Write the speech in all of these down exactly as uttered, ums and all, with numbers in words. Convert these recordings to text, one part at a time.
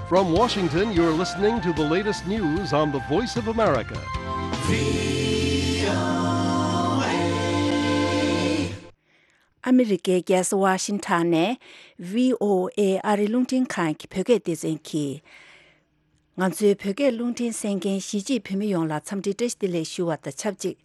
From Washington, you're listening to the latest news on the Voice of America. ཨ་མི་རི་ཀའི་རྒྱལ་ས་ཝ་ཤིང་ཊོན་ནས་བྷི་ཨོ་ཨེ་ཨ་རིའི་རླུང་འཕྲིན་ཁང་གི་བོད་སྐད་སྡེ་ཚན་གྱིས། ང་ཚོའི་བོད་སྐད་རླུང་འཕྲིན་གསན་མཁན་གཞིས་བྱེས་བོད་མི་ཡོངས་ལ་འཚམས་འདྲི་བཀྲ་ཤིས་བདེ་ལེགས་ཞུ་བ་དང་ཆབས་ཅིག་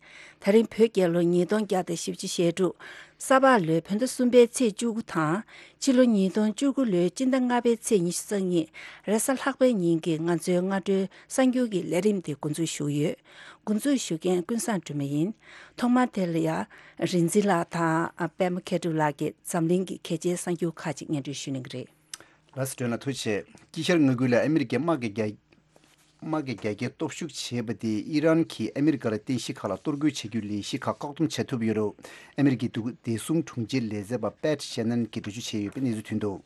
དེ་རིང་བོད་རྒྱལ་ལོ་ཉིས་སྟོང་བརྒྱ་དང་བཞི་བཅུ་ཞེ་དྲུག་ས་ཕག་ལོའི་བོད་ཟླ་གསུམ་པའི་ཚེས་བཅུ་དགུ་དང་། ཕྱི་ལོ་ཉིས་སྟོང་བཅུ་དགུ་ལོའི་སྤྱི་ཟླ་ལྔ་པའི་ཚེས་ཉི་ཤུ་རྩ་གཉིས་རེས་གཟའ་ལྷག་པའི་ཉིན་གྱི་ང་ཚོའི་སྔ་དྲོའི་གསར་འགྱུར་གྱི་ལས་རིམ་དེ་འགོ་འཛུགས་ཞུ་གི་ཡོད། འགོ་འཛུགས་ཞུ་མཁན་ཀུན་བཟང་སྒྲོལ་མ་ཡིན། ཐོག་མར་དེ་ལ་ཡ། རིག་འཛིན་ལགས་དང་པད་མ་མཁས་གྲུབ་ལགས་ཀྱིས་འཛམ་གླིང་གི་གལ་ཆེའི་གསར་འགྱུར་ཁག་ཅིག་སྙན་སྒྲོན་ཞུ་གནང་གི་རེད། ལགས་སོ། སྒྲོལ་མ་ལགས་ཐུགས་རྗེ་ཆེ། དཀྱིལ་ཤར་མངའ་ཁུལ་ལ་ཨ་མི་རི་ཀའི་དམག་གི་རྒྱ་དམག་གི་རྒྱ་སྐྱེད་སྟོབས་ཤུགས་བྱས་པ་དེས་ཨི་རན་གྱིས་ཨ་མི་རི་ཀར་རྟེན་གཞི་ཁག་ལ་གཏོར་རྒོལ་བྱ་རྒྱུའི་ལས་གཞི་ཁག་བཀག་སྡོམ་བྱ་ཐུབ་ཡོད་རུང་། ཨ་མི་རི་ཀའི་འདུག་བདེ་སྲུང་དྲུང་ཆེའི་ལས་བྱེད་པ་པེ་ཊི་ཤེ་ནན་གྱིས་འགྲེལ་བརྗོད་བྱས་ཡོད་པའི་གནས་ཚུལ་ཐོན་འདུག་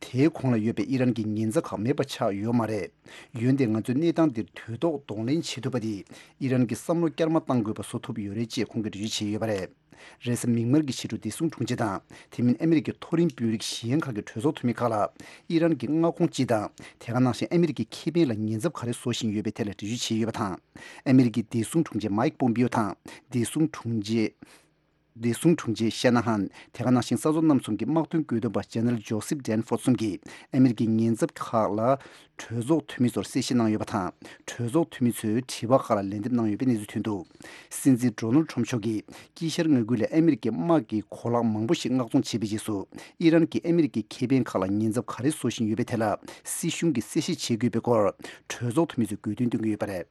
དེའི་གོང་ལ་ཡོད་པའི་ཨི་རན་གྱི་ཉེན་ཚབས་ཁག་མེད་པ་ཆགས་ཡོད་མ་རེད། འོན་ཏེ་ང་ཚོས་གནས་སྟངས་འདིར་དུས་ཐོག་གདོང་ལེན་བྱེད་ཐུབ་པ་དེས་ཨི་རན་གྱི་བསམ་བློ་བསྐྱར་མ་གཏང་དགོས་པ་བཟོ་ཐུབ་ཡོད་རེད་ཅེས་ཁོང་གིས་འགྲེལ་བརྗོད་བྱས་ཡོད་པ་རེད། རེས་གཟའ་མིག་དམར་གྱི་ཕྱི་དྲོ་བདེ་སྲུང་དྲུང་ཆེ་དང་། དེ་མིན་ཨ་མི་རི་ཀའི་མཐོ་རིམ་དཔོན་རིགས་གཞན་ཁག་གི་གྲོས་ཚོགས་འཐུས་མི་ཁག་ལ་ཨི་རན་གྱི་མངའ་ཁོངས་སྤྱི་དང་། དེ་ག་ནང་བཞིན་ཨ་མི་རི་ཀའི་ཁེ་ཕན་ལ་ཉེན་ཚབས་ག་རེ་བཟོ་བཞིན་ཡོད་པའི་ཐད་ལ་འགྲེལ་བརྗོད་བྱས་ཡོད་པ་དང་། ཨ་མི་རི་ཀའི་བདེ་སྲུང་དྲུང་ཆེ་མའིག་པོམ་པིའོ་དང་བདེ་སྲུང་དྲུང་ཆེ། བདེ་སྲུང་དྲུང་ཆེ་ཤ་ན་ཧན། དེ་ག་ནང་བཞིན་ས་མཚོ་གནམ་གསུམ་གྱི་དམག་དོན་བཀོད་འདོམས་པ་ཇེ་ནེ་རལ་ཇོ་སེབ་ཌན་ཕོར་ཌ་གསུམ་གྱིས་ཨ་མི་རི་ཀའི་ཉེན་ཚབས་ཁག་ལ་གྲོས་ཚོགས་འཐུས་མི་ཚོར་གསལ་བཤད་གནང་ཡོད་པ་དང་། གྲོས་ཚོགས་འཐུས་མི་ཚོས་དྲི་བ་ཁག་ལ་ལན་འདེབས་གནང་ཡོད་པའི་གནས་ཚུལ་ཐོན་འདུག་སྲིད་འཛིན་ཌོ་ནལ་ཌི་ཊརམ་ཕི་མཆོག་གིས་དཀྱིལ་ཤར་མངའ་ཁུལ་ལས་ཨ་མི་རི་ཀའི་དམག་གི་གོ་ལག་མང་པོ་ཞིག་མངགས་གཏོང་བྱས་པའི་རྗེས་སུ། ཨི་རན་གྱིས་ཨ་མི་རི་ཀའི་ཁེ་ཕན་ཁག་ལ་ཉེན་ཚབས་ག་རེ་བཟོ་བཞིན་ཡོད་པའི་ཐད་ལ་སྲིད་གཞུང་གིས་གསལ་བཤད་བྱེད་དགོས་པའི་སྐོར་གྲོས་ཚོགས་འཐུས་མི་ཚོས་དགོས་འདུན་བཏོན་གྱི་ཡོད་པ་རེད།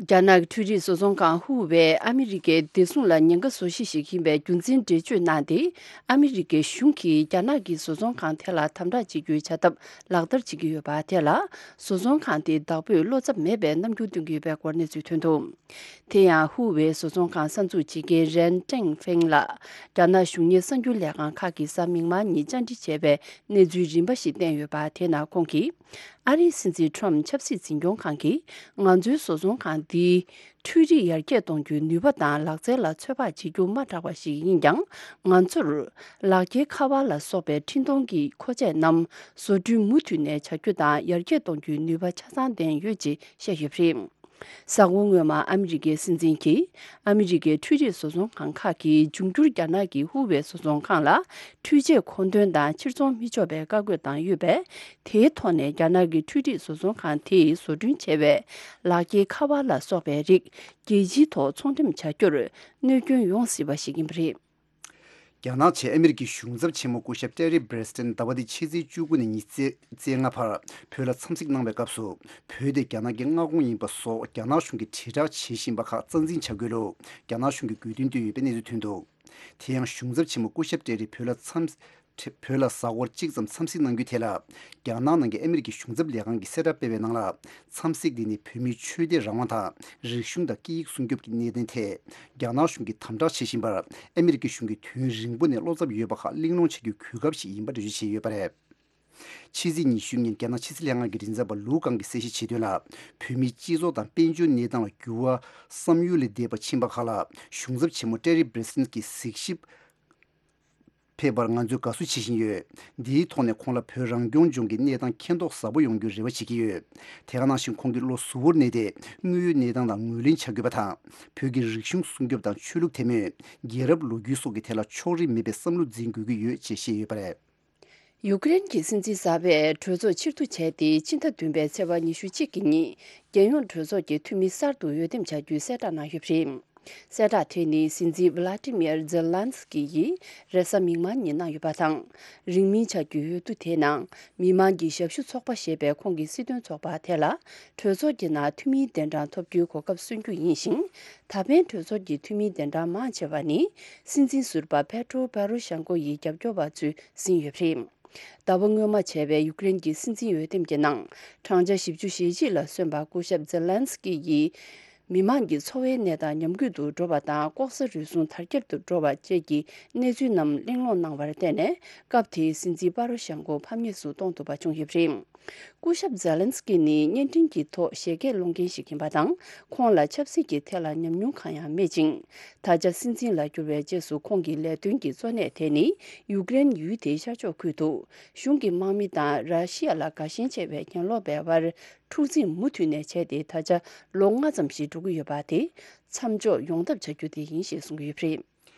རྒྱ་ནག་གི་འཕྲུལ་རིག་བཟོ་ཚོང་ཁང་ཧུ་ཝེ་ཨ་མི་རི་ཀའི་བདེ་སྲུང་ལ་ཉེན་ཁ་བཟོ་གཞི་ཞིག་ཡིན་པའི་རྒྱུ་མཚན་འགྲེལ་བརྗོད་གནང་སྟེ། ཨ་མི་རི་ཀའི་གཞུང་གིས་རྒྱ་ནག་གི་བཟོ་ཚོང་ཁང་དེ་ལ་དམ་དྲག་བྱེད་རྒྱུའི་བྱ་ཐབས་ལག་བསྟར་བྱེད་ཀྱི་ཡོད་པ་དེ་ལ། བཟོ་ཚོང་ཁང་དེ་བདག་པོས་བློ་འཚབ་མེད་པའི་རྣམ་འགྱུར་སྟོན་གྱི་ཡོད་པའི་སྐོར་གནས་ཚུལ་ཐོན་འདུག་དེ་ཡང་ཧུ་ཝེ་བཟོ་ཚོང་ཁང་གསར་འཛུགས་བྱེད་མཁན་རན་ཀྲེང་ཧྥེང་ལ་རྒྱ་ནག་གཞུང་གཉེར་གསར་འགྱུར་ལས་ཁང་ཁག་གིས་གཟའ་མིག་དམར་ཉིན་བཅར་འདྲི་བྱས་པའི་གནས་ཚུལ་རིམ་པ་ཞིག་བསྟན་ཡོད་པ་དེ་ནང་ཁོང་གིས། ཨ་རིའི་སྲིད་འཛིན་ཊརམ་ཆབ་སྲིད་འཛིན་སྐྱོང་ཁང་གིས་ང་ཚོའི་བཟོ་ཚོང་ཁང་འདིའི་འཕྲུལ་རིག་ཡར་རྒྱས་གཏོང་རྒྱུའི་ནུས་པ་དང་ལག་རྩལ་ལ་ཚོད་དཔག་བྱེད་རྒྱུ་མ་དྲག་པ་ཞིག་ཡིན་ཀྱང་། ང་ཚོར་ལག་འཁྱེར་ཁ་པར་ལ་སོགས་པའི་འཕྲིན་གཏོང་གི་མཁོ་ཆས་རྣམས་བཟོ་སྐྲུན་མུ་མཐུད་ནས་བྱ་རྒྱུ་དང་ཡར་རྒྱས་གཏོང་རྒྱུའི་ནུས་པ་ཆ་ཚང་ལྡན་ཡོད་ཅེས་བཤད་ཡོད་པ་རེད། གཟའ་འཁོར་སྔོན་མ་ཨ་མི་རི་ཀའི་སྲིད་འཛིན་གྱིས་ཨ་མི་རི་ཀའི་འཕྲུལ་རིག་བཟོ་ཚོང་ཁང་ཁག་གིས་འབྱུང་འགྱུར་རྒྱ་ནག་གི་ཧུ་ཝེ་བཟོ་ཚོང་ཁང་ལ་འཕྲུལ་ཆས་མཁོ་འདོན་དང་ཕྱིར་ཚོང་མི་ཆོག་པའི་བཀའ་བཀོད་བཏང་ཡོད་པས། དེའི་ཐོག་ནས་རྒྱ་ནག་གི་འཕྲུལ་རིག་བཟོ་ཚོང་ཁང་དེས་བཟོ་སྐྲུན་བྱས་པའི་ལག་འཁྱེར་ཁ་པར་ལ་སོགས་པའི་རིགས་རྒྱལ་སྤྱིའི་ཐོག་ཚོང་འགྲེམས་བྱ་རྒྱུར་གནོད་སྐྱོན་ཡོང་སྲིད་པ་ཞིག་ཡིན་པ་རེད། རྒྱ་ནག་བཅས་ཨ་མི་རི་ཀའི་གཞུང་ཚབ་ཆེན་མོ་སྐུ་ཞབས་ཏེ་རི་བྷེ་རེ་སི་ཊན་ཟླ་བ་འདིའི་ཕྱི་ཚེས་བཅུ་དགུ་ནས་ཉི་ཤུ་རྩ་ལྔ་བར་བོད་ལ་འཚམས་གཟིགས་གནང་བའི་སྐབས་སུ། བོད་དེ་རྒྱ་ནག་གི་མངའ་ཁོངས་ཡིན་པ་སོགས་རྒྱ་ནག་གཞུང་གིས་དྲིལ་བསྒྲགས་བྱེད་བཞིན་པ་ཁག་རྩ་འཛིན་བྱ་དགོས་ལུགས་རྒྱ་ནག་གཞུང་གིས་དགོས་འདུན་བཏོན་ཡོད་པའི་གནས་ཚུལ་ཐོན་འདུག་དེ་ཡང་གཞུང་ཚབ་ཆེན་མོ་སྐུ་ཞབས་ཏེ་རི་བོད་ལ་འཚམས། བོད་ལ་གཟའ་འཁོར་གཅིག་ཙམ་འཚམས་གཟིགས་གནང་རྒྱུའི་ཐད་ལ། རྒྱ་ནག་ནང་གི་ཨ་མི་རི་ཀའི་གཞུང་ཚབ་ལས་ཁང་གིས་གསལ་བསྒྲགས་སྤེལ་བའི་ནང་ལ། འཚམས་གཟིགས་འདི་ནི་བོད་མིའི་ཆོས་དད་རང་དབང་དང་། རིག་གཞུང་དང་སྐད་ཡིག་སྲུང་སྐྱོབ་ཀྱི་གནད་དོན་ཐད། རྒྱ་ནག་གཞུང་གིས་དམ་དྲག་བྱེད་བཞིན་པར། ཨ་མི་རི་ཀའི་གཞུང་གིས་དུས་ཡུན་རིང་པོ་ནས་བློ་འཚབ་ཡོད་པ་ཁག་གླེང་སློང་བྱ་རྒྱུའི་གོ་སྐབས་ཤིག་ཡིན་པ་འགྲེལ་བརྗོད་བྱས་ཡོད་པ་རེད། ཕྱི་ཚེས་ཉི་ཤུ་ཉིན་རྒྱ་ནག་ཕྱི་སྲིད་ལྷན་ཁང་གི་མགྲིན་ཚབ་པ་ལུའུ་ཀང་གིས་གསལ་བཤད་བྱས་དོན་ལ། བོད་མིའི་སྤྱི་ཚོགས་དང་དཔལ་འབྱོར་གནས་སྟངས་ལ་འགྱུར་བ་བསམ་ཡུལ་ལས་འདས་པ་ཕྱིན་པ་ཁག་ལ། གཞུང་ཚབ་ཆེན་མོ་ཏེ་རི་བྷེ་རེ་སི་ཊན་གྱིས་གཟིགས་ཞིབ་ཕེབས་པར་ང་ཚོས་དགའ་བསུ་བྱེད་བཞིན་ཡོད། འདིའི་ཐོག་ནས་ཁོང་ལ་བོད་རང་སྐྱོང་ལྗོངས་ཀྱི་གནས་སྟངས་མཁྱེན་རྟོགས་ཟབ་པོ་ཡོང་རྒྱུའི་རེ་བ་བྱེད་ཀྱི་ཡོད། དེ་ག་ནང་བཞིན་ཁོང་གིས་བློ་གཟུ་བོར་གནས་ཏེ། དངོས་ཡོད་གནས་སྟངས་དང་ངོས་ལེན་བྱ་དགོས་པ་དང་། བོད་ཀྱི་རིག་གཞུང་སྲུང་སྐྱོབ་དང་ཆོས་ལུགས་དད་མོས། རྒྱལ་རབས་ལོ་རྒྱུས་སོགས་ཀྱི་ཐད་ལ་ཕྱོགས་རིས་མེད་པའི་བསམ་བློ་འཛིན་དགོས་ཀྱི་ཡོད་ཅེས་བཤད་ཡོད་པ་རེད། ཡུཀ་རེན་གྱི་སྲིད་འཛིན་གསར་པས་གྲོས་ཚོགས་ཕྱིར་བསྡུ་བྱས་ཏེ། ཕྱི་ཟླ་བདུན་པའི་ཚེས་པ་ཉི་ཤུ་གཅིག་གི་ཉིན། རྒྱལ་ཡོངས་གྲོས་ཚོགས་ཀྱི་འཐུས་མི་གསར་དུ་འོས་འདེམས་བྱ་རྒྱུའི་གསལ་བསྒྲགས་གནང་ཡོད་པ་རེད། གསལ་བསྒྲགས་དེ་ནི་སྲིད་འཛིན་ཝི་ལ་ཏི་མིར་ཛེ་ལན་སི་ཀི་ཡིས་རེས་གཟའ་མིག་དམར་ཉིན་གནང་ཡོད་པ་དང་། རིང་མིན་བྱ་རྒྱུའི་འོས་བསྡུ་དེའི་ནང་། མི་དམངས་ཀྱི་ཞབས་ཞུ་ཚོགས་པ་ཞེས་པའི་ཁོངས་ཀྱི་སྲིད་དོན་ཚོགས་པ་དེ་ལ། གྲོས་ཚོགས་ཀྱི་ནང་འཐུས་མིའི་གདན་གྲངས་ཐོབ་རྒྱུའི་གོ་སྐབས་སོན་རྒྱུ་ཡིན་ཞིང་། ད་ཕན་གྲོས་ཚོགས་ཀྱི་འཐུས་མིའི་གདན་གྲངས་མང་ཆེ་བ་ནི། སྲིད་འཛིན་ཟུར་པ་པེ་ཏྲོ་པ་རོ་ཤན་ཀོ་ཡི་རྒྱབ་སྐྱོར་བ་ཚོས་ཟིན་ཡོད་པ་རེད། ཟླ་བ་སྔོན་མ་བྱས་པའི་ཡུཀ་རེན་གྱི་སྲིད་འཛིན་འོས་འདེམས་ཀྱི་ནང་། བགྲང་བྱ་བཞི་བཅུ་ཞེ་གཅིག་ལ་སོན་པ་སྐུ་ཞབས་ཛེ་ལན་སི་ཀི་ཡིས། མི་དམངས་ཀྱི་འཚོ་བའི་གནས་སྟངས་ཉམས་རྒུད་དུ་འགྲོ་བ་དང་། ལྐོག་ཟ་རུལ་སུངས་དར་ཁྱབ་ཏུ་འགྲོ་བ་བཅས་ཀྱི་གནས་ཚུལ་རྣམས་གླེང་སློང་གནང་བར་བརྟེན་ནས། སྐབས་དེའི་སྲིད་འཛིན་པ་རོ་ཤན་ཀོ་ཕམ་ཉེས་སུ་གཏོང་ཐུབ་པ་བྱུང་ཡོད་པ་རེད། སྐུ་ཞབས་ཛེ་ལན་སི་ཀི་ནི་བརྙན་འཕྲིན་གྱི་ཐོག་བཞད་གད་སློང་མཁན་ཞིག་ཡིན་པ་དང་། ཁོང་ལ་ཆབ་སྲིད་ཀྱི་ཐད་ལ་ཉམས་མྱོང་གང་ཡང་མེད་ཅིང་། ད་ཆ་སྲིད་འཛིན་ལ་གྱུར་བའི་རྗེས་སུ་ཁོང་གི་ལས་དོན་གྱི་གཙོ་གནད་དེ་ནི་ཡུཀ་རེན་ཡུལ་དེའི་ཤར་ཕྱོགས་ཁུལ་དུ་གཞུང་གི་དམག་མི་དང་ར་ཤི་ཡ་ལ་དགའ་ཞེན་ཆེ་བའི་གྱེན་ལོག་པའི་དབར་འཁྲུག་འཛིང་མུ་མཐུད་ནས་བྱས་ཏེ། ད་ཆ་ལོ་ལྔ་ཙམ་ཞིག་འགྲོ་གི་ཡོད་པ་དེ་མཚམས་འཇོག་ཡོང་ཐབས་བྱ་རྒྱུ་དེ་ཡིན་ཞེས་གསུངས་ཀྱི་ཡོད་པ་རེད།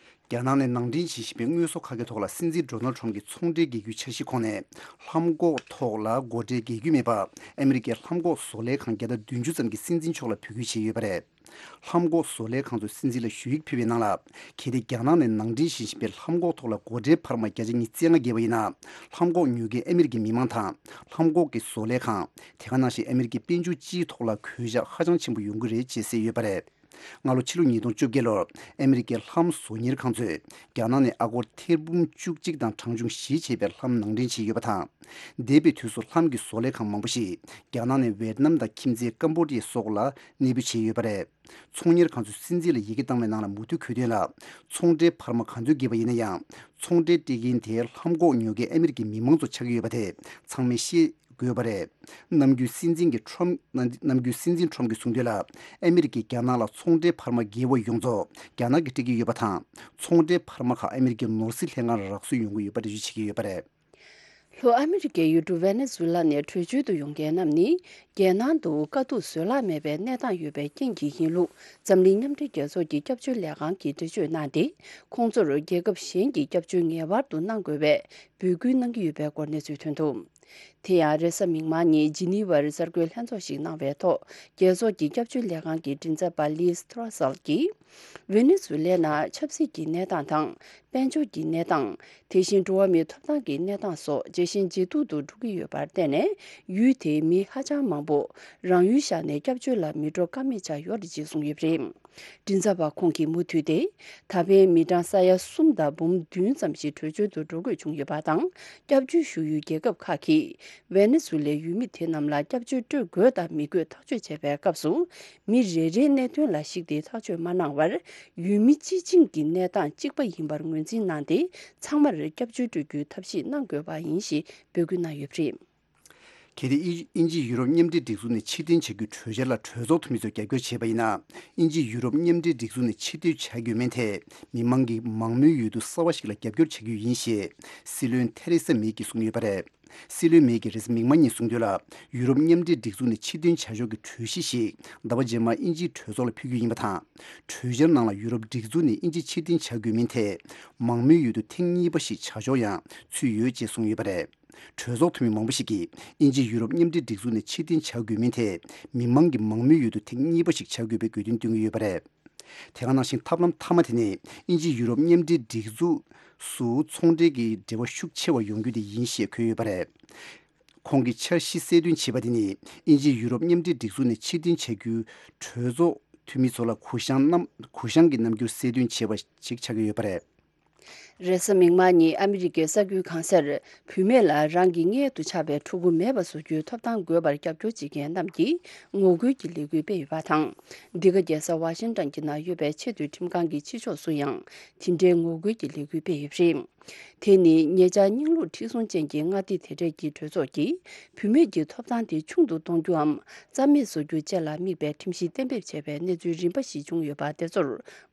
རྒྱ་ནག་ནས་ནང་འདྲེན་བྱེད་བཞིན་པའི་དངོས་ཟོག་ཁ་ཤས་ཐོག་ལ་སྲིད་འཛིན་ཌོ་ནལ་ཌི་ཊརམ་གྱི་ཚོང་འབྲེལ་སྒེར་གྱི་འཆར་གཞིའི་ཁོངས་ནས། ལྷམ་གོག་ཐོག་ལ་སྒོ་ཁྲལ་འགེལ་རྒྱུ་མེད་པ། ཨ་མི་རི་ཀའི་ལྷམ་གོག་བཟོ་ལས་ཁང་བརྒྱ་དང་བདུན་ཅུ་ཙམ་གྱིས་སྲིད་འཛིན་མཆོག་ལ་འབོད་སྐུལ་བྱས་ཡོད་པ་རེད། ལྷམ་གོག་བཟོ་ལས་ཁང་ཚོས་སྲིད་འཛིན་ལ་ཞུ་ཡིག་ཕུལ་བའི་ནང་ལ། གལ་ཏེ་རྒྱ་ནག་ནས་ནང་འདྲེན་བྱེད་བཞིན་པའི་ལྷམ་གོག་ཐོག་ལ་སྒོ་ཁྲལ་འཕར་མ་བརྒྱ་ཆ་ཉི་ཤུ་རྩ་ལྔ་བརྒལ་བ་ཡིན་ན། ལྷམ་གོག་ཉོ་མཁན་ཨ་མི་རི་ཀའི་མི་མང་དང་། ལྷམ་གོག་གི་བཟོ་ལས་ཁང་། དེ་ག་ནང་བཞིན་ཨ་མི་རི་ཀའི་དཔལ་འབྱོར་སྤྱིའི་ཐོག་ལ་གོད་ཆག་ཧ་ཅང་ཆེན་པོ་ཡོང་གི་རེད་ཅེས་གསལ་ཡོད་པ་རེད། སྔ་ལོ་ཕྱི་ལོ་ཉིས་སྟོང་བཅོ་བརྒྱད་ལོར་ཨ་མི་རི་ཀའི་ལྷམ་བཟོ་གཉེར་ཁང་ཚོས་རྒྱ་ནག་ནས་ཨ་སྒོར་ཐེར་འབུམ་བཅུ་གཅིག་དང་གྲངས་ཆུང་བཞི་བྱས་པའི་ལྷམ་ནང་འདྲེན་བྱས་ཡོད་པ་དང་། འདས་པའི་དུས་སུ་ལྷམ་གྱི་བཟོ་ལས་ཁང་མང་པོ་ཞིག་རྒྱ་ནག་ནས་ཝེད་ནམ་དང་ཁྱིམ་མཚེས་ཀམ་བོ་ཌི་ཡ་སོགས་ལ་གནས་སྤོས་བྱས་ཡོད་པ་རེད། ཚོང་གཉེར་ཁང་ཚོས་སྲིད་འཛིན་ལ་ཡི་གེ་བཏང་བའི་ནང་ལ་མུ་མཐུད་འཁོད་དོན་ལ། ཚོང་འབྲེལ་འཕར་མ་ག་ཚོད་བརྒལ་བ་ཡིན་ན་ཡང་། ཚོང་འབྲེལ་སྤྲད་མཁན་དེ་ལྷམ་གོག་ཉོ་མཁན་ཨ་མི་རི་ཀའི་མི་མང་ཚོ་ཆགས་ཀྱི་ཡོད་པ་དེ་ཚང་མས་ཤེས་དགོས་པ་རེད། ནམ་རྒྱུན་སྲིད་འཛིན་གྱི་ཁྲོམ། ནམ་རྒྱུན་སྲིད་འཛིན་ཁྲོམ་གྱིས་གསུངས་དོན་ལ། ཨ་མི་རི་ཀས་རྒྱ་ནག་ལ་ཚོང་འབྲེལ་འཕར་མ་བརྒལ་བ་ཡོངས་རྫོགས་རྒྱ་ནག་གིས་སྤྲད་ཀྱི་ཡོད་པ་དང་། ཚོང་འབྲེལ་འཕར་མ་ཁག་ཨ་མི་རི་ཀའི་ནོར་སྲིད་ལྷན་ཁང་ལ་རག་སོན་ཡོང་གི་ཡོད་པ་འགྲེལ་བརྗོད་བྱེད་ཀྱི་ཡོད་པ་རེད། ལྷོ་ཨ་མི་རི་ཀའི་ཡུལ་གྲུ་ཝེ་ནེ་ཛུ་ལ་ནས་བྲོས་བྱོལ་དུ་ཡོང་མཁན་རྣམས་ནི། རྒྱལ་ནང་དུ་དཀའ་སྡུག་བཟོད་གླགས་མེད་པའི་གནས་སྟངས་ཡོད་པའི་རྐྱེན་གྱིས་ཡིན་ལུགས། འཛམ་གླིང་མཉམ་འབྲེལ་རྒྱལ་ཚོགས་ཀྱི་སྐྱབས་བཅོལ་ལས་ཁང་གིས་འགྲེལ་བརྗོད་གནང་སྟེ། ཁོང་ཚོར་རྒྱལ་ཁབ་གཞན་གྱི་སྐྱབས་བཅོལ་ངེས་པར་དུ་གནང་དགོས་པའི་འབོད་སྐུལ་གནང་གི་ཡོད་པའི་སྐོར་གནས་ཚུལ་ཐོན་འདུག། དེ་ཡང་རེས་གཟའ་མིག་དམར་ཉིན་ཇི་ནི་ཝར་གསར་འགོད་ལྷན་ཚོགས་ཤིག་གནང་བའི་ཐོག། རྒྱལ་ཚོགས་ཀྱི་སྐྱབས་བཅོལ་ལས་ཁང་གི་མགྲིན་ཚབ་པ་ལིས་ཐོ་ར་སལ་གྱིས། ཝེ་ནེ་ཛུ་ལེ་ནང་ཆབ་སྲིད་ཀྱི་གནས་སྟངས་དང་། དཔལ་འབྱོར་གྱི་གནས་སྟངས། དེ་བཞིན་འགྲོ་བ་མིའི་ཐོབ་ཐང་གི་གནས་སྟངས་སོགས་ཇེ་ཞན་ཇེ་སྡུག་ཏུ་འགྲོ་གི་ཡོད་པར་བརྟེན་ནས། ཡུལ་དེའི་མི་ཧ་ཅང་མང་པོ་རང་ཡུལ་བཞག་ནས་སྐྱབས་བཅོལ་ལ་མི་འགྲོ་ཀ་མེད་ཆགས་ཡོད་རེད་ཅེས་གསུངས་ཡོད་པ་རེད། མགྲིན་ཚབ་པ་ཁོང་གིས་མུ་མཐུད་དེ། ད་ཕན་མི་གྲངས་ས་ཡ་གསུམ་དང་འབུམ་བདུན་ཙམ་ཞིག་བྲོས་བྱོལ་དུ་འགྲོ་དགོས་བྱུང་ཡོད་པ་དང་། སྐྱབས་བཅོལ་ཞུ་ཡུལ་རྒྱལ་ཁབ་ཁག་གིས་ཝེ་ནེ་ཛུ་ལའི་ཡུལ་མི་དེ་རྣམས་ལ་སྐྱབས་བཅོལ་སྤྲོད་དགོས་དང་མི་དགོས་ཐག་གཅོད་བྱེད་པའི་སྐབས་སུ། མི་རེ་རེའི་གནད་དོན་ལ་གཞིགས་ཏེ་ཐག་གཅོད་མ་གནང་བར། ཡུལ་མི་སྤྱི་བྱིངས་ཀྱི་གནས་སྟངས་གཅིག་པ་ཡིན་པར་ངོས་འཛིན་གནང་སྟེ། ཚང་མར་སྐྱབས་བཅོལ་སྤྲོད་རྒྱུའི་ཐབས་ཤེས་གནང་དགོས་པ་ཡིན་ཞེས་འབོད་སྐུལ་གནང་ཡོད་པ་རེད། གལ་ཏེ་དབྱིན་ཨིན་ཇི་ཡུ་རོབ་མཉམ་འབྲེལ་སྒྲིག་འཛུགས་ནས་ཕྱིར་འཐེན་བྱ་རྒྱུའི་གྲོས་འཆར་ལ་གྲོས་ཚོགས་འཐུས་མི་ཚོས་རྒྱབ་སྐྱོར་བྱས་པ་ཡིན་ན། ཨིན་ཇི་ཡུ་རོབ་མཉམ་འབྲེལ་སྒྲིག་འཛུགས་ནས་ཕྱིར་འཐེན་བྱ་དགོས་མིན་ཐད། མི་མང་གིས་མང་མོས་ཡོད་དུས་གསར་བ་ཞིག་ལ་རྒྱབ་སྐྱོར་བྱ་རྒྱུ་ཡིན་ཞེས། སྲིད་བློན་ཐེ་རེ་ས་མེ་གིས་གསུངས་ཡོད་པ་རེད། སྲིད་བློན་མེ་གིས་རེས་གཟའ་མིག་དམར་ཉིན་གསུངས་དོན་ལ། ཡུ་རོབ་མཉམ་འབྲེལ་སྒྲིག་འཛུགས་ནས་ཕྱིར་འཐེན་བྱ་ཕྱོགས་ཀྱི་གྲོས་གཞི་ཞིག་ཟླ་བ་རྗེས་མར་ཨིན་ཇིའི་གྲོས་ཚོགས་ལ་ཕུལ་རྒྱུ་ཡིན་པ་དང་། གྲོས་འཆར་ནང་ལ་ཡུ་རོབ་སྒྲིག་འཛུགས་ནས་ཨིན་ཇི་ཕྱིར་འཐེན་བྱ་དགོས་མིན་ཐད། མང་མོས་ཡོད་དུ་ཐེངས་གཉིས་པ་ཞིག་བྱ་ཕྱོགས་ཡང་ཚུད་ཡོད་ཅེས་གསུངས་ཡོད་པ་རེད། གྲོས་ཚོགས་འཐུས་མི་མང་པོ་ཞིག་གིས། ཨིན་ཇི་ཡུ་རོབ་མཉམ་འབྲེལ་སྒྲིག་འཛུགས་ནས་ཕྱིར་འཐེན་བྱ་དགོས་མིན་ཐད། མི་མང་གིས་མང་མོས་ཡོད་དུ་ཐེངས་གཉིས་པ་ཞིག་བྱ་དགོས་པའི་དགོས་འདུན་བཏོན་གྱི་ཡོད་པ་རེད། དེ་ག་ནང་བཞིན་ཐབས་ལམ་མཐའ་མ་དེ་ནི། ཨིན་ཇི་ཡུ་རོབ་མཉམ་འབྲེལ་སྒྲིག་འཛུགས་སུ་ཚོང་འབྲེལ་གྱི་འབྲེལ་བ་ཤུགས་ཆེ་བ་ཡོང་རྒྱུ་དེ་ཡིན་ཞེས་འཁོད་ཡོད་པ་རེད། ཁོང་གིས་འཆར་གཞི་གསལ་སྟོན་བྱས་པ་དེ་ནི། ཨིན་ཇི་ཡུ་རོབ་མཉམ་འབྲེལ་སྒྲིག་འཛུགས་ནས་ཕྱིར་འཐེན་བྱ་རྒྱུའི་གྲོས་ཚོགས་འཐུས་མི་ཚོ་ལ་གུ་ཡངས་རྣམ་གུ་ཡངས་ཀྱི་རྣམ་འགྱུར་གསལ་སྟོན་བྱས་པ་ཞིག་ཆགས་ཀྱི་ཡོད་པ་རེད། རེས་གཟའ་མིག་དམར་ཉིན་ཨ་མི་རི་ཀའི་གསར་འགྱུར་ཁང་གསར། བུད་མེད་ལ་རང་གི་མངལ་དུ་ཆགས་པའི་ཕྲུ་གུ་མེད་པ་བཟོ་རྒྱུའི་ཐོབ་ཐང་དགོས་པར་རྒྱབ་སྐྱོར་བྱེད་མཁན་རྣམས་ཀྱིས་ངོ་རྒོལ་གྱི་ལས་འགུལ་སྤེལ་ཡོད་པ་དང་། འདི་ག་རྒྱལ་ས་ཝ་ཤིང་ཏོན་གྱི་ནང་ཡོད་པའི་ཆེས་མཐོའི་ཁྲིམས་ཁང་གི་ཕྱི་ཕྱོགས་སུ་ཡང་དེ་འདྲའི་ངོ་རྒོལ་གྱི་ལས་འགུལ་སྤེལ་ཡོད་པ་རེད། དེ་ནི་ཉེ་ཆར་རྙིང་ལུགས་ཁྲིམས་སྲུང་ཅན་གྱི་མངའ་སྡེ་དེ་གྲས་ཀྱི་གྲོས་ཚོགས་ཀྱིས་བུད་མེད་ཀྱི་ཐོབ་ཐང་དེ་ཆུང་དུ་གཏོང་རྒྱུའམ་རྩ་མེད་བཟོ་རྒྱུ་བཅས་ལ་དམིགས་པའི་ཁྲིམས་གཞི་གཏན་འབེབས་བྱས་པའི་གནས་ཚུལ་རིམ་པ་ཞིག་བྱུང་ཡོད་པ་དེ་ཚོར་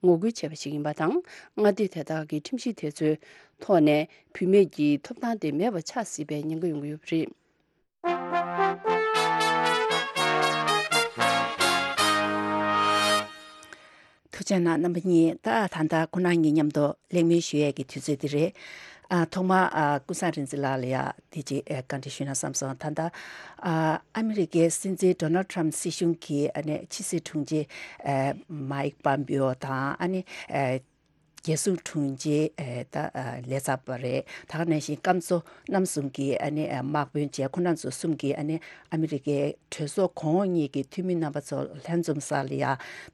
ངོ་རྒོལ་བྱས་པ་ཞིག་ཡིན་པ་དང་། མངའ་སྡེ་དེ་དག་གི་ཁྲིམས་གཞི་དེ་ཚོའི་ཐོག་ནས་བུད་མེད་ཀྱི་ཐོབ་ཐང་དེ་མེད་པ་ཆགས་སྲིད་པའི་ཉེན་ཁ་ཡོང་གི་ཡོད་པ་རེད། ཐུགས་རྗེ་གནང་རྣམ་པ་གཉིས། ད་ད་ལྟ་ཁོ་རང་གཉིས་མཉམ་དུ་གླེང་མོལ་ཞུ་ཡས་ཀྱི་དུས་ཚོད་འདི་རེད། ཨ་ཐོག་མར་ཨ་ཀུན་བཟང་རིག་འཛིན་ལགས་ལ་ཡ་དེ་ཅིག་ཨ་བཀའ་འདྲི་ཞུས་ན་བསམ་སོང་། ད་ལྟ་ཨ་ཨ་མི་རི་ཀའི་སྲིད་འཛིན་ཌོ་ནལ་ཊམ་སྲིད་གཞུང་གིས་ཨ་ནི་ཕྱི་སྲིད་དྲུང་ཆེ་ཨ་མའིག་པམ་པིའོ་དང་ཨ་ནི་ཨ་རྒྱལ་སྲུང་དྲུང་ཆེ་ཨ་ད་ཨ་ལས་ཚབ་པ་རེད། ད་ག་ནང་བཞིན་སྐམ་མཚོ་རྣམ་གསུམ་གྱི་ཨ་ནི་ཨ་དམག་དཔོན་བཅས་ཁོང་རྣམ་ཚོ་གསུམ་གྱིས་ཨ་ནི་ཨ་མི་རི་ཀའི་གྲོས་ཚོགས་གོང་འོག་གཉིས་ཀྱི་འཐུས་མི་རྣམ་པ་ཚོ་ལྷན་འཛོམས་ས་ལ་ཡ་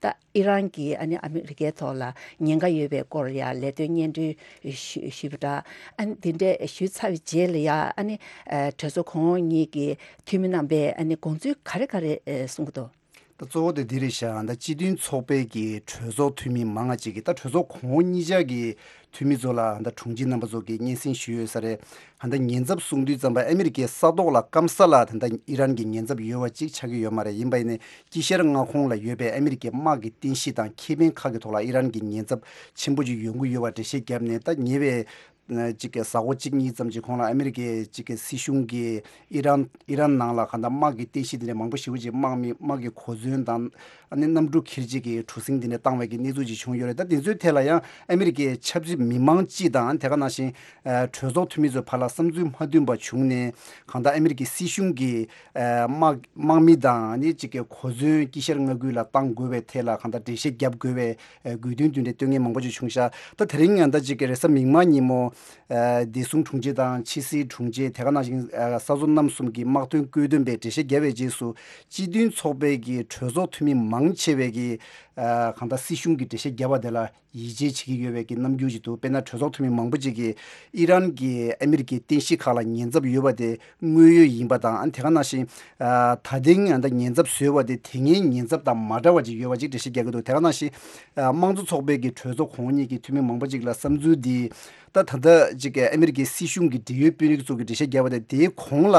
ད་ཨི་རན་གྱིས་ཨ་ནི་ཨ་མི་རི་ཀའི་ཐོག་ལ་ཉེན་ཁ་ཡོད་པའི་སྐོར་ལ་ཡ་ལས་དོན་སྙན་སྒྲོན་ཞུ་ཞུས་པ་འདྲ། ཨ་ནི་དེ་འདྲས་ཞུས་ཚར་བའི་རྗེས་ལ་ཡ་ཨ་ནི་ཨ་གྲོས་ཚོགས་གོང་འོག་གཉིས་ཀྱི་འཐུས་མི་རྣམ་པས་ཨ་ནི་དགོངས་ཚུལ་ག་རེ་ག་རེ་ཨ་གསུང་གི་འདུག། ད་གཙོ་བོ་དེ་འདི་རེད་ཤག་ད་སྤྱི་མཐུན་ཚོགས་པའི་གི་གྲོས་ཚོགས་འཐུས་མི་མང་ང་ཅིག་གིས་ད་གྲོས་ཚོགས་གོང་འོག་གཉིས་ཆ་གི་འཐུས་མི་ཚོ་ལ་ད་དྲུང་ཆེ་རྣམ་པ་ཚོ་གིས་སྙན་སེང་ཞུས་ཡོད་ས་རེད། ད་ཉེན་ཚབས་གསུང་དུས་ཙམ་པ་ཨ་མི་རི་ཀའི་ས་ཐོག་ལ་སྐམ་ས་ལ་ད་ཨི་རན་གྱི་ཉེན་ཚབས་ཡོད་པ་ཅིག་ཆགས་ཀྱི་ཡོད་མ་རེད། ཡིན་པ་ཡིན་ནའི་དཀྱིལ་ཤར་མངའ་ཁོངས་ལ་ཡོད་པའི་ཨ་མི་རི་ཀའི་དམག་གི་རྟེན་གཞི་དང་ཁེ་ཕན་ཁག་གི་ཐོག་ལ་ཨི་རན་གྱི་ཉེན་ཚབས་ཆེན་པོ་ཅིག་ཡོང་གི་ཡོད་པ་འགྲེལ་བཤད་བརྒྱབ་ནས། ད་ཉེ་བའི་ཅིག་གི་གཟའ་འཁོར་གཅིག་གཉིས་ཙམ་གྱི་གོང་ལ་ཨ་མི་རི་ཀའི་ཅིག་གི་སྲིད་གཞུང་གིས་ཨི་རན་ཨི་རན་ནང་ལ་གང་ལྟར་དམག་གི་རྟེན་གཞི་དེ་འདྲ་མང་པོ་ཞེ་པོ་ཅིག་དམག་མི་དམག་གི་གོ་མཚོན་དང་ཨ་ནི་གནམ་གྲུ་འཁྱེར་བྱེད་ཀྱི་གྲུ་གཟིངས་དེ་འདྲ་བཏང་བའི་གི་གནས་ཚུལ་ཅིག་བྱུང་ཡོད་རེད། ད་དེ་ཚོའི་ཐད་ལ་ཡང་ཨ་མི་རི་ཀའི་ཆབ་སྲིད་མི་མང་སྤྱི་དང་དེ་ག་ནང་བཞིན་གྲོས་ཚོགས་འཐུས་མི་ཚོའི་བར་ལ་བསམ་ཚུལ་མ་མཐུན་པ་བྱུང་ནས། གང་ལྟར་ཨ་མི་རི་ཀའི་སྲིད་གཞུང་གིས་དམག་དམག་མི་དང་ཨ་ནི་ཅིག་གི་གོ་མཚོན་དཀྱིལ་ཤར་མངའ་ཁུལ་ལ་བཏང་དགོས་པའི་ཐད་ལ་གང་ལྟར་འགྲེལ་བཤད་བརྒྱབ་དགོས་པའི་དགོས་འདུན་དེ་འདྲ་བཏོན་མཁན་མང་པོ་ཅིག་བྱུང་ཤག་ད་དེ་རིང་ཡང་ད་ཅིག་གི་རེས་གཟའ་མིག་དམར་ཉིན་མོ། ཨ་བདེ་སྲུང་དྲུང་ཆེ་དང་ཕྱི་སྲིད་དྲུང་ཆེ། དེ་ག་ནང་བཞིན་ཨ་ས་མཚོ་གནམ་གསུམ་གྱི་དམག་དོན་བཀོད་འདོམས་པས་འགྲེལ་བཤད་བརྒྱབ་པའི་རྗེས་སུ། སྤྱི་མཐུན་ཚོགས་པའི་གི་གྲོས་ཚོགས་འཐུས་མི་མང་ཆེ་བས་གི་ཨ་གང་ལྟར་སྲིད་གཞུང་གི་འགྲེལ་བཤད་བརྒྱབ་པ་དེ་ལ་ཡིད་ཆེས་བྱེད་ཀྱི་ཡོད་པའི་གི་རྣམ་འགྱུར་ཅིག་འདུག་དཔེར་ན་གྲོས་ཚོགས་འཐུས་མི་མང་པོ་ཅིག་གིས་ཨི་རན་གྱིས་ཨ་མི་རི་ཀའི་རྟེན་གཞི་ཁག་ལ་ཉེན་ཚབས་ཡོད་པ་དེ་དངོས་ཡོད་ཡིན་པ་དང་། ཨ་དེ་ག་ནང་བཞིན་ཨ་ད་ཐེངས་ཨ་ད་ཉེན་ཚབས་བཟོས་པ་དེ་དེ་སྔའི་ཉེན་ཚབས་དང་མ་འདྲ་བ་ཅིག་ཡོད་པ་ཅིག་འགྲེལ་བཤད་རྒྱག་གི་འདུག་དེ་ག་ནང་བཞིན་ཨ་དམངས་གཙོ་ཚོགས་པའི་གི་གྲོས་ཚོགས་གོང་འོག་གཉིས་ཀྱི་འཐུས་མི་མང་པོ་ཅིག་ལ་བསམ་ཚུལ་འདི། ད་ད་ལྟ་ཅིག་ཨ་མི་རི་ཀའི་སྲིད་གཞུང་གི་འབྲེལ་ཡོད་དཔོན་རིགས་ཚོ་གིས་འགྲེལ་བཤད་བརྒྱབ་པ་དེ། དེའི་གོང་ལ་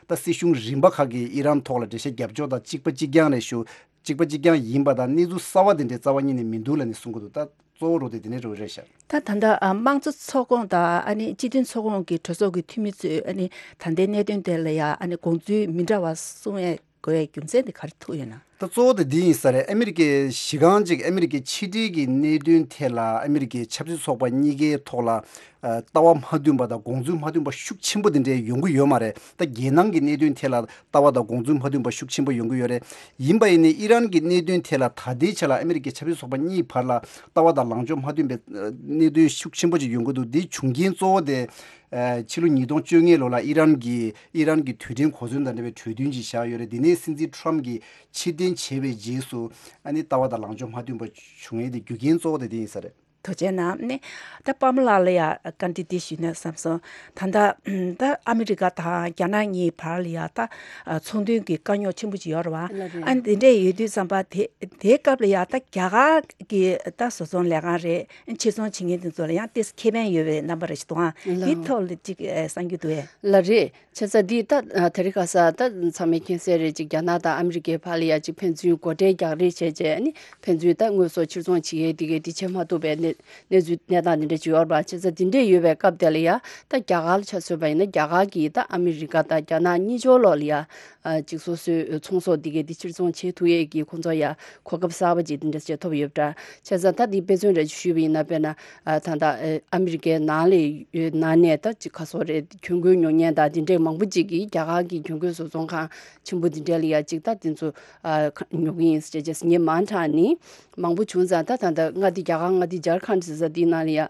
ད་སྲིད་གཞུང་རིམ་པ་ཁག་གིས་ཨི་རན་ཐོག་ལ་འགྲེལ་བཤད་བརྒྱབ་ཕྱོགས་དང་གཅིག་པ་གཅིག་རྐྱང་རེད་ཞུ། གཅིག་པ་གཅིག་རྐྱང་ཡིན་པ་དང་གནས་ཚུལ་གསར་བ་དེ་འདྲའི་རྩ་བ་ཉིད་ནས་མི་འདུག་ལབ་ནས་གསུང་གི་འདུག་ད་གཙོ་བོ་རོ་དེ་དེ་ནས་རོ་རེད་ཤག་ད་ད་ལྟ་ཨ་དམངས་གཙོ་ཚོགས་ཁོངས་དང་ཨ་ནི་སྤྱི་མཐུན་ཚོགས་ཁོངས་ཀྱི་གྲོས་ཚོགས་ཀྱི་འཐུས་མི་ཚོས་ཨ་ནི་ད་ལྟའི་གནད་དོན་དེ་ལ་ཡ་ཨ་ནི་དགོངས་ཚུལ་མི་འདྲ་བ་གསུང་ཡས་དགོས་པའི་རྒྱུ་མཚན་དེ་ག་རེ་ཐུག་ཡོད་ན། ད་གཙོ་བོ་དེ་འདི་ཡིན་ས་རེད། ཨ་མི་རི་ཀའི་གཞི་རྐང་ཅིག་ཨ་མི་རི་ཀའི་ཕྱི་འབྲེལ་གྱི་གནད་དོན་ཐད་ལ་ཨ་མི་རི་ཀའི་ཆབ་སྲིད་ཚོགས་པ་གཉིས་ཀའི་ཐོག་ལ་ཨ་ལྟ་བ་མ་མཐུན་པ་དང་དགོངས་ཚུལ་མ་མཐུན་པ་ཤུགས་ཆེན་པོ་དེ་འདྲའི་ཡོང་གི་ཡོད་མ་རེད། ད་རྒྱལ་ནང་གི་གནད་དོན་ཐད་ལ་ལྟ་བ་དང་དགོངས་ཚུལ་མ་མཐུན་པ་ཤུགས་ཆེན་པོ་ཡོང་གི་ཡོད་རེད། ཡིན་པ་ཡིན་ནའི་ཨི་རན་གྱི་གནད་དོན་ཐད་ལ་ད་ལྟའི་ཆ་ལ་ཨ་མི་རི་ཀའི་ཆབ་སྲིད་ཚོགས་པ་གཉིས་བར་ལ་ལྟ་བ་དང་ལངས་ཕྱོགས་མ་མཐུན་པའི་ཨ་གནད་དོན་ཤུགས་ཆེན་པོ་ཅིག་ཡོང་གི་འདུག་འདིའི་བྱུང་རྐྱེན་གཙོ་བོ་དེ། ཨ་ཕྱི་ལོ་ཉིས་སྟོང་བཅོ་ལྔ་ལོ་ལ་ཨི་རན་གྱིས་ཨི་རན་གྱི་རྡུལ་ཕྲན་གོ་མཚོན་དང་འབྲེལ་བའི་གྲོས་མཐུན་ཅིག་བཞག་ཡོད་རེད། འདི་ནས་སྲིད་འཛིན་ཊམ་གྱིས་ཕྱིར་འཐེན་བྱས་པའི་རྗེས་སུ་ཨ་ནི་ལྟ་བ་དང་ལངས་ཕྱོགས་མ་མཐུན་པ་བྱུང་ཡས་དེ་རྒྱུ་རྐྱེན་གཙོ་བོ་དེ་དེ་ཡིན་ས་རེད། ཐུགས་རྗེ་གནང་། ནི་ད་པདྨ་ལགས་ལ་ཡ་བཀའ་འདྲི་འདི་ཞུས་ན་བསམ་སོང་། ད་ལྟ་ད་ཨ་མི་རི་ཀ་དང་རྒྱ་ནག་གཉིས་བར་ལ་ཡ་ད་ཚོང་དོན་གྱི་དཀའ་རྙོག་ཆེན་པོ་ཅིག་ཡོད་རེད་བ། ལགས་རེད། ཨ་འདི་འདྲས་ཡོད་དུས་ཙམ་པ་དེ་དེའི་སྐབས་ལ་ཡ་ད་རྒྱ་གར་གྱི་ད་བཟོ་ཚོང་ལས་ཁང་རེད། ཕྱིར་ཚོང་བྱེད་མཁན་དེ་ཚོ་ལ་ཡང་ཏོག་ཙམ་ཁེ་ཕན་ཡོད་པའི་རྣམ་པ་རེ་ཞིག་འདུག་ཨང་། ལགས། འདི་ཐོག་ལ་ཅིག་ཨེ་གསུང་རྒྱུ་འདུག་ཨེ། ལགས་རེད། བྱས་ཙང་འདི་ད་ཨ་དེ་རིང་ཁ་སང་ད་ཚང་མས་མཁྱེན་གསལ་རེད། ཅིག་རྒྱ་ནག་དང་ཨ་མི་རི་ཀའི་བར་ལ་ཡ་ཅིག་ཕན་ཚུན་སྒོ་ཁྲལ་རྒྱག་རེས་བྱས་བྱས་ཨ་ནི་ཕན་ཚུན་ད་དངོས་ཟོག་ཕྱིར་ཚོང་བྱེད་ཡས་འདི་གའི་འདི་བྱེད་མ་ཐུབ་པའི་གནས་གནས་ཚུལ་གནས་སྟངས་འདི་འདྲ་ཅིག་ཡོད་རེད་པ། བྱས་ཙང་འདི་འདྲས་ཡོད་པའི་སྐབས་དེ་ལ་ཡ་ད་རྒྱ་གར་ལ་ཆ་མཚོན་པ་ཡིན་ན་རྒྱ་གར་གྱིས་ད་ཨ་མི་རི་ཀ་དང་རྒྱ་ནག་གཉིས་ཕྱོགས་ལོགས་ལ་ཡ། ཨ་ཅིག་སོ་སོའི་ཚོང་ཟོག་འདི་གའི་འདི་ཕྱིར་ཚོང་བྱེད་ཐུབ་ཡས་ཀྱི་ཁོང་ཚོ་ཡ་གོ་སྐབས་གསར་པ་ཅིག་འདི་འདྲ་བྱེད་ཐུབ་ཡོད་པ་འདྲ། བྱས་ཙང་ད་འདི་དཔེ་མཚོན་རེ་ཞུས་པ་ཡིན་ན། དཔེར་ན་ཨ་ད་ལྟ་ཨ་ཨ་མི་རི་ཀའི་ནང་ལ་ཡོད་ནང་ནས་ད་ཅིག་ག་སོགས་རེད། གྱོན་གོས་ཉོ་མཁན་དང་འདི་འདྲའི་མང་པོ་ཅིག་གིས་རྒྱ་གར་གྱི་གྱོན་གོས་བཟོ་ཚོང་ཁང་ཆེན་པོ་འདི་འདྲ་ལ་ཡ་ཅིག་ད་འདི་ཚོ་ཨ་ཁ་ཉོ་གི་ཡིན་ཟེར་བྱས་བྱས་ངས་མང་དྲགས་ནི་མང་པོ་བྱུང་ཙང་། ད་ད་ལྟ་མངའ་སྡེ་རྒྱ་གར་མངའ་སྡེ་ཇར་ཁན་ཟེར་ས་འདི་ནང་ལ་ཡ་ཨ་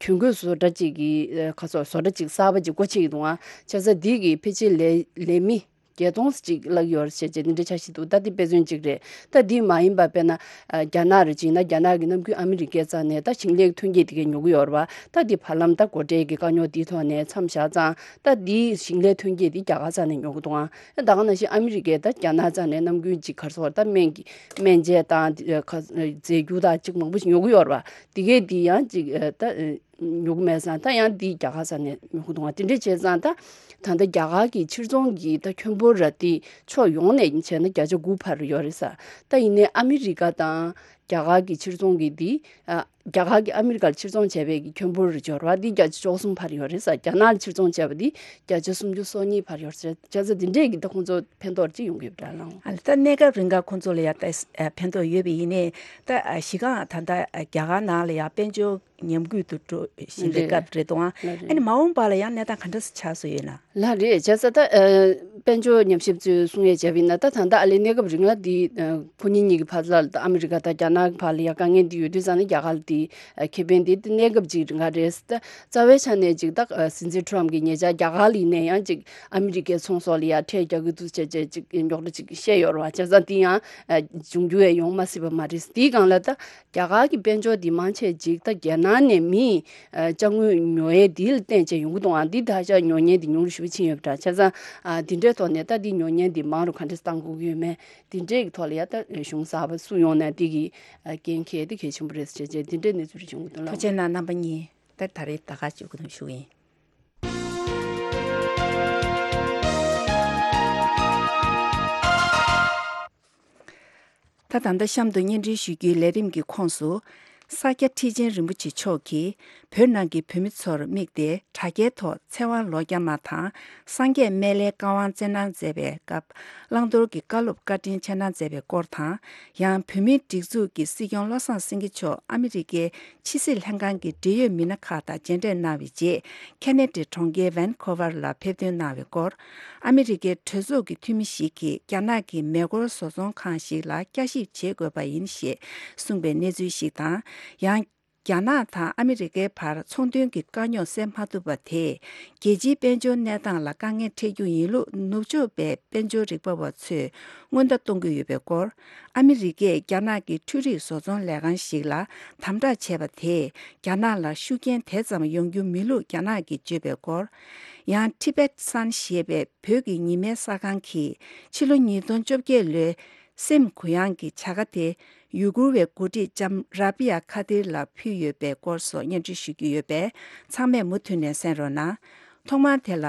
གྱོན་གོས་བཟོ་གྲྭ་ཅིག་གི་ཨ་ག་སོགས་བཟོ་གྲྭ་ཅིག་གསར་པ་ཅིག་སྒོ་ཕྱེ་ཡི་འདུག་ཨང་། བྱས་ཙང་འདི་གི་ཕལ་ཆེར་ལས་ལས་མི་བརྒྱད་སྟོང་ཅིག་བརླག་ཡོད་རེད་ཟེར་བྱས་འདི་འདྲ་འཆར་གཞི་འདུག་ད་འདི་དཔེ་མཚོན་གཅིག་རེད། ད་འདི་མ་ཡིན་པ་དཔེར་ན་ཨ་རྒྱ་ནག་རེ་བྱས་ན་རྒྱ་ནག་གི་ནམ་རྒྱུན་ཨ་མི་རི་ཀའི་རྩ་ནས་ད་ཞིང་ལས་ཐོན་སྐྱེད་དེ་གའི་ཉོ་གི་ཡོད་རེད་བ། ད་འདི་བར་ལམ་ད་སྒོ་ཁྲལ་གྱི་དཀའ་རྙོག་འདིའི་ཐོག་ནས་མཚམས་བཞག་ཙང་། ད་འདི་ཞིང་ལས་ཐོན་སྐྱེད་འདི་རྒྱ་གར་རྩ་ནས་ཉོ་གི་འདུག་ཨང་། ད་ག་ནང་བཞིན་ཨ་མི་རི་ཀས་ད་རྒྱ་ནག་རྩ་ནས་ནམ་རྒྱུན་ཅིག་ག་རེ་ཟེར་ད་སྨན་གྱི་སྨན་དཔྱད་དང་འདི་ཁ་རྫས་འགྱུར་དང་ཅིག་མང་པོ་ཞིག་ཉོ་གི་ཡོད་རེད་བ། དེ་གའི་འདི་ཡང་ཅིག་ད། ཉོ་གི་མེད་ཙང་ད་ཡང་འདི་རྒྱ་གར་ས་ནས་ཉོ་གི་འདུག་ཨང་། དེ་འདྲ་བྱས་ཙང་ད་ད་ལྟ་རྒྱ་གར་གྱི་ཕྱིར་ཚོང་གི་ད་ཁྱོན་འབོར་ར་དེ་ཕྱོགས་ཡོངས་ནས་བྱས་ན་བརྒྱ་ཆ་དགུ་འཕར་ཡོད་རེད་ས། ད་ཡིན་ནའི་ཨ་མི་རི་ཀ་དང་རྒྱ་གར་གྱི་ཕྱིར་ཚོང་གི་འདི་ཨ་རྒྱ་གར་གྱི་ཨ་མི་རི་ཀར་ཕྱིར་ཚོང་བྱས་པའི་གི་ཁྱོན་འབོར་རེ་འབྱོར་བ་འདི་བརྒྱ་ཆ་བཅུ་གསུམ་འཕར་ཡོད་རེད་ས། རྒྱ་ནག་ལ་ཕྱིར་ཚོང་བྱས་པ་འདི་བརྒྱ་ཆ་སུམ་ཅུ་སོ་གཉིས་འཕར་ཡོད་རེད། བྱས་ཙང་འདི་འདྲས་ཀྱི་ད་ཁོང་ཚོ་ཕན་ཐོགས་ཅིག་ཡོང་གི་ཡོད་པ་འདྲ་ལགས། ཨ་ལ་ད་གནས་སྐབས་རིང་ག་ཁོང་ཚོ་ལ་ཡ་ད་ཕན་ཐོགས་ཡོད་པ་ཡིན་ནའི་ད་གཞི་རྐང་ད་ལྟ་རྒྱ་གར་ནང་ལ་ཡ་དཔལ་འབྱོར་ཉམས་རྒུད་དུ་འགྲོ་བཞིན་པའི་རེད། སྐབས་རེད་དོ། ལགས་རེད། ཨ་ནི་མ་འོངས་པ་ལ་ཡང་གནས་སྟངས་ག་འདྲ་ཆགས་སྲོལ་ཡོད་ན། ལགས་རེད། བྱས་ཙང་ད་ཨ་དཔལ་འབྱོར་ཉམས་ཞིབ་ཚོས་གསུང་ཡས་བྱས་པ་ཡིན་ན། ད་ད་ལྟ་ཨ་ལས་གནས་སྐབས་རིང་ལ་འདི་ཨ་ཁོ་གཉིས་གཉིས་ཀྱི་བར་ལ་ད་ཨ་མི་རི་ཀ་དང་རྒྱ་ནག་གི་བར་ལ་ཡ་དཀའ་ངལ་འདི་ཡོད་དུས་ཙང་ནས་རྒྱ་གར་ལ་འདི་ཨ་ཁེ་ཕན་འདི་གནས་སྐབས་ཅིག་རིང་ག་རེད། ད་རྩ་བའི་ཆ་ནས་ཅིག་ད་ཨ་སྲིད་འཛིན་ཊམ་གྱིས་ཉེ་ཆར་རྒྱ་གར་ལ་ཡིན་ན་ཡང་ཅིག་ཨ་མི་རི་ཀའི་ཚོང་ཟོག་ལ་ཡ་ཁྲལ་རྒྱག་གི་འདུག་ཅེས་ཅིག་རྙོག་དྲ་ཅིག་བཤད་ཡོད་རེད་བ། བྱས་ཙང་འདི་ཡང་ཨ་འབྱུང་རྒྱུ་ཡང་ཡོང་མ་སྲིད་པ་མ་རེད། འདིའི་སྒང་ལ་ད། རྒྱ་གར་གྱི་དཔལ་འབྱོར་འདི་མང་ཆེ་ཅིག་ད་རྒྱ་ནག་ནས་མིས་ཨ་ཅ་དངོས་ཉོ་ཡས་འདི་ལ་བརྟེན་བྱས་ཡོང་གི་འདུག་ཨང་། འདི་ད་ཆ་ཉོ་མཁན་འདི་ཉུང་རུ་ ཕྱིན་ཡོད་པ་འདྲ། བྱས་ཙང་ཨ་འདི་འདྲའི་ཐོག་ནས་ད་འདི་ཉོ་མཁན་འདི་མང་རུ་ག་འདྲས་བཏང་དགོས་ཀྱི་ཡོད་མེད། འདི་འདྲའི་གི་ཐོག་ལ་ཡ་ད་གཞུང་གསར་པ་སུ་ཡོང་ན་འདི་གི་ཨ་འགན་འཁྱེར་འདི་གལ་ཆེན་པོ་རེད་ཟེར་བྱས་འདི་འདྲའི་གནས་ཚུལ་རེ་བྱུང་གི་འདུག་ལགས། ཐུགས་རྗེ་གནང་རྣམ་པ་གཉིས། ད་ད་རེས་ད་ག་བཅུག་གི་འདུག་ཞུ་གི་ཡིན། ད་ད་ལྟ་གཤམ་དུ་སྙན་སྒྲོན་ཞུ་རྒྱུའི་ལས་རིམ་གྱི་ཁོངས་སུ། ས་སྐྱ་ཁྲི་ཆེན་རིན་པོ་ཆེ་མཆོག་གིས་བོད་ནང་གི་བོད་མི་ཚོར་དམིགས་ཏེ་དྲ་རྒྱའི་ཐོག་ཚེ་དབང་ལོ་བརྒྱ་མ་དང་སངས་རྒྱས་སྨན་བླའི་བཀའ་དབང་བསྩལ་གནང་མཛད་པའི་སྐབས་བླང་དོར་གྱི་བཀའ་སློབ་བཀའ་དྲིན་ཆེ་གནང་མཛད་པའི་སྐོར་དང་། ཡང་བོད་མིའི་སྒྲིག་འཛུགས་ཀྱི་སྲིད་སྐྱོང་བློ་བཟང་སེང་གེ་མཆོག་ཨ་མི་རི་ཀའི་ཕྱི་སྲིད་ལྷན་ཁང་གི་འབྲེལ་ཡོད་མི་སྣ་ཁག་དང་མཇལ་འཕྲད་གནང་བའི་རྗེས། ཁེ་ན་ཌའི་གྲོང་ཁྱེར་ཝན་ཁོ་ཝར་ལ་ཕེབས་ཐོན་གནང་བའི་སྐོར། ཨ་མི་རི་ཀའི་གྲོས་ཚོགས་ཀྱི་འཐུས་མི་ཞིག་གིས་རྒྱ་ནག་གི་མེ་འཁོར་བཟོ་ཚོང་ཁང་ཞིག་ལ་བསྐྱར་ཞིབ་བྱེད་དགོས་པ་ཡིན་ཞེས་གསུངས་པའི་གནས་ཚུལ་ཞིག་དང་། ཡང་། རྒྱ་ནག་དང་ཨ་མི་རི་ཀའི་བར་ཚོང་དོན་གྱི་དཀའ་རྙོག་སེལ་མ་ཐུབ་པ་དེས། རྒྱལ་སྤྱིའི་དཔལ་འབྱོར་གནས་སྟངས་ལ་དཀའ་ངལ་འཕྲད་རྒྱུ་ཡིན་ལུགས་ནུབ་ཕྱོགས་པའི་དཔལ་འབྱོར་རིག་པ་བ་ཚོས་སྔོན་བརྡ་གཏོང་གི་ཡོད་པའི་སྐོར། ཨ་མི་རི་ཀས་རྒྱ་ནག་གི་འཕྲུལ་རིག་བཟོ་ཚོང་ལས་ཁང་ཞིག་ལ་དམ་དྲག་བྱས་པ་དེས། རྒྱ་ནག་ལ་ཤུགས་རྐྱེན་དེ་ཙམ་ཡོང་རྒྱུ་མིན་ལུགས་རྒྱ་ནག་གིས་བརྗོད་པའི་སྐོར། ཡང་། Tibet Sun ཞེས་པའི་བོད་ཀྱི་ཉི་མའི་གསར་ཁང་གིས་ཕྱི་ལོ་ཉིས་སྟོང་བཅོ་བརྒྱད་ལོའི་སེམས་གུ་ཡངས་ཀྱི་བྱ་དགའ་དེ་ཡུ་གུར་བའི་འགོ་ཁྲིད་ལྕམ་ར་བི་ཡ་ཁ་ཏིར་ལ་ཕུལ་ཡོད་པའི་སྐོར་སོགས་སྙན་སྒྲོན་ཞུ་རྒྱུ་ཡོད་པས། ཚང་མས་མུ་མཐུད་ནས་གསན་རོགས་གནང་། ཐོག་མར་དེ་ལ།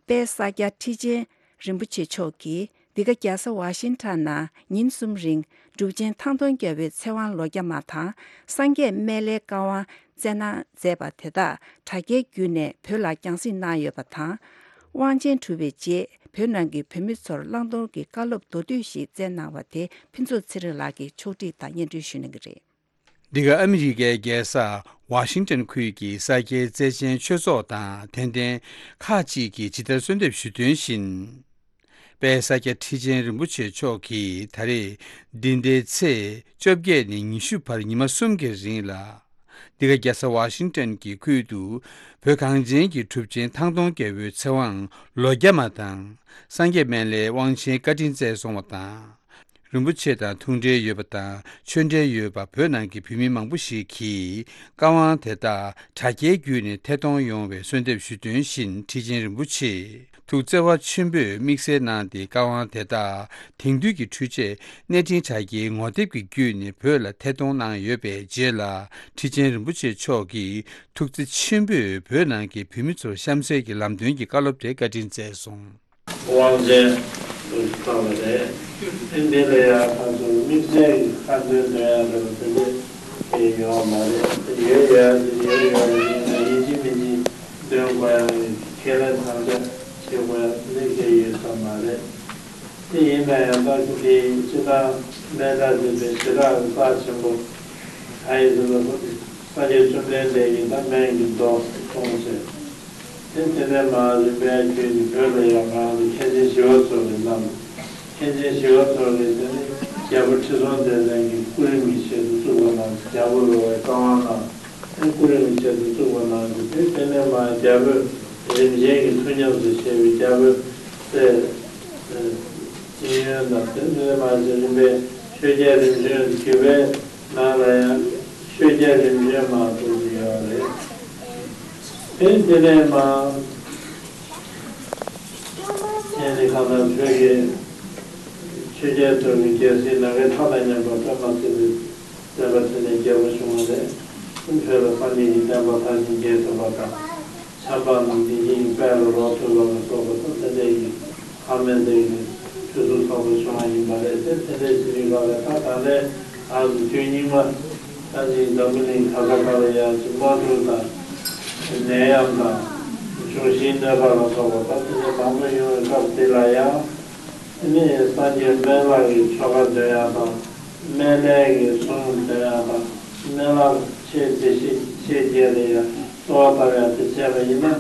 དཔལ་ས་སྐྱ་ཁྲི་ཆེན་རིན་པོ་ཆེ་མཆོག་གིས་འདི་ག་རྒྱལ་ས་ཝ་ཤིང་ཊོན་ནང་ཉིན་གསུམ་རིང་གྲུབ་ཆེན་ཐང་སྟོང་རྒྱལ་པོའི་ཚེ་དབང་ལོ་བརྒྱ་མ་དང་། སངས་རྒྱས་སྨན་བླའི་བཀའ་དབང་བསྩལ་གནང་མཛད་པ་དེ་དག་དྲ་རྒྱའི་བརྒྱུད་ནས་བོད་ལ་རྒྱང་སྲིང་གནང་ཡོད་པ་དང་། དབང་ཆེན་གྲུབ་པའི་རྗེས་བོད་ནང་གི་བོད་མི་ཚོར་བླང་དོར་གྱི་བཀའ་སློབ་མདོར་བསྡུས་ཤིག་བསྩལ་གནང་བ་དེ་ཕུན་ཚོགས་ཚེ་རིང་ལགས་ཀྱིས་ཕྱོགས་སྒྲིག་དང་སྙན་སྒྲོན་ཞུ་གནང་གི་རེད། འདི་ག་ཨ་མི་རི་ཀའི་རྒྱལ་ས་ཝ་ཤིང་ཊོན་ཁུལ་གྱི་ས་སྐྱའི་བཙན་ཆེན་ཆོས་ཚོགས་དང་དད་ལྡན་ཁག་ཅིག་གིས་ཇི་ལྟར་གསོལ་འདེབས་ཞུས་དོན་བཞིན། དཔལ་ས་སྐྱ་ཁྲི་ཆེན་རིན་པོ་ཆེ་མཆོག་གིས་ད་རེས་འདི་ཟླའི་ཚེས་བཅོ་བརྒྱད་ནས་ཉི་ཤུ་བར་ཉི་མ་གསུམ་གྱི་རིང་ལ། འདི་ག་རྒྱལ་ས་ཝ་ཤིང་ཊོན་གྱི་ཁུལ་དུ་བོད་གངས་ཅན་གྱི་གྲུབ་ཆེན་ཐང་སྟོང་རྒྱལ་པོའི་ཚེ་དབང་ལོ་བརྒྱ་མ་དང་། སངས་རྒྱས་སྨན་བླའི་དབང་ཆེན་བཀའ་དྲིན་བསྩལ་སོང་བ་དང་། རིན་པོ་ཆེ་དང་ཐུགས་འབྲེལ་ཡོད་པ་དང་ཆོས་འབྲེལ་ཡོད་པ་བོད་ནང་གི་བོད་མི་མང་པོ་ཞིག་གིས་བཀའ་དབང་དེ་དག་དྲ་རྒྱའི་བརྒྱུད་ནས་ཐད་གཏོང་ཡོང་བའི་གསོལ་འདེབས་ཞུས་དོན་བཞིན། ཁྲི་ཆེན་རིན་པོ་ཆེས་ཐུགས་བརྩེ་བ་ཆེན་པོས་དམིགས་བསལ་གནང་སྟེ། བཀའ་དབང་དེ་དག་དེང་དུས་ཀྱི་འཕྲུལ་ཆས་གནས་འཕྲིན་དྲ་རྒྱའི་ངོ་དེབ་ཀྱི་བརྒྱུད་ནས་བོད་ལ་ཐད་གཏོང་གནང་ཡོད་པའི་རྗེས་ལ། ཁྲི་ཆེན་རིན་པོ་ཆེ་མཆོག་གིས་ཐུགས་བརྩེ་ཆེན་པོས་བོད་ནང་གི་བོད་མི་ཚོར་གཤམ་གསལ་གྱི་ལམ་སྟོན་གྱི་བཀའ་སློབ་དེ་བཀའ་དྲིན་བསྩལ་སོང་། དབང་ཆེན་དུ་བཏང་བ་རེད། ཨེ་འདི་ལ་ཡང་ཁ་སོ་དམིགས་བསལ་གྱི་ཁ་འདོན་འདོན་ཡ་རེད་པ། དེ་འདྲ་ཡོད་མ་རེད། ཡོད་ཡོད་ཡོད་ཡོད་ཡིན་ན་ཡིན་གཅིག་མིན་གཅིག་འདོན་དགོས་ཡ་ཁས་ལེན་དམ་བཅའ་བྱེད་དགོས་ཡ་དེ་འདྲ་གལ་ཡོད་ས་མ་རེད། དེ་ཡིན་ན་ཡང་ད་དེ་སྤྱི་བཏང་སྨན་གྲྭ་འདི་པའི་ཞེ་དྲག་རྩ་ཆེན་པོ་ག་ཡིན་ཟེར་ན། ས་སྐྱ་བཅོམ་ལྡན་འདས་ཀྱིས་ད་སྨན་གྱི་མདོ་གསུངས་བྱས། དེ་དེ་ནས་མར་རིམ་པས་བརྒྱུད་ནས་བོད་ལ་ཡང་ང་ཚོ་མཁན་ཆེན་ཞི་བ་འཚོ་གིས་གནང་། མཁན་ཆེན་ཞི་བ་འཚོ་གིས་དེ་ནི་རྒྱལ་པོ་ཁྲི་སྲོང་ལྡེ་བཙན་གྱི་སྐུ་རིམ་གྱི་ཆེད་དུ་བཙུགས་པ་གནང་། རྒྱལ་པོ་རོལ་བའི་བཀའ་དབང་གནང་། དེ་སྐུ་རིམ་གྱི་ཆེད་དུ་བཙུགས་པ་གནང་། དེ་དེ་ནས་མར་རྒྱལ་པོས་རིམ་བྱོན་གྱི་ཐུགས་ཉམས་སུ་བཞེས་པའི་རྒྱལ་པོའི་སྲས་ཨེ་ཨེ་ཤེས་ཡོན་དང་། དེ་ནས་མར་རིམ་པས་ཆོས་རྒྱལ་རིམ་བྱོན་བརྒྱུད་པའི་ནང་ལ་ཡང་ཆོས་རྒྱལ་རིམ་བྱོན་མ་གཏོགས་ཡོད་རེད། དེ་དེ་ནས་མར་ཨེ་ནི་གང་ལྟར་བོད་ཀྱི་ཆོས་རྒྱལ་ཚོ་གི་རྒྱལ་སྲིད་ནམ་མཁའི་མཐའ་དང་མཉམ་པར་སྤེལ་མ་ཐུབ་པའི་བསྟན་པ་དེ་ནས་རྒྱས་པ་བྱུང་བ་རེད། བོད་ལ་སངས་རྒྱས་ཀྱི་བསྟན་པ་མཐར་ཕྱིན་རྒྱས་ཐུབ་པ་དང་། ཆབ་འབངས་རྣམས་བདེ་སྐྱིད་ཀྱི་དཔལ་ལ་རོལ་ཐུབ་པ་ལ་སོགས་པ་དང་། དེ་འདྲའི་གི་ཨ་མའི་འདི་གི་ཕུན་སུམ་ཚོགས་པ་བྱུང་བ་ཡིན་པ་རེད། དེ་དེ་འདྲའི་ཞིག་ཡིན་པ་རེད། ད་ད་ལྟའི་ང་ཚོ་དུས་སྙིགས་མ་ད་ཅིག་འཛམ་བུ་གླིང་ག་ས་ག་ལ་ཡང་ཅིག་དམག་འཁྲུག་དང་ནད་ཡམས་དང་འབྱུང་བཞིའི་གནོད་པ་ལ་སོགས་པ་ད་དེ་འདྲའི་མང་པོ་ཡོང་བའི་སྐབས་འདི་ལ་ཡང་། དེ་ནས་སངས་རྒྱས་སྨན་བླ་གི་ཆོ་ག་འདོན་ཡག་དང་། སྨན་བླའི་གི་གསུང་འདོན་ཡག་དང་། སྨན་བླ་ཆེ་བདེ་གཤེགས་ཆེ་བརྒྱད་ལ་ཡང་གསོལ་བ་བཏབ་ཡག་དེ་བྱས་པ་ཡིན་ན།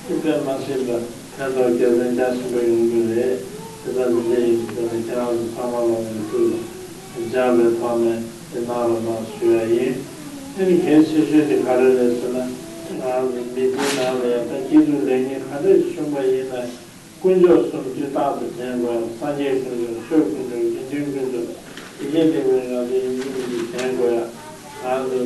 དེ་དཔེ་མ་སྲིད་པ་ཕན་ཐོགས་རྒྱལ་ཕན་རྒྱ་ཆེན་པོ་ཡོང་གི་རེད། དེ་ལྟར་འདི་འདྲ་ཡིན་ཟེར་ནས་ཁྱེད་རང་ཚོ་ཚང་མ་ལ་ངས་ཐུགས་ལ་སྦྱངས་པའི་ཐོག་ནས་དེ་གནང་རོགས་གནང་ཞུ་ཡ་ཡིན། དེ་ནི་གལ་ཆེ་ཤོས་དེ་ག་རེ་རེད་ཟེར་ན། ང་རང་ཚོ་མི་ཚེའི་ནང་ལ་ཡང་ད་སྐྱིད་སྡུག་ལེགས་ཉེས་ག་འདྲ་ཞིག་བྱུང་བ་ཡིན་ན། དཀོན་མཆོག་གསུམ་སྤྱིར་བཏང་དུ་དྲན་དགོས་ཡ། སངས་རྒྱས་དཀོན་མཆོག་ཆོས་དཀོན་མཆོག་དགེ་འདུན་དཀོན་མཆོག་དེ་གས་དེ་བས་ང་ཚོ་ཡིན་གཅིག་མིན་གཅིག་དྲན་དགོས་ཡ། ང་ཚོ་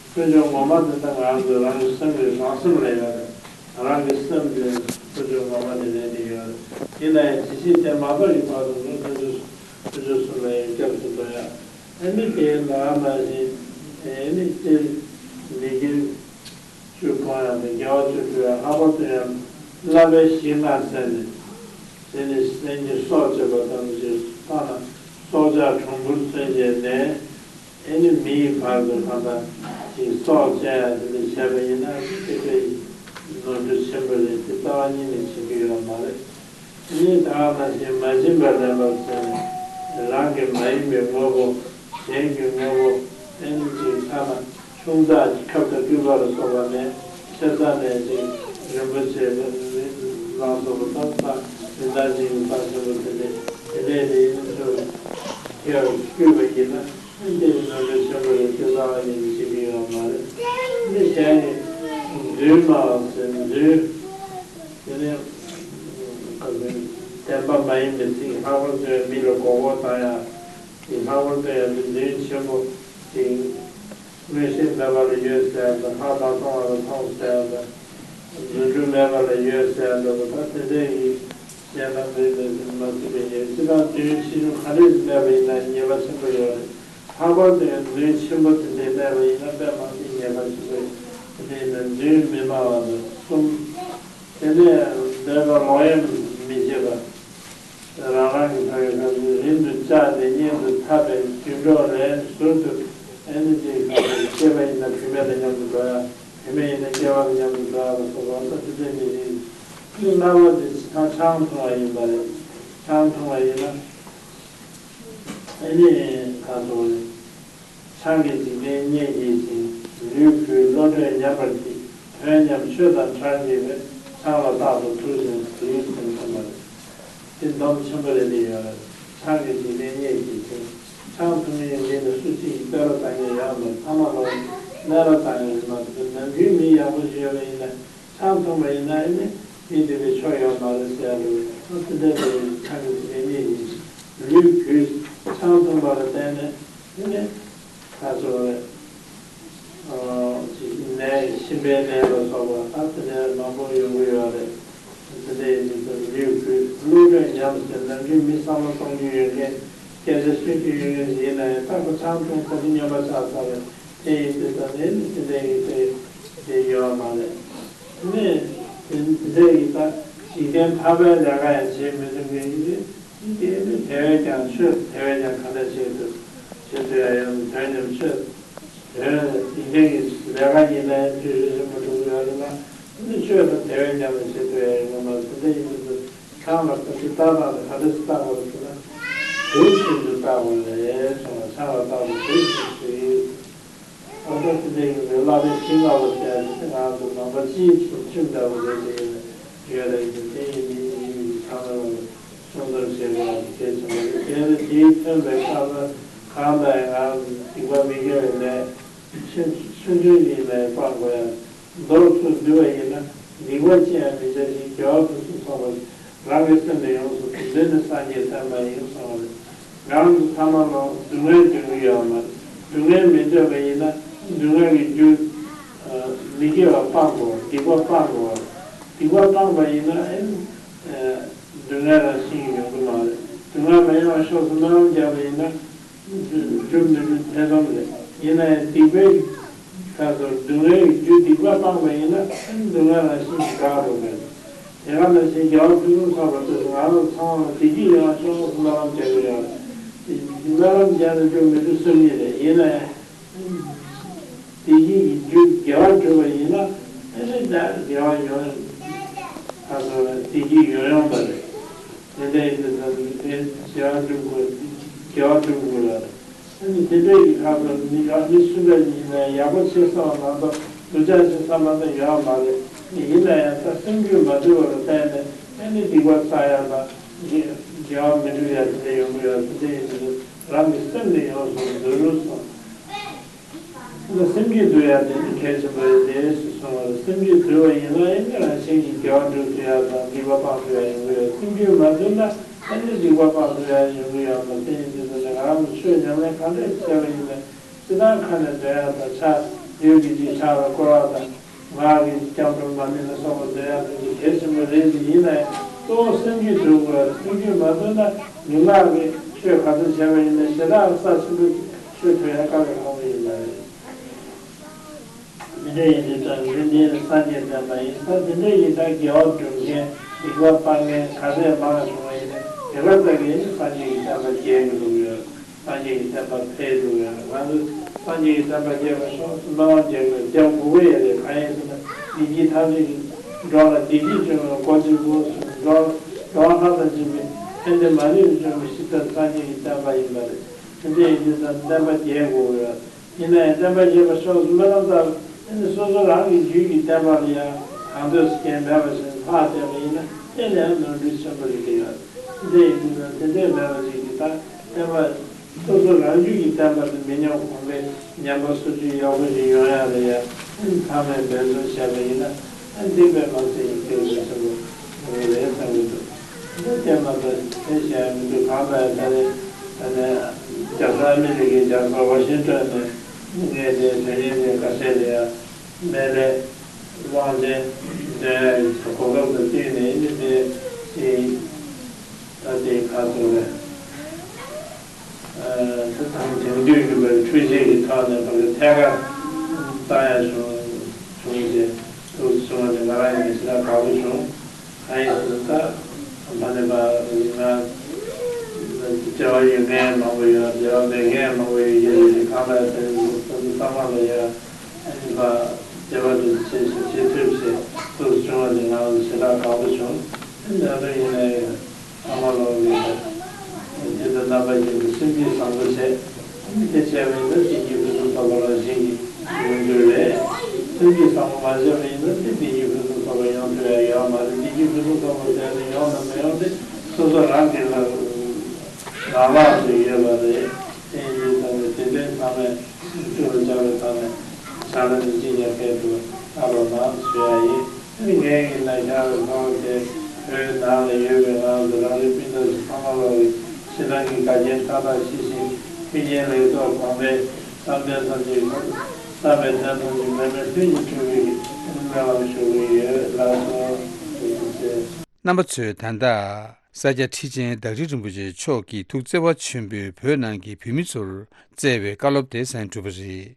དཀོན་མཆོག་ངོ་མ་དེ་ད་ང་ཚོ་རང་གི་སེམས་ཀྱི་རང་སེམས་ལ་ཡོད་རེད། རང་གི་སེམས་དེ་ཐུགས་རྗེ་ངོ་མ་དེ་ལས་དེ་ཡོད་རེད། ཡིན་ན་ཡང་ཇི་སྲིད་དེ་མ་ཐོབ་ཀྱི་བར་དུ་ནི་ཐུགས་རྗེ་ཐུགས་རྗེ་གསུམ་ལ་ཡང་སྐྱབས་སུ་འགྲོ་ཡ། ཨ་ནི་དེའི་ནང་ན་བཞིན་ཨ་ནི་སྤྱིར་མི་དགེ་བཅུ་སྤོང་ཡ་དང་དགེ་བ་བཅུ་སྒྲུབ་ཡ། ལྷག་པར་དུ་ཡང་བསླབ་པའི་གཞི་ལྔ་ཟེར་ནས་དེ་ནི་སེམས་ཀྱི་སྲོག་བཅད་པ་ཙམ་ཞིག་ཐོག་ན་སྲོག་ཆགས་གྲུང་པོར་བརྩོན་བྱས་ནས། ཨེ་ནི་མི་ཡི་བར་དུ་གང་ལྟར་ཅིག་སྲོག་བཅད་ཡ་དེ་འདྲ་བྱས་པ་ཡིན་ན་དེ་འདྲའི་ནོར་འཁྲུལ་ཆེན་པོ་རེད། དེ་རྩ་བ་ཉིད་ནས་བྱེད་ཀྱི་ཡོད་མ་རེད། ཨེ་ནི་ད་ག་ནང་བཞིན་མ་བྱིན་པར་ལེན་པ་ཟེར་ནས་རང་གི་མ་ཡིན་པའི་དངོས་པོ་གཞན་གྱི་དངོས་པོ་ཨེ་ནི་ཅིག་ཐ་ན་ཆུང་ཙག་གི་ཁབ་དང་སྐུད་པ་ལ་སོགས་པ་ནས་ཆེ་ས་ནས་ཅིག་རིན་པོ་ཆེ་ལ་སོགས་པ་དང་རིན་ཐང་ཅན་གྱི་རྩ་ཆེན་པོ་དེ་འདྲ་དེ་འདྲའི་རིན་ཆེ་བ་ཁྱེར་བར་བསྐུལ་བ་ཡིན་ན། འདི་ནོར་འཁྲུལ་ཆེན་པོ་རེད། དེ་ལྟ་བ་ཡིན་ཅིག་ཡོད་མ་རེད། འདི་གཞན་གྱི་རྫུན་སྨྲ་བ་ཟེར་རྫུན། དེ་ནས་བདེན་པ་མ་ཡིན་པའི་ཚིག་ལྷག་པར་དུ་མི་ལ་མགོ་སྐོར་བཏང་ཡ། དེ་ལྷག་པར་དུ་ཡང་རྫུན་ཆེན་པོ་དེ། མངོན་ཤེས་མེད་པ་ལ་ཡོད་ཟེར་ཡ་དང་། ལྷག་མ་མཐོང་བ་ལ་མཐོང་ཟེར་ཡ་དང་། རྫུ་འཕྲུལ་མེད་པ་ལ་ཡོད་ཟེར་ཡ་འདྲ་པོ་དང་། དེ་འདྲ་ཡིན་ཟེར་ན་མི་མེད་ཟེར་མ་སྲིད་པའི་ཉེས་པ། སྤྱིར་བཏང་རྫུན་ཕྱི་རུ་ག་རེ་སྨྲས་པ་ཡིན་ན་ཉེས་པ་ཆེན་པོ་ཡོད་རེད། ལྷག་པར་དུ་ཡང་རྫུན་ཆེན་པོ་དེ་འདྲ་སྨྲས་པ་ཡིན་ན་དཔེ་མ་སྲིད་ཉེས་པ་ཆེན་པོ་ཡོད། དེ་འདྲ་ཡིན་ན་རྫུན་མི་སྨྲ་བ་དང་གསུམ། དེ་ནས་འདོད་པ་ལོག་གཡེམ་མི་བྱེད་པ། རང་རང་གི་ཕ་གི་ཁ་ཟས་རིན་དུ་བཅག་སྟེ་གཉེན་དུ་འཐབ་པའི་རྒྱུ་འབྲས་ལས་ཟུར་དུ་ཨེ་ནི་ཅིག་ཁ་ཟས་སྐྱེས་པ་ཡིན་ན་བུད་མེད་དང་མཉམ་དུ་འགྲོ་ཡ། བུད་མེད་ཡིན་ན་སྐྱེས་པ་དང་མཉམ་དུ་འགྲོ་ཡ་ལ་སོགས་པ་ད་དེ་འདྲ་མི་རིགས་ཀྱི་རྣམ་པ་དེ་ཆང་འཐུང་བ་ཡིན་པ་རེད། ཆང་འཐུང་བ་ཡིན་ན་ཨེ་ནི་ཁ་ཟས་རེད། ཆང་གིས་འཇིག་རྟེན་བརྙས་བགྱིད་ཅིང་། ལུས་གུས་བློ་གྲོས་ཉམས་པར་བགྱིད། དོན་ཉམས་ཆོས་དང་ཕྲ་བགྱིད་པས། ཆང་ལ་རྟག་ཏུ་ཐུག་ཅིང་དུག་ཡིན་ཟེར་མཁན་པ་རེད། དེ་སྡོམ་ཆེན་པོ་རེད་དེ་ཡོད་རེད། ཆང་གིས་འཇིག་རྟེན་བརྙས་བགྱིད་ཅིང་། ཆང་འཐུང་མཁན་འདི་ནི་སུ་གཅིག་གིས་བསྟོད་ར་བཏང་མཁན་ཡོད་མ་རེད། ཐ་མ་ལ་སྨད་ར་བཏང་མཁན་རེད་མ་གཏོགས། ནམ་རྒྱུན་མི་ཡག་པོ་ཞིག་ཡོད་པ་ཡིན་ན། ཆང་འཐུང་བ་ཡིན་ན་ཨེ་ནི་མི་འདི་བའི་ཆོ་ཡོད་མ་རེད་ཟེར་ཡ་རེད། ཨ་དེ་འདྲ་དེ་ཆང་གིས་འཇིག་རྟེན་བརྙས་བགྱིད་ཅིང་། ལུས་གུས། ཆང་འཐུང་བ་ལ་བརྟེན་ནས་ཨེ་ནི་ད་གཟོད་ནད་གཤིན་པོའི་ནད་ལ་སོགས་པ་ད་དེ་འདྲ་མང་པོ་ཡོང་གི་ཡོད་རེད། དེ་འདྲ་ཡིན་དུས་ལུས་གུས། བློ་གྲོས་ཉམས་ཟེར། ནམ་རྒྱུན་མི་བསམ་བློ་གཏོང་རྒྱུ་ཡོད་མཁན། སྐད་ཆ་ཤོད་རྒྱུ་ཡོད་མཁན་ཞིག་ཡིན་ན་ཡང་། ད་ཁོ་ཆང་འཐུང་ས་དེ་སྨྱོན་པ་ཆགས་ཚར་བས། དེ་ཡིན་དུས་ད་ནི་དེ་འདྲ་ཡིན་དེ་དེ་ཡོད་མ་རེད། ནས་དེ་འདྲ་ཡིན་ད་འཇིག་རྟེན་ཕལ་པའི་ལས་ཀ་ཡང་བྱེད་མི་ཐུབ་མཁན་ཡིན་དུས། དེ་ནི་དེ་བས་ཀྱང་ཆོས་དེ་བས་ཀྱང་ག་འདྲ་བྱེད་ཐུབ། བྱེད་ཐུབ་ཡ་ཡོད། དོན་ཉམས་ཆོས་དོན་ཡིན་མཁན་གྱི་ལས་ཀ་ཡིན་ན་ཡང་འཐུས་ཤོར་ཆེན་པོ་འགྲོ་གི་ཡོད་རེད་ན། འདི་ཆོས་དང་དེ་བས་ཀྱང་ལ་བྱེད་ཐུབ་ཡ་ཡོད་མ་རེད། དེ་འདྲ་ཡིན་དུས་ཆང་ལ་ད་ཅི་ལྟ་སྟངས་དེ་ག་འདྲ་ཞིག་ལྟ་དགོས་རེད་ཟེར་ན། དུག་བཞིན་དུ་ལྟ་དགོས་རེད་གསུངས་པ། ཆང་ལ་ལྟ་བུ་དུག་བཞིན་དུ་ཡིན། ཨ་ད་དེ་འདྲ་ཡིན་དུས་བསླབ་པའི་གཞི་ལྔ་པོ་ཟེར་ཡ་དེ་ང་ཚོ་ནང་པ་སྤྱིའི་ཆོས་ཁྲིམས་ལྟ་བུ་རེད་ཟེར་གྱི་ཡོད་རེད་ཟེར། དེ་ཡིན་མིན་ཡིན་མིན་ཚང་མ་ལ་སྲུང་སྐྱོབ་བྱེད་དགོས་པ་གལ་ཆེན་པོ་རེད། དེ་ནི་དེའི་མཐུན་པའི་སྐབས་ལ་གང་ལྟར་ཡང་ང་ཚོ་སྡིག་པ་མི་དགེ་བའི་ལས་ཆུང་ཆུང་ཆུང་ཡིན་ནའི་སྤང་དགོས་ཡ། མདོར་ཚུར་བསྡུས་པ་ཡིན་ན་སྡིག་པ་ཅི་ཡང་མི་བྱ་ཞིང་། དགེ་བ་ཕུན་སུམ་ཚོགས་པར་རང་གི་སེམས་ནི་ཡོངས་སུ་འདུལ། འདི་ནི་སངས་རྒྱས་བསྟན་པ་ཡིན་གསུངས་པ་རེད། ང་ཚོ་ཚང་མ་ལ་སྡུག་བསྔལ་འདོད་ཀྱི་ཡོད་མ་རེད། སྡུག་བསྔལ་མི་འདོད་པ་ཡིན་ན་སྡུག་བསྔལ་གྱི་རྒྱུ་མི་དགེ་བ་སྤང་དགོས། སྡིག་པ་སྤང་དགོས། སྡིག་པ་སྤངས་པ་ཡིན་ན་ཨེ་སྡུག་བསྔལ་རང་བཞིན་གྱིས་ཡོང་གི་མ་རེད། སྡུག་བསྔལ་མ་ཡོང་བ་ཕྱོགས་སུ་སྨོན་ལམ་བརྒྱབ་པ་ཡིན་ན། རྒྱུ་མི་འགྲུབ་ཐེ་ཚོམ་རེད། ཡིན་ན་ཡང་སྡིག་པའི་ཁ་ཚོར་སྡུག་བསྔལ་གྱི་རྒྱུ་སྡིག་པ་སྤངས་པ་ཡིན་ན་སྡུག་བསྔལ་རང་བཞིན་གྱིས་འགག་འགྲོ་གི་རེད། དེ་ག་ནང་བཞིན་དགེ་བ་ཕུན་སུམ་ཚོགས་པར་འདོད་ན་ང་རང་ཚང་མ་བདེ་སྐྱིད་ཡོང་བ་ཕྱོགས་སུ་སྨོན་ལམ་རྒྱག་གི་ཡོད་རེད། སྨོན་ལམ་རྒྱག་ན་རྒྱུ་མི་འགྲུབ་སེམས་ཉིད་རེད། ཡིན་ན་ཡང་བདེ་སྐྱིད་ཀྱི་རྒྱུ་དགེ་བ་བསྒྲུབས་པ་ཡིན་ན་ཨེ་ནི་ད་དགེ་བ་ཡོང་ཁ་ཚོར་བདེ་སྐྱིད་ཡོང་ཡོང་བ་རེད། དེ་འདྲ་ཡིན་དུས་ད་དེ་དགེ་བ་སྒྲུབ་དགོས། དགེ་བ་སྒྲུབ་དགོས་ལ། ཨ་ནི་དེ་འདྲ་ཡི་ཁ་ཚོར་མི་ཡག་མི་སུ་འདྲ་ཡིན་ན་ཡག་པོ་བྱེད་བསམ་པ་མ་གཏོགས་སྡུག་ཅག་བྱེད་བསམ་པ་ད་ཡོད་མ་རེད། ཡིན་ན་ཡང་ད་སེམས་རྒྱུད་མ་དུལ་བ་ལ་བརྟེན་ནས་ཨ་ནི་སྡིག་པ་བསགས་ཡ་དང་དགེ་དགེ་བ་མི་འགྲུབ་ཡ་དེ་འདྲ་ཡོང་གི་ཡོད། དེ་འདྲ་ཡིན་དུས་རང་གི་སེམས་ནི་ཡོངས་སུ་འདུལ་གསུངས། སེམས་རྒྱུད་དུལ་ཡ་དེ་ནི་གལ་ཆེན་པོ་རེད། དེ་སུ་གསུངས་པ་རེད། སེམས་རྒྱུད་དུལ་བ་ཡིན་ན་ཨེ་ནི་རང་བཞིན་གྱིས་དགེ་བ་འགྲུབ་ཐུབ་ཡ་དང་སྡིག་པ་སྤང་ཐུབ་ཡ་ཡོང་གི་ཡོད། སེམས་རྒྱུད་མ་དུལ་ན་ཨེ་ནི་སྡིག་པ་སྤང་ཐུབ་ཡ་ཡོང་གི་ཡོད་མ་རེད། དེ་ཡིན་དུས་ད་ནི་ང་རང་ཚོ་ཆོས་ཉམས་ལེན་ག་འདྲས་བྱས་པ་ཡིན་ནའི་སྤྱིར་བཏང་ཁ་ནས་འདོན་ཡ་དང་ཕྱག་ལུས་ཀྱི་ཅིག་ཕྱག་ལ་བསྐོར་བ་དང་ ངག་གི་སྐྱབས་འགྲོ་མ་ཎི་ལ་སོགས་པ་འདོན་ཡག་དེ་གལ་ཆེན་པོ་རེད་དེ། ཡིན་ན་ཡང་གཙོ་བོ་སེམས་རྒྱུད་འདོན་དགོས། སེམས་རྒྱུད་མ་འདོན་ན་མི་ངག་གི་ཆོས་ག་ཚོད་བྱས་པ་ཡིན་ན་ཞེ་དྲག་རྩ་ཆེན་པོ་ཆོས་ཐོས་ཡག་དཀའ་ལས་ཁག་པོ་ཡིན་པ་རེད། དེ་འདྲ་ཡིན་དུས་ཙང་འདི་འདི་ནི་སངས་རྒྱས་བསྟན་པ་ཡིན་ཙང་། དེ་འདྲ་ཡིན་ཙང་དགེ་བ་སྒྲུབ་མཁན་སྡིག་པ་སྤང་མཁན་ག་ཚད་མང་བྱུང་བ་ཡིན་ན་དེ་ག་ཙམ་གྱིས་ནི་སངས་རྒྱས་ཀྱི་བསྟན་པ་རྒྱས་ཀྱི་འགྲོ་གི་ཡོད། སངས་རྒྱས་ཀྱི་བསྟན་པ་འཕེལ་འགྲོ་གི་ཡོད། ང་ཚོ་སངས་རྒྱས་ཀྱི་བསྟན་པ་རྒྱས་པར་ཤོག་ཟེར་སྨོན་ལམ་རྒྱག་དགོས། རྒྱག་དགོས་ཀྱི་ཡོད་རེད། གང་ཡིན་ཟེར་ན་བདེ་སྐྱིད་ཐམས་ཅད་ཀྱི་འགྲོ་ལ་བདེ་སྐྱིད་འབྱུང་བའི་སྒོ་གཅིག་པུ་ཟེར། འགྲོ་འགྲོ་བ་ལྷ་དང་བཅས་པའི་ཕན་བདེ་མ་ལུས་འབྱུང་བའི་གཞི་རྩ་སངས་རྒྱས་ཀྱི་བསྟན་པ་ཡིན་པ་རེད། དེ་འདྲ་ཡིན་དུས་ཙང་བསྟན་པ་རྒྱས་དགོས་ཀྱི་ཡོད། ཡིན་ན་ཡང་བསྟན་པ་རྒྱས་པར་ཤོག་ཟེར་སྨོན་ལམ་བཏབ། ཨ་ནི་སོ་སོ་རང་གི་རྒྱུད་ཀྱི་བསྟན་པ་ལ་ཡང་གང་འདོད་སྐྱོན་མེད་པ་ཞིག་ལྷག་བསྡད་པ་ཡིན་ན་དེ་ལས་ཡང་ནོར་འཁྲུལ་ཆེན་པོ་རེད་ཀྱི་ཡོད། དེ་འདྲ་ཡིན་དུས་ན་དེ་འདྲས་མེད་པ་ཞིག་གིས་ད་བསྟན་པ་སོ་སོ་རང་རྒྱུད་ཀྱི་བསྟན་པ་དེ་མི་ཉམས་གོང་འཕེལ་ཉམས་པ་སོར་ཆུད་ཡག་པོ་ཞིག་ཡོང་ཡག་ལ་ཡང་ཨ་ནི་ཚང་མས་འབད་བརྩོན་བྱས་པ་ཡིན་ན་ཨ་ནི་དེ་དཔེ་མ་ཚད་ཀྱི་གལ་ཆེན་ཆེན་པོ་ཡོང་གི་རེད་བསམ་གྱི་འདུག་དེ་ལྟར་མ་ཟད་དེ་བཤད་ཡ་མི་འདུག་གང་ལྟར་ད་རེས་ད་ནས་རྒྱ་བཟའ་ཨ་མི་རི་ཀའི་རྒྱལ་ས་ཝ་ཤིང་ཊོན་ནས་ངས་དེ་དོན་གཉེར་ཅན་ཁ་ཤས་ལ་ཡ་སྨན་བླའི་དབང་ཆེན་འདོན་ཡ་གི་གོ་སྐབས་དང་བསྟུན་ནས་ཨ་ནི་དེ་ཅིག་ད་དེ་ག་ཚོད་རེད། ཨ་དེ་དང་དེང་དུས་ཀྱི་བའི་འཕྲུལ་ཆས་ཀྱི་ཐོག་ནས་ཕ་གི་ཐད་ཀར་བཏང་ཡ་བྱུང་བྱུང་རྗེས་ཐུགས་སུ་བྱུང་བ་དེ་ང་རང་ཡིན་ཞེ་དྲག་དགའ་པོ་བྱུང་། ཨ་ཡིན་ཟེར་ད་མ་ནི་པ་ང་འབྲེལ་བ་ཡོད་མཁན་མང་པོ་ཡོད། འབྲེལ་བ་མེད་མཁན་མང་པོ་ཡོད་ཀྱི་རེད། གང་ལ་དེ་ཚོ་ཚང་མ་ལ་ཡ་ཨ་ནི་པ་འབྲེལ་བ་དེ་བྱེད་ཤེས་བྱེད་ཐུབ་ཞེས་ཐུགས་སུ་བྱུང་བ་དེ་ང་ལ་ཞེ་དྲག་དགའ་པོ་བྱུང་། ཨ་ནི་ད་དུང་ཡིན་ན་ཡང་། ཐ་མ་ལོག་གི་དེ་ལྟར་རྣམ་པ་ཀུན་ཏུ་སེམས་བསྐྱེད་བཟང་པོ་བྱས། དེ་བྱས་པ་ཡིན་ན་བདེ་སྐྱིད་ཕུན་སུམ་ཚོགས་པ་རང་བཞིན་གྱིས་ཡོང་རྒྱུ་རེད། སེམས་བསྐྱེད་བཟང་པོ་མ་བྱས་པ་ཡིན་ན་དེ་བདེ་སྐྱིད་ཕུན་སུམ་ཚོགས་པ་ཡོང་ཐུབ་ཡ་ཡོད་མ་རེད། བདེ་སྐྱིད་ཕུན་སུམ་ཚོགས་པ་ཟེར་ནས་ཡོང་དང་མི་ཡོང་དེ་སོ་སོ་རང་གི་ལ་རང་ལག་ཏུ་ཡོད་པ་རེད། དེ་ཡིན་དུས་ཙམ་ནས་དེ་འདྲའི་ཚང་མས་ཐུགས་ལ་འཇགས་པའི་ཐོག་ནས་བྱ་ལ་ནི་ཅི་ཡང་ཕེབས་ཐུབ་པ་ལ་མ་ཞུ་ཡ་ཡིན། ངའི་ཡིན་ན་ཤར་བའི་ལྷོ་དེ་བོད་ནང་ལ་ཡོད་པའི་ངང་དུ་རང་རེའི་སྤུན་ཟླ་ཚོ་ཚང་མ་ལོག་གི་ཕྱི་ནང་གི་འགལ་རྐྱེན་མཐའ་དག་ཞི་ཞིང་མཐུན་རྐྱེན་ལེགས་ཚོགས་གོང་འཕེལ་བསམ་དོན་ཐམས་ཅད་བསམ་པའི་དོན་ཐམས་ཅད་མེད་པའི་ལྷུན་གྱིས་གྲུབ་པའི་སྨོན་ལམ་ཞུ་གི་ཡོད། ལགས་སོ། ཐུགས་རྗེ་ཆེ། རྣམ་པ་ཚོས་ད་ལྟ་ས་སྐྱ་ཁྲི་ཆེན་བདག་ཁྲི་རིན་པོ་ཆེ་མཆོག་གིས་ཐུགས་བརྩེ་བ་ཆེན་པོས་བོད་ནང་གི་བོད་མི་ཚོར་བསྩལ་བའི་བཀའ་སློབ་དེ་གསན་གྲུབ་པ་རེད།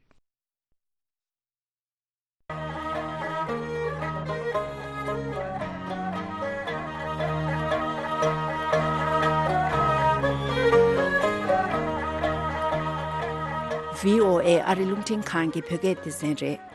བྷི་ཨོ་ཨེ་ཨ་རི་རླུང་འཕྲིན་ཁང་གི་བོད་སྐད་སྡེ་ཚན་རེད།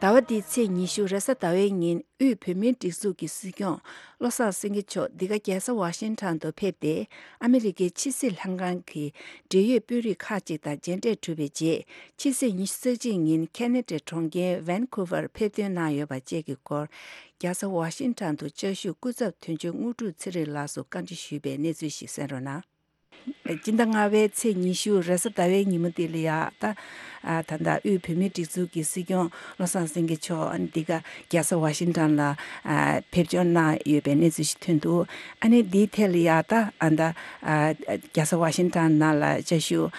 ཟླ་བ་འདིའི་ཚེས་ཉི་ཤུ་རེས་གཟའ་ཟླ་བའི་ཉིན་དབུས་བོད་མིའི་སྒྲིག་འཛུགས་ཀྱི་སྲིད་སྐྱོང་བློ་བཟང་སེང་གེ་མཆོག་འདི་ག་རྒྱལ་ས་ཝ་ཤིང་ཊོན་དུ་ཕེབས་ཏེ། ཨ་མི་རི་ཀའི་ཕྱི་སྲིད་ལྷན་ཁང་གི་འབྲེལ་ཡོད་དཔོན་རིགས་ཁག་ཅིག་དང་མཇལ་འཕྲད་གྲུབ་པའི་རྗེས། ཕྱི་ཚེས་ཉི་ཤུ་རྩ་གཅིག་ཉིན་ཁེ་ན་ཌའི་གྲོང་ཁྱེར་ཝན་ཁུ་ཝར་ཕེབས་ཐོན་གནང་ཡོད་པ་བཅས་ཀྱི་སྐོར། རྒྱལ་ས་ཝ་ཤིང་ཊོན་དུ་བཅའ་བཞུགས་སྐུ་ཚབ་དོན་གཅོད་དངོས་གྲུབ་ཚེ་རིང་ལགས་སུ་བཀའ་འདྲི་ཞུས་པའི་གནས་ཚུལ་ཞིག་གསན་རོགས་གནང་། སྤྱི་ཟླ་ལྔ་པའི་ཚེས་ཉི་ཤུ་རེས་གཟའ་ཟླ་བའི་ཉིན་མོ་དེ་ལ་ཡ་ད། ད་ལྟ་དབུས་བོད་མིའི་སྒྲིག་འཛུགས་ཀྱི་སྲིད་སྐྱོང་བློ་བཟང་སེང་གེ་མཆོག་འདི་ག་རྒྱལ་ས་ཝ་ཤིང་ཊོན་ལ་ཕེབས་འབྱོར་གནང་ཡོད་པའི་གནས་ཚུལ་ཞིག་ཐོན་འདུག་ཨ་ནི་འདིའི་ཐད་ལ་ཡ་ད་ད་རྒྱལ་ས་ཝ་ཤིང་ཊོན་ནང་ལ་བཅའ་བཞུགས་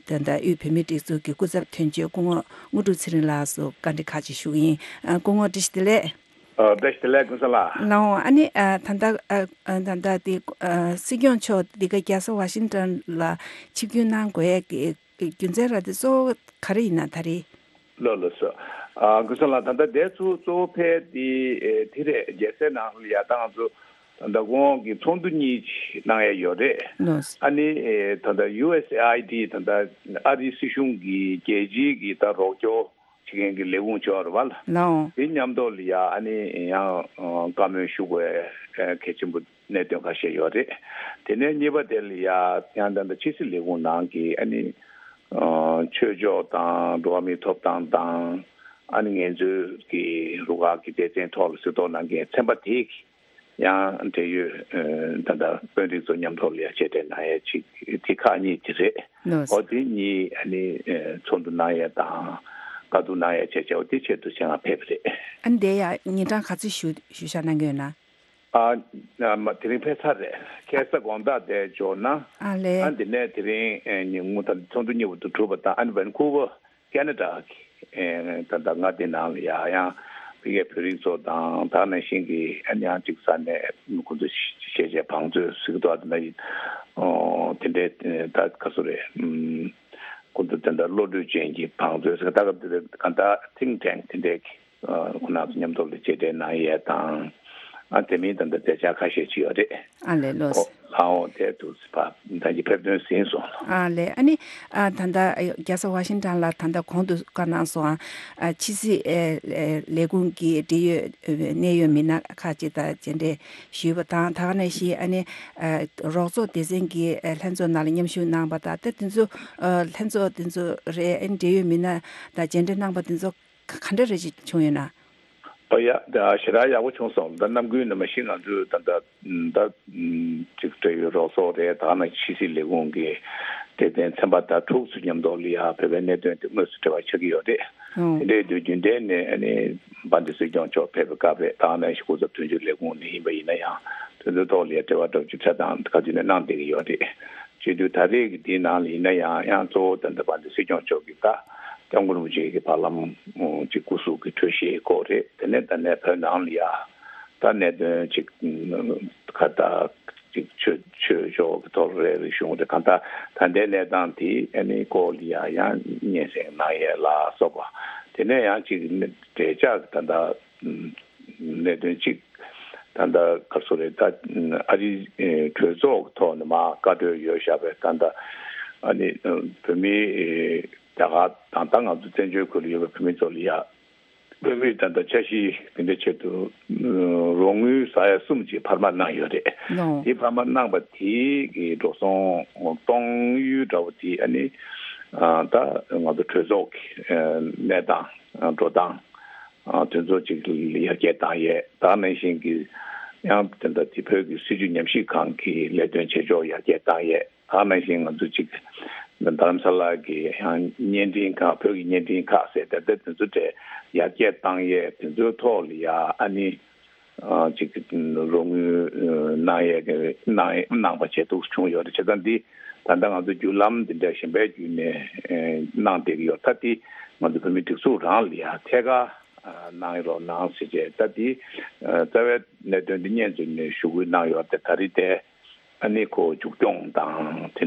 ད་ལྟ་དབུས་བོད་མིའི་སྒྲིག་འཛུགས་ཀྱི་སྐུ་ཚབ་དོན་གཅོད་སྐུ་ངོ་དངོས་གྲུབ་ཚེ་རིང་ལགས་སུ་བཀའ་འདྲི་ཁག་ཅིག་ཞུ་གི་ཡིན། སྐུ་ངོ་བཀྲ་ཤིས་བདེ་ལེགས། ཨ། བཀྲ་ཤིས་བདེ་ལེགས་ཀུན་བཟང་ལགས། ལགས་འོང་། ཨ་ནི་ཨ་ད་ལྟ་ཨ་ཨ་ད་ལྟ་དེ་ཨ་སྲིད་སྐྱོང་མཆོག་འདི་ག་རྒྱལ་ས་ཝ་ཤིང་ཊོན་ལ་ཆིབས་བསྒྱུར་གནང་དགོས་ཡས་ཀྱི་རྒྱུ་མཚན་ར་དེ་གཙོ་བོ་ག་རེ་ཡིན་ན་ད་རེས། ལགས་ལགས་སོ། ཨ་ཀུན་བཟང་ལགས། ད་ལྟ་དེ་ཚོ་གཙོ་བོ་ཕལ་དེ་ཨེ་དེ་རེད། རྒྱལ་སའི་ནང་ལ་ཡ་ད་ང་ཚོ་ད་ལྟ་ཁོང་གི་ཚོགས་འདུ་གཉིས་གནང་ཡས་ཡོད་རེད། ལགས་སོ། ཨ་ནི་ཨེ་ད་ལྟ་ཡུ་ཨེས་ཨེ་ཨའི་ཌི་ད་ལྟ་ཨ་རིའི་སྲིད་གཞུང་གི་རྒྱལ་སྤྱིའི་གི་ད་རོགས་སྐྱོར་བྱེད་མཁན་གྱི་ལས་ཁུངས་ཅིག་ཡོད་རེད་བ་ལ། ལགས་འོང་། དེ་མཉམ་དུ་ལ་ཡ་ཨ་ནི་ཡང་བཀའ་མོལ་ཞུ་དགོས་གལ་ཆེན་པོ་གནད་དོན་ཁ་ཤས་ཡོད་རེད། དེ་ནས་གཉིས་པ་དེ་ལ་ཡ་ཡང་ད་ལྟ་ཕྱི་སྲིད་ལས་ཁུངས་ནང་གི་ཨ་ནི་ཆོས་ཕྱོགས་དང་འགྲོ་བ་མིའི་ཐོབ་ཐང་དང་ཨ་ནི་ངལ་རྩོལ་གྱི་རུ་ཁག་གི་སྡེ་ཚན་ཐོག་ལ་གཟིགས་རྟོག་གནང་མཁན་ཚན་པ་དེ་གི་ཡང་འབྲེལ་ཡོད་ད་ལྟ་དཔོན་རིགས་ཚོ་མཉམ་ཐོག་ལ་ཡ་མཇལ་འཕྲད་གནང་ཡ་ཅིག་དེ་ཁག་གཉིས་དེ་རེད། ལགས་སོ། འོ་དེ་གཉིས་ཨ་ནི་ཚོགས་འདུ་གནང་ཡ་དང་བཀའ་བསྡུར་གནང་ཡ་བྱས་བྱས་འོ་དེ་ཆེད་དུ་ཆེད་མངགས་ཕེབས་པ་རེད། ཨ་ནི་དེ་ཡ་ཉིན་གྲངས་ག་ཚོད་ཞུ་ཞུ་བཞག་གནང་གི་ཡོད་ན། ཨ་ན་མ་དེ་རིང་ཕེབས་ཚར་རེད། ཁ་སང་དགོང་དག་དེ་འབྱོར་ན། ཨ་ལས། ཨ་འདི་ནས་དེ་རིང་ཨེ་ཉིན་གུང་ད་ཚོགས་འདུ་གཉིས་པོ་དེ་གྲུབ་པ་དང་ཨ་ནི་ཝན་ཁུ་ཝར་ཁེ་ན་ཌ་གི་ཨེ་ད་ལྟ་མངའ་སྡེ་ནང་ལ་ཡ་ཡང་ དེ་གའི་བོད་རིགས་ཚོ་དང་ད་ག་ནང་བཞིན་གྱི་ཨ་ནི་ཡང་གཅིག་ས་ནས་ཁོ་ཚོ་ཤེས་བྱའི་བང་མཛོད་ཟེར་གྱི་འདུག་ཨ་དེ་འདྲ་ཡིན། ཨོ་དེ་འདྲའི་ད་ག་སུ་རེད། ཨུམ། ཁོ་ཚོ་དེ་འདྲ་བློ་གྲོས་ཅན་གྱི་བང་མཛོད་ཟེར་ད་ག་དེ་ག་ད་think tank དེ་འདྲའི་ཁོ་རང་ཚོ་མཉམ་དུ་ལ་མཇལ་འཕྲད་གནང་ཡས་དང་། ཨ་དེ་མིན་ད་ལྟ་མཛད་འཆར་ཁ་ཤས་ཅིག་ཡོད་རེད། ཨ་ལས་ལོས། ཨོ་ལའོ་དེ་དུ་ཕ་ད་ཀྱི་ཕེབས་ཐོན་ཟིན་སོང་། ཨ་ལས་ཨ་ནི་ཨ་ད་ལྟ་རྒྱལ་ས་ཝ་ཤིང་ཊོན་ལ་ད་ལྟ་གོང་དུ་བཀའ་གནང་སོང་ཨ། ཕྱི་སྲིད་ཨེ་ཨེ་ལས་ཁུངས་ཀྱི་འབྲེལ་ཡོད་ཨེ་གནད་ཡོད་མི་སྣ་ཁག་ཅིག་དང་མཇལ་འཕྲད་ཞུས་པ་དང་ད་ག་ནང་བཞིན་ཨ་ནི་ཨེ་རོགས་ཚོགས་སྡེ་ཚན་གྱི་ཨེ་ལྷན་ཚོགས་ནང་ལ་མཉམ་ཞུགས་གནང་པ་དང་ད་དེ་ཚོ་ཨེ་ལྷན་ཚོགས་དེ་ཚོ་རེད་ཨ་ནི་འབྲེལ་ཡོད་མི་སྣ་དང་མཇལ་འཕྲད་གནང་པ་དེ་ཚོ་ག་ག་འདྲ་རེ་ཞིག་བྱུང་ཡོད་ན། ཨོ་ཡ། ད་ཞེ་དྲག་ཡག་པོ་བྱུང་སོང་། ད་ནམ་རྒྱུན་ནས་མ་གཞི་ང་ཚོས་ད་ད་ད་ཅིག་འབྲེལ་ཡོད་རོགས་ཚོགས་རེད། ད་ནང་ཕྱི་སྲིད་ལས་ཁུངས་ཀྱི་སྡེ་ཚན་ཚན་པ་དང་དྲུག་ཚོ་མཉམ་དུ་ལ་ཡ་བོད་པའི་གནད་དོན་དེ་དངོས་སུ་འབྲེལ་བ་ཆགས་ཀྱི་ཡོད་རེད། ཨོ། དེ་འདྲའི་དུས་རྒྱུན་ལྡན་ནས་ཨ་ནི་དཔལ་ལྡན་སྲིད་སྐྱོང་མཆོག་ཕེབས་པའི་སྐབས་རེད། ད་ནང་བཞིན་སྐུ་ཚབ་དོན་གཅོད་ལས་ཁུངས་ནས་ཡིན་པ་ཡིན་ན་ཡང་དེ་ཚོའི་ཐོག་ལ་ཡ་འབྲེལ་བ་འདྲ་བོ་ཅིག་འཕྲད་སྟངས་ག་དུས་ནས་གནང་བསྡད་ཀྱི་ཡོད་རེད། བྱེད་དུས་ད་རེས་ཀྱི་འདིའི་ནང་ལ་ཡིན་ན་ཡང་ཡང་གཙོ་བོ་ད་ལྟ་དཔལ་ལྡན་སྲིད་སྐྱོང་མཆོག་གིས་ད་སྐྱབས་མགོན་རིན་པོ་ཆེ་གི་བར་ལམ་གྱི་སྐུ་གཟུགས་ཀྱི་གྲོས་གཞིའི་སྐོར་རེད། དེ་ནས་ད་ནས་བོད་ནང་ལ་ཡ་ད་གནད་དོན་ཅིག་ཁ་ད་ཅིག་ཆོས་ཆོས་ཕྱོགས་ཀྱི་ཐོག་རེད། རིག་གཞུང་རེད། གང་ལྟར་ད་ལྟའི་གནས་སྟངས་དེ་ཨ་ནི་སྐོར་ལ་ཡ་ཡང་སྙན་སེང་གནང་ཡས་ལ་སོགས་པ་དེ་ནས་ཡང་ཅིག་འབྲེལ་ཆགས་ཀྱི་ད་ལྟ་གནད་དོན་གཅིག་ད་ལྟ་ག་སོ་རེད། ད་ཨ་རིའི་གྲོས་ཚོགས་ཀྱི་ཐོག་ནས་མར་བཀའ་འཁྲོལ་ཡོད་བཞག་པའི་ད་ལྟ་ཨ་ནི་བོད་མིའི་རྒྱ་གར་དང་ད་ང་ཚོ་བཙན་བྱོལ་ཁུལ་ལ་ཡོད་པའི་བོད་མི་ཚོ་ལ་ཡ་བོད་མིའི་ད་ལྟ་འཆར་གཞི་དེ་འདྲའི་ཆེད་དུ་རོགས་དངུལ་ཟ་ཡ་གསུམ་ཅིག་འཕར་མ་གནང་ཡོད་རེད། ལོ། དེ་འཕར་མ་གནང་པ་དེ་གི་འགྲོ་སོང་གཏོང་ཡུལ་འདྲ་བོ་དེ་ཨ་ནི་ད་ང་ཚོ་གྲོས་ཚོགས་ཀྱི་གནས་སྟངས་འགྲོ་སྟངས། དོན་ཚོགས་གཅིག་ལ་ཡར་རྒྱས་བཏང་ཡས། ད་ནང་བཞིན་གྱི་ཡང་དེ་འདྲ་དེ་བོད་ཀྱི་སྲིད་བྱུས་ཉམས་ཞིབ་ཁང་གི་ལས་དོན་བྱེད་ཕྱོགས་ཡར་རྒྱས་བཏང་ཡས། ད་ནང་བཞིན་ང་ཚོ་གཅིག་རྡ་རམ་ས་ལ་གི་ཡང་བརྙན་འཕྲིན་ཁང་། བོད་ཀྱི་བརྙན་འཕྲིན་ཁང་ཟེར་ཏེ་དེ་ཚོ་གྲས་ཡར་རྒྱས་བཏང་ཡས། དེ་ཚོའི་ཐོག་ལ་ཡ་ཨ་ནི་གཅིག་རོགས་དངུལ་གནང་ཡས་གི་གནང་གནང་པ་བྱས་འདུག་བྱུང་ཡོད་རེད། བྱས་ཙང་འདི་ད་ལྟ་ང་ཚོ་བརྒྱུད་ལམ་འདི་འདྲ་གཞན་པའི་བརྒྱུད་ནས་གནང་བསྡད་ཀྱི་ཡོད། ད་འདི་ང་ཚོ་བོད་མི་སྒྲིག་འཛུགས་རང་ལ་ཡ་ཐད་ཀར་གནང་རོགས་གནང་ཟེར་བྱས། ད་འདི་རྩ་བའི་གནད་དོན་འདི་སྙན་བརྒྱུད་ནས་ཞུ་སྐུལ་གནང་ཡོད་དེ། ད་རེས་དེ་ཨ་ནི་ཁོ་མཇུག་སྐྱོང་དང་དེ་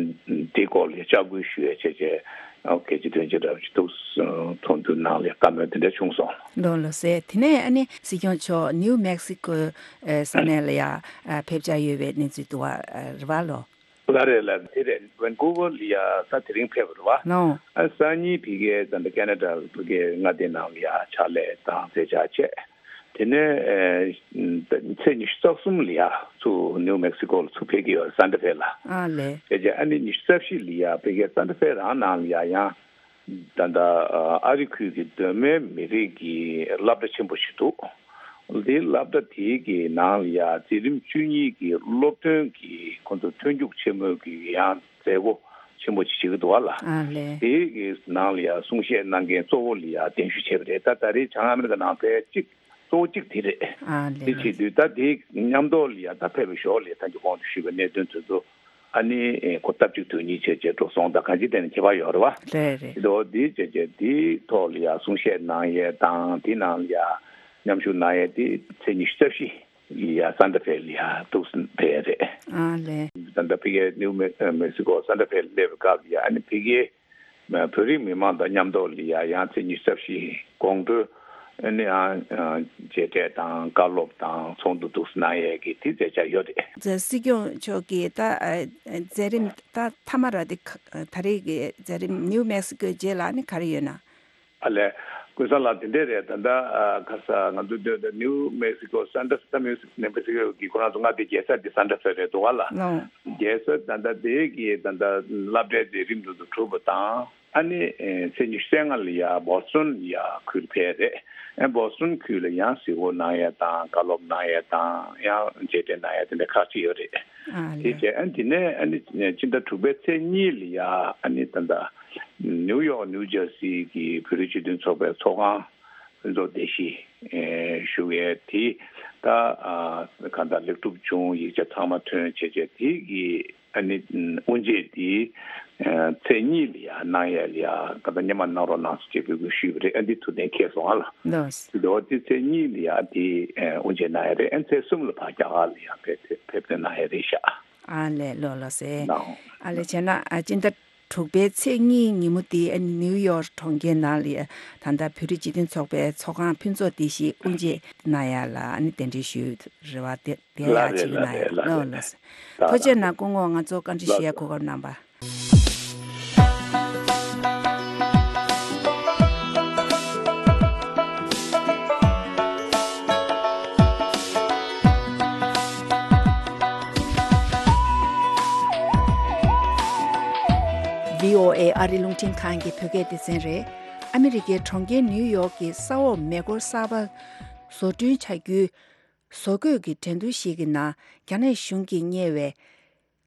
འདི་སྐོར་ལ་ལྕག་སྐུལ་ཞུ་ཡས་བྱས་བྱས་ཨ་གལ་ཆེ་དོན་ཆེ་འདྲ་བོ་ཞིག་འདུག་ཚོགས་འདུ་ནང་ལ་བཀའ་མོལ་དེ་འདྲ་བྱུང་སོང་། ལགས་ལགས་སེ། དེ་ནས་ཨ་ནི་སྲིད་སྐྱོང་མཆོག་ནིའུ་མེག་སི་ཀོ་ས་གནས་ལ་ཡ་ཕེབས་འཆར་ཡོད་པའི་གནས་ཚུལ་འདུག་བ་རེད་བ་ལོ། ལ་རེད་ལ། དེ་རེད། ཝན་ཀུ་ཝར་ལ་ཡ་ད་དེ་རིང་ཕེབས་པ་རེད་བ། ལོ། ཨ་སང་ཉིན་ཕ་གིའི་ད་ལྟ་ཁེ་ན་ཌ་ཕ་གིའི་མངའ་སྡེ་ནང་ལ་ཡ་ཕྱག་ལས་དང་མཛད་འཆར་བྱས། དེ་ནས་ཨེ་ད་ཚེས་ཉི་ཤུ་རྩ་གསུམ་ལ་ཡ་ཚུར་ནིའུ་མེག་སི་ཀོ་ལ་ཚུར་ཕེབས་ཀྱི་ཡོད་རེད། སན་ཏ་ཧྥེ་ལ། ཨ་ལས། དེ་རྗེས་ཨ་ནི་ཉི་ཤུ་རྩ་བཞི་ལ་ཡ་ཕ་གིའི་སན་ཏ་ཧྥེ་རང་ནང་ལ་ཡ་ཡང་ད་ལྟ་ཨ་རི་ཁུལ་གྱི་གདོད་མའི་མི་རིགས་ཀྱི་སློབ་གྲྭ་ཆེན་པོ་ཞིག་འདུག་དེའི་སློབ་གྲྭ་དེའི་གི་ནང་ལ་ཡ་འཛིན་རིམ་བཅུ་གཉིས་ཀྱི་སློབ་ཐོན་གྱི་ཁོང་ཚོ་མཐུན་འཇུག་ཆེན་མོའི་གི་ཡང་མཛད་སྒོ་ཆེན་པོ་ཅིག་བྱེད་ཀྱི་འདུག་བ་ལ། ཨ་ལས། དེའི་གི་ནང་ལ་ཡ་གསུང་བཤད་གནང་མཁན་གཙོ་བོ་ལ་ཡ་གདན་ཞུ་བྱས་པ་རེད། ད་ད་རེས་བྱང་ཨ་མི་རི་ཀ་ནང་ཕལ་གཅིག་གཙོ་བོ་གཅིག་དེ་རེད། ཨ་ལས། དེ་བྱེད་དུས་ད་དེ་མཉམ་དུ་ལ་ཡ་ད་ཕེབས་པའི་ཞོར་ལ་ད་གིན་གོང་དུ་ཞུས་པའི་གནད་དོན་དེ་ཚོ་ཨ་ནི་ཨེ་ཁོ་སྟབས་གཅིག་དོན་གཉིས་བྱས་བྱས་འགྲོ་སོང་དང་གང་ཅི་དེ་ནས་ཁྱད་པར་ཡོད་རེད་བ། རེད་རེད། དེ་འདྲ་བོ་དེ་བྱས་བྱས་དེའི་ཐོག་ལ་ཡ་གསུང་བཤད་གནང་ཡས་དང་དེ་ནང་ལ་ཡ་མཉམ་ཞུགས་གནང་ཡས་དེ་ཚེས་ཉི་ཤུ་རྩ་བཞི་ལ་ཡ་སན་ཏ་ཧྥེ་ལ་ཡ་འདུག་སེ་ཕེབས་ཡས་རེད། ཨ་ལས། ད་ལྟ་ཕ་གིའི་ནིའུ་མེ་མེག་སི་ཀོ་སན་ཏ་ཧྥེ་ལ་སླེབས་པའི་སྐབས་ལ་ཡ་ཨ་ནི་ཕ་གིའི་བོད་རིགས་མི་མང་དང་མཉམ་དུ་ལ་ཡ་ཡང་ཚེས་ཉི་ཤུ་རྩ་བཞི་དགོང་དྲོ་ཨ་ནི་ཡང་མཇལ་འཕྲད་དང་བཀའ་སློབ་དང་ཚོགས་འདུ་འདུག་སེ་གནང་ཡས་ཀྱི་དེ་མཛད་འཆར་ཡོད་རེད། སྲིད་སྐྱོང་མཆོག་གིས་ད་མཛད་རིམ་ད་མཐའ་མ་ར་དེ་ད་རེས་ཀྱི་མཛད་རིམ་ནིའུ་མེག་སི་ཀོའི་རྗེས་ལ་ནི་ག་རེ་ཡོད་ན། ཨ་ལས། ཀུན་བཟང་ལགས་དེ་འདྲས་རེད། ད་ལྟ་ཁ་ས་ང་ཚོ་འདོད་ནིའུ་མེག་སི་ཀོ་སན་ཏ་ཧྥེ་ནིའུ་མེག་སི་ཀོ་གི་ཁོ་རང་ཚོ་མངའ་སྡེ་རྒྱལ་ས་དེ་སན་ཏ་ཧྥེ་རེད་འདུག་བ་ལ། ལོ། རྒྱལ་ས་ད་ལྟ་དེ་གི་ད་ལྟ་སློབ་གྲྭའི་མཛད་རིམ་དེ་ཚོ་གྲུབ་པ་དང་ཨ་ནི་ཚེས་ཉི་ཤུ་རྩ་ལྔ་ལ་ཡ་བོ་སི་ཊོན་ལ་ཡ་ཁུལ་ཕེབས་རེད། ཨ་བོ་སི་ཊོན་ཁུལ་ལ་ཡང་གཟིགས་སྐོར་གནང་ཡས་དང་བཀའ་སློབ་གནང་ཡས་དང་ཡང་མཇལ་འཕྲད་གནང་ཡས་དེ་འདྲ་ཁག་ཅིག་ཡོད་རེད། ཨ་དེ་ལས། བྱས་ཨ་དེ་ནས་ཨ་ནི་ཕྱི་ཟླ་དྲུག་པའི་ཚེས་གཉིས་ལ་ཡ་ཨ་ནི་ད་ལྟ་ནིའུ་ཡོག་ནིའུ་ཇར་སི་གི་བོད་རིགས་སྤྱི་མཐུན་ཚོགས་པའི་ཚོགས་ཁང་ ཕུན་ཚོགས་བདེ་སྐྱིད་ཞུ་ཡས་དེ་ད་གང་ལྟར་ལེགས་གྲུབ་བྱུང་། ཡིག་ཆ་ཚང་མ་ཐོན་བྱས་བྱས་དེ་གི་ཨ་ནི་དབུ་འབྱེད་དེ་ཚེས་གཉིས་ལ་ཡ་གནང་ཡས་ལ་ཡ་གང་ལྟར་སྔོན་མ་གནང་རོགས་གནང་ཟེར་བྱས་འབོད་སྐུལ་ཞུས་པ་རེད། ཨ་འདི་ཐུགས་གཏན་འཁེལ་སོང་ཨ་ལ། ལགས། དེ་འདྲ་བ་དེ་ཚེས་གཉིས་ལ་ཡ་དེ་དབུ་འབྱེད་གནང་ཡས་རེད། ཨ་ཚེས་གསུམ་ལ་ཕར་རྒྱ་གར་ལ་ཡ་ཕེབས་ཕེབས་ཐོན་གནང་ཡས་རེད་ཤག་ཨ་ལས་ལགས་ལགས་སེ། ནའོ། ཨ་ལས་བྱས་ན་ཨ་སྤྱི་ཟླ་དྲུག་པའི་ཚེས་གཉིས་ཉིན་མོ་དེ་ཨ་ནི་ནིའུ་ཡོག་གྲོང་ཁྱེར་ནང་ལ་ཡ་ད་ལྟ་བོད་རིགས་སྤྱི་མཐུན་ཚོགས་པའི་ཚོགས་ཁང་ཕུན་ཚོགས་བདེ་སྐྱིད་དབུ་འབྱེད་གནང་ཡ་ལ་ཨ་ནི་གདན་འདྲེན་ཞུས་རེད་བ། དེ་དེ་ཡ་ལགས་རེད་བྱེད་ཀྱི་ལགས་གནང་ཡ་རེད་ལགས་ལགས་རེད། ལགས་སེ། ལགས་ཐུགས་རྗེ་ཆེ་ལགས་གནང་། སྐུ་ངོ་ང་ཚོ་བཀའ་འདྲི་ཞུ་ཡ་ལགས་གོ་སྐབས་གནང་བ། བྷི་ཨོ་ཨེ་ཨ་རི་རླུང་འཕྲིན་ཁང་གི་བོད་སྐད་སྡེ་ཚན་རེད། ཨ་མི་རི་ཀའི་གྲོང་ཁྱེར་ནིའུ་ཡོག་གི་ས་འོག་མེ་འཁོར་གསར་པ་བཟོ་སྐྲུན་བྱ་རྒྱུའི་བཟོ་བཀོད་ཀྱི་འགྲན་བསྡུར་ཞིག་གི་ནང་རྒྱ་ནག་གཞུང་གིས་གཉེར་བའི་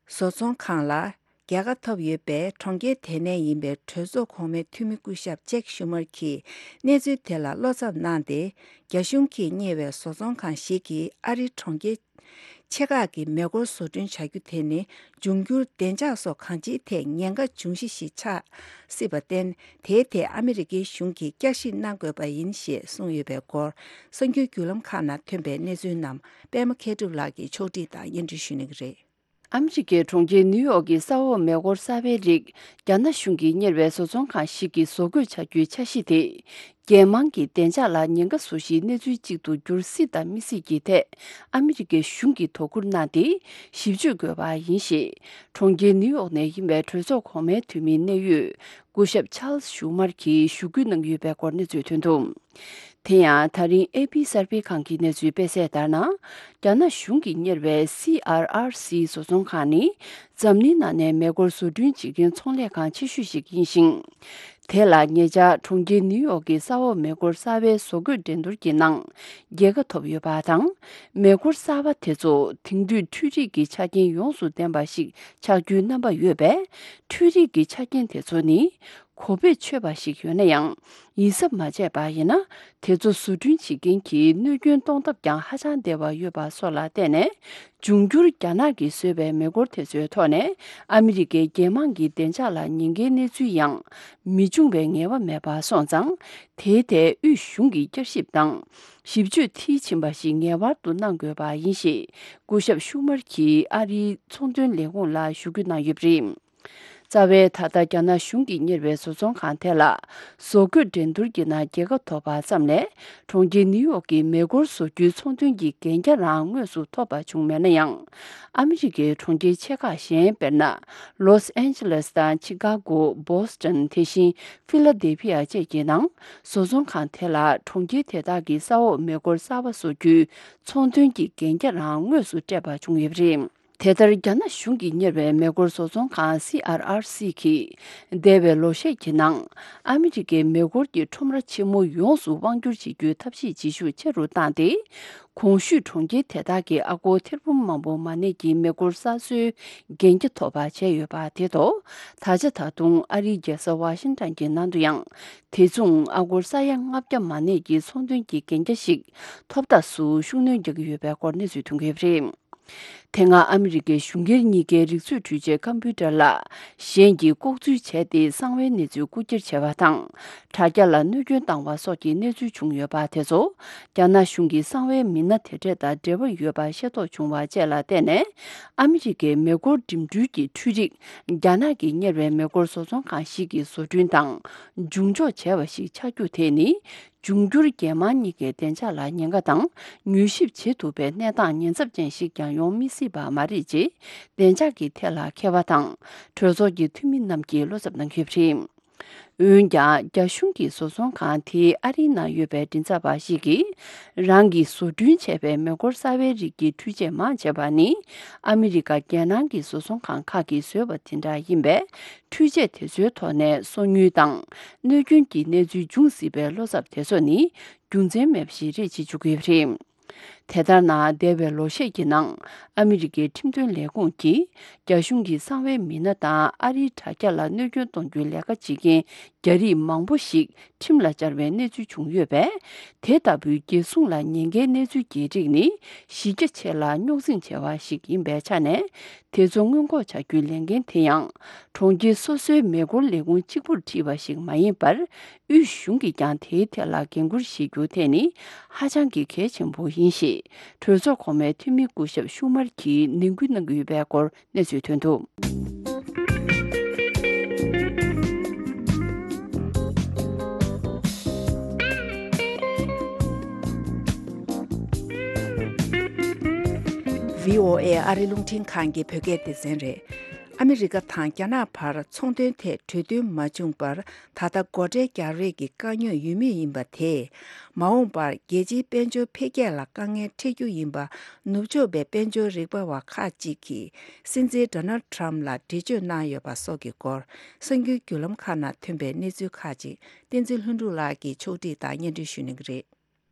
བཟོ་ཚོང་ཁང་ལ་རྒྱལ་ཁ་ཐོབ་ཡོད་པའི་གྲོང་ཁྱེར་དེ་ནས་ཡིན་པའི་གྲོས་ཚོགས་གོང་མའི་འཐུས་མི་སྐུ་ཞབས་ཅེག་ཤུ་མར་གྱིས་གནས་ཚུལ་དེ་ལ་བློ་འཚབ་གནང་སྟེ། རྒྱ་གཞུང་གིས་གཉེར་བའི་བཟོ་ཚོང་ཁང་ཞིག་གིས་ཨ་རིའི་གྲོང་ཁྱེར་ཆེ་ཁག་གི་མེ་འཁོར་བཟོ་སྐྲུན་བྱ་རྒྱུ་དེ་ནི་འབྱུང་འགྱུར་བདེ་འཇགས་སོགས་གང་ཅིའི་ཐད་ཉེན་ཁ་འབྱུང་གཞི་ཞིག་ཆགས་སྲིད་པར་བརྟེན། དེའི་ཐད་ཨ་མི་རི་ཀའི་གཞུང་གིས་བསྐྱར་ཞིབ་གནང་དགོས་པ་ཡིན་ཞེས་གསུངས་ཡོད་པའི་སྐོར། གསར་འགྱུར་བརྒྱུད་ལམ་ཁག་ནང་ཐོན་པའི་གནས་ཚུལ་རྣམས་པད་མ་མཁས་གྲུབ་ལགས་ཀྱིས་ཕྱོགས་སྒྲིག་དང་སྙན་སྒྲོན་ཞུ་གནང་གི་རེད། ཨ་མི་རི་ཀའི་གྲོང་ཁྱེར་ནིའུ་ཡོག་གི་ས་འོག་མེ་འཁོར་གསར་པའི་རིགས་རྒྱ་ནག་གཞུང་གིས་གཉེར་བའི་བཟོ་ཚོང་ཁང་ཞིག་གིས་བཟོ་བཀོད་བྱ་རྒྱུའི་འཆར་གཞི་དེ། རྒྱལ་དམངས་ཀྱི་བདེ་འཇགས་ལ་ཉེན་ཁ་བཟོ་གཞིའི་གནས་ཚུལ་གཅིག་ཏུ་འགྱུར་སྲིད་དམ་མི་སྲིད་ཀྱི་ཐད། ཨ་མི་རི་ཀའི་གཞུང་གིས་དོ་ཁུར་གནང་སྟེ་ཞིབ་དཔྱོད་དགོས་པ་ཡིན་ཞེས། གྲོང་ཁྱེར་ནིའུ་ཡོག་ནས་ཡིན་པའི་གྲོས་ཚོགས་གོང་མའི་འཐུས་མིའི་གནད་ཡོད་སྐུ་ཞབས་ཆཱལ་ཤུ་མར་གྱིས་ཞུ་སྐུལ་གནང་ཡོད་པའི་སྐོར་གནས་ཚུལ་ཐོན་འདུག་དེ་ཡང་ད་རིང་ཨེ་པི་གསར་སྤེལ་ཁང་གི་གནས་ཚུལ་སྤེལ་གསལ་ལྟར་ན། རྒྱ་ནག་གཞུང་གིས་གཉེར་བའི་སི་ཨར་ཨར་སི་བཟོ་ཚོང་ཁང་ནི་འཛམ་གླིང་ནང་ནས་མེ་འཁོར་བཟོ་སྐྲུན་བྱེད་མཁན་ཚོང་ལས་ཁང་ཆེ་ཤོས་ཤིག་ཡིན་ཞིང་། དེ་ལ་ཉེ་ཆར་གྲོང་ཁྱེར་ནིའུ་ཡོག་གི་ས་འོག་མེ་འཁོར་གསར་པའི་བཟོ་བཀོད་འགྲན་བསྡུར་གྱི་ནང་རྒྱལ་ཁ་ཐོབ་ཡོད་པ་དང་། མེ་འཁོར་གསར་པ་དེ་ཚོ་དེང་དུས་འཕྲུལ་རིག་གི་ཆ་རྐྱེན་ཡོངས་སུ་ལྡན་པ་ཞིག་ཆགས་རྒྱུའི་རྣམ་པ་ཡོད་པས། འཕྲུལ་རིག་གི་ཆ་རྐྱེན་དེ་ཚོ་ནི། གོ་བེད་ཆོད་པ་ཞིག་ཡོད་ན་ཡང་། ཡིད་གཟབ་མ་བྱས་པ་ཡིན་ན། དེ་ཚོ་བཟོ་སྐྲུན་བྱེད་མཁན་གྱིས་གནོད་སྐྱོན་གཏོང་ཐབས་ཀྱང་ཧ་ཅང་བདེ་བ་ཡོད་པ་སོགས་ལ་བརྟེན་ནས། འབྱུང་འགྱུར་རྒྱ་ནག་གིས་བཟོས་པའི་མེ་འཁོར་དེ་ཚོའི་ཐོག་ནས་ཨ་མི་རི་ཀའི་རྒྱལ་དམངས་ཀྱི་བདེ་འཇགས་ལ་ཉེན་ཁའི་གནས་ཚུལ་ཡང་མི་འབྱུང་བའི་ངེས་པ་མེད་པ་སོང་ཙང་། དེའི་ཐད་དབུས་གཞུང་གིས་བསྐྱར་ཞིབ་དང་། ཞིབ་དཔྱོད་མཐིལ་ཕྱིན་པ་ཞིག་ངེས་པར་དུ་གནང་དགོས་པ་ཡིན་ཞེས་སྐུ་ཞབས་ཤུ་མར་གྱིས་ཨ་རིའི་ཚོང་དོན་ལས་ཁུངས་ལ་ཞུ་སྐུལ་གནང་ཡོད་པ་རེད། རྩ་བའི་ད་ལྟ་རྒྱ་ནག་གཞུང་གིས་གཉེར་བའི་བཟོ་ཚོང་ཁང་དེ་ལ་བཟོ་བཀོད་འགྲན་བསྡུར་གྱི་ནང་རྒྱལ་ཁ་ཐོབ་པ་ཙམ་ལས། གྲོང་ཁྱེར་ནིའུ་ཡོག་གི་མེ་འཁོར་བཟོ་རྒྱུའི་ཚོང་དོན་གྱི་གན་རྒྱ་རང་དངོས་སུ་ཐོབ་པ་བྱུང་མེད་ན་ཡང་། ཨ་མི་རི་ཀའི་གྲོང་ཁྱེར་ཆེ་ཁག་གཞན་དཔེར་ན། ལོས་ཨན་ཇི་ལེས་དང་ཆི་ཀ་གོ། བོ་སི་ཊོན། དེ་བཞིན་ཧྥི་ལ་དེལ་ཕི་ཡ་བཅས་ཀྱི་ནང་བཟོ་ཚོང་ཁང་དེ་ལ་གྲོང་ཁྱེར་དེ་དག་གི་ས་འོག་མེ་འཁོར་གསར་པ་བཟོ་རྒྱུའི་ཚོང་དོན་གྱི་གན་རྒྱ་རང་དངོས་སུ་སྤྲད་པ་བྱུང་ཡོད་པ་རེད། དེ་ལྟར་རྒྱ་ནག་གཞུང་གིས་གཉེར་བའི་མེ་འཁོར་བཟོ་ཚོང་ཁང་སི་ཨར་ཨར་སི་གིས་འདས་པའི་ལོ་ཤས་ཀྱི་ནང་ཨ་མི་རི་ཀའི་མེ་འཁོར་གྱི་ཁྲོམ་ར་ཆེན་མོ་ཡོངས་སུ་དབང་སྒྱུར་བྱེད་རྒྱུའི་ཐབས་ཤེས་བྱེད་ཤུགས་ཆེ་རུ་བཏང་སྟེ། གོང་ཞུས་གྲོང་ཁྱེར་དེ་དག་གི་ཨ་སྒོར་ཐེར་འབུམ་མང་པོ་མ་གནས་ཀྱི་མེ་འཁོར་གསར་བཟོའི་གན་རྒྱ་ཐོབ་པ་བྱས་ཡོད་པ་དེ་ཐོག་ད་ཆ་ད་དུང་ཨ་རིའི་རྒྱལ་ས་ཝ་ཤིང་ཊོན་གྱི་ནང་དུ་ཡང་དེ་མཚུངས་ཨ་སྒོར་ས་ཡ་ལྔ་བརྒྱ་མ་གནས་ཀྱི་ཚོང་དོན་གྱི་གན་རྒྱ་ཞིག་ཐོབ་ཐབས་སུ་ཤུགས་སྣོན་རྒྱག་གི་ཡོད་པའི་སྐོར་གནས་ཚུལ་ཐོན་གྱི་ཡོད་པ་རེད། དེ་སྔ་ཨ་མི་རི་ཀའི་གཞུང་སྒེར་གཉིས་ཀའི་རིག་མཛོད་འཕྲུལ་ཆས་ཀམ་པུ་ཊར་ལ་གཞན་གྱིས་ལྐོག་འཛུལ་བྱས་ཏེ་གསང་བའི་གནས་ཚུལ་རྐུ་འཁྱེར་བྱས་པ་དང་། དྲ་རྒྱ་ལ་གནོད་སྐྱོན་བཏང་བ་སོགས་ཀྱི་གནས་ཚུལ་བྱུང་ཡོད་པ་དེ་ཚོ་རྒྱ་ནག་གཞུང་གིས་གསང་བའི་མི་སྣ་དེ་གྲས་དང་འབྲེལ་བ་ཡོད་པ་ཤེས་རྟོགས་བྱུང་བ་བཅས་ལ་བརྟེན་ནས། ཨ་མི་རི་ཀའི་མེ་འཁོར་འགྲིམ་འགྲུལ་གྱི་འཕྲུལ་རིག་རྒྱ་ནག་གིས་གཉེར་བའི་མེ་འཁོར་བཟོ་ཚོང་ཁང་ཞིག་གིས་བཟོ་སྐྲུན་དང་འབྱུང་འཇོག་བྱས་པ་ཞིག་ཆགས་རྒྱུ་དེ་ནི། འབྱུང་འགྱུར་རྒྱལ་དམངས་གཉིས་ཀའི་བདེ་འཇགས་ལ་ཉེན་ཁ་དང་མྱུལ་ཞིབ་བྱེད་ཐུབ་པའི་གནས་སྟངས་ཉེན་ཚབས་ཅན་ཞིག་ཀྱང་ཡོང་མི་སྲིད་པ་མ་རེད་ཅེས་བདེ་འཇགས་ཀྱི་ཐད་ལ་མཁས་པ་དང་གྲོས་ཚོགས་ཀྱི་འཐུས་མི་རྣམས་ཀྱིས་བློ་འཚབ་གནང་གི་ཡོད་པ་རེད། འོན་ཀྱང་རྒྱ་གཞུང་གིས་བཟོ་ཚོང་ཁང་དེའི་ཨ་རིའི་ནང་ཡོད་པའི་མགྲིན་ཚབ་པ་ཞིག་གིས་རང་གིས་བཟོ་སྐྲུན་བྱས་པའི་མེ་འཁོར་གསར་པའི་རིགས་ཀྱི་འཕྲུལ་ཆས་མང་ཆེ་བ་ནི་ཨ་མི་རི་ཀ་རྒྱལ་ནང་གི་བཟོ་ཚོང་ཁང་ཁག་གིས་བཟོས་པ་དེ་འདྲ་ཡིན་པས། འཕྲུལ་ཆས་དེ་ཚོའི་ཐོག་ནས་སོ་ཉུལ་དང་གནོད་སྐྱོན་གྱི་གནས་ཚུལ་འབྱུང་སྲིད་པའི་བློ་འཚབ་དེ་ཚོ་ནི་རྒྱུ་མཚན་མེད་པ་ཞིག་རེད་ཅེས་བརྗོད་ཀྱི་ཡོད་པ་རེད། དེ་ལྟར་ན། འདས་པའི་ལོ་ཤས་ཀྱི་ནང་ཨ་མི་རི་ཀའི་ཁྲིམས་དོན་ལས་ཁུངས་ཀྱིས་རྒྱ་གཞུང་གིས་གསང་བའི་མི་སྣ་དང་ཨ་རིའི་དྲ་རྒྱ་ལ་གནོད་སྐྱོན་གཏོང་རྒྱུའི་ལས་ཀ་བྱེད་མཁན་རྒྱ་རིགས་མང་པོ་ཞིག་ཁྲིམས་ལ་སྦྱར་བའི་གནས་ཚུལ་བྱུང་ཡོད་པས། དེ་ལྟ་བུའི་རྒྱལ་སྲུང་ལ་ཉེན་ཁའི་གནས་ཚུལ་གྱེས་རིགས་ནི་གཞི་རྒྱ་ཆེ་ལ་རྙོག་འཛིང་ཆེ་བ་ཞིག་ཡིན་པའི་ཆ་ནས། དེ་ཚོ་སྔོན་འགོག་བྱ་རྒྱུའི་ལས་འགན་དེ་ཡང་གྲོང་ཁྱེར་སོ་སོའི་མེ་འཁོར་ལས་ཁུངས་གཅིག་པུར་ཁྲིད་པ་ཞིག་མ་ཡིན་པར། དབུས་གཞུང་གིས་ཀྱང་དེའི་ཐད་ལ་འགན་འཁུར་བཞེས་རྒྱུ་དེ་ནི་ཧ་ཅང་གི་གལ་ཆེན་པོ་ཡིན་ཞེས། གྲོས་ཚོགས་གོང་མའི་འཐུས་མི་སྐུ་ཞབས་ཤུ་མར་གྱིས་ནན་སྐུལ་གནང་གི་ཡོད་པའི་སྐོར་གནས་ཚུལ་ཐོན་འདུག། བྷི་ཨོ་ཨེ་ཨ་རི་རླུང་འཕྲིན་ཁང་གི་བོད་སྐད་སྡེ་ཚན་རེད། ཨ་མི་རི་ཀ་དང་རྒྱ་ནག་བར་ཚོང་དོན་ཐད་གྲོས་མཐུན་མ་བྱུང་བར། ད་ལྟ་སྒོ་ཁྲལ་རྒྱག་རེས་ཀྱི་དཀའ་རྙོག་ཡོད་མུས་ཡིན་པ་དེས། མ་འོངས་པར་རྒྱལ་སྤྱིའི་དཔལ་འབྱོར་འཕེལ་རྒྱས་ལ་དཀའ་ངལ་འཕྲད་རྒྱུ་ཡིན་པ། ནུབ་ཕྱོགས་པའི་དཔལ་འབྱོར་རིག་པ་བ་ཁག་ཅིག་གིས་སྲིད་འཛིན་ཌོ་ནལ་ཌི་ཊརམ་ཕ་ལ་འགྲེལ་བརྗོད་གནང་ཡོད་པ་སོགས་ཀྱི་སྐོར། གསར་འགྱུར་བརྒྱུད་ལམ་ཁག་ནང་ཐོན་པའི་གནས་ཚུལ་ཁག་ཅིག་བསྟན་འཛིན་ལྷུན་གྲུབ་ལགས་ཀྱིས་ཕྱོགས་སྒྲིག་དང་སྙན་སྒྲོན་ཞུ་གནང་གི་རེད།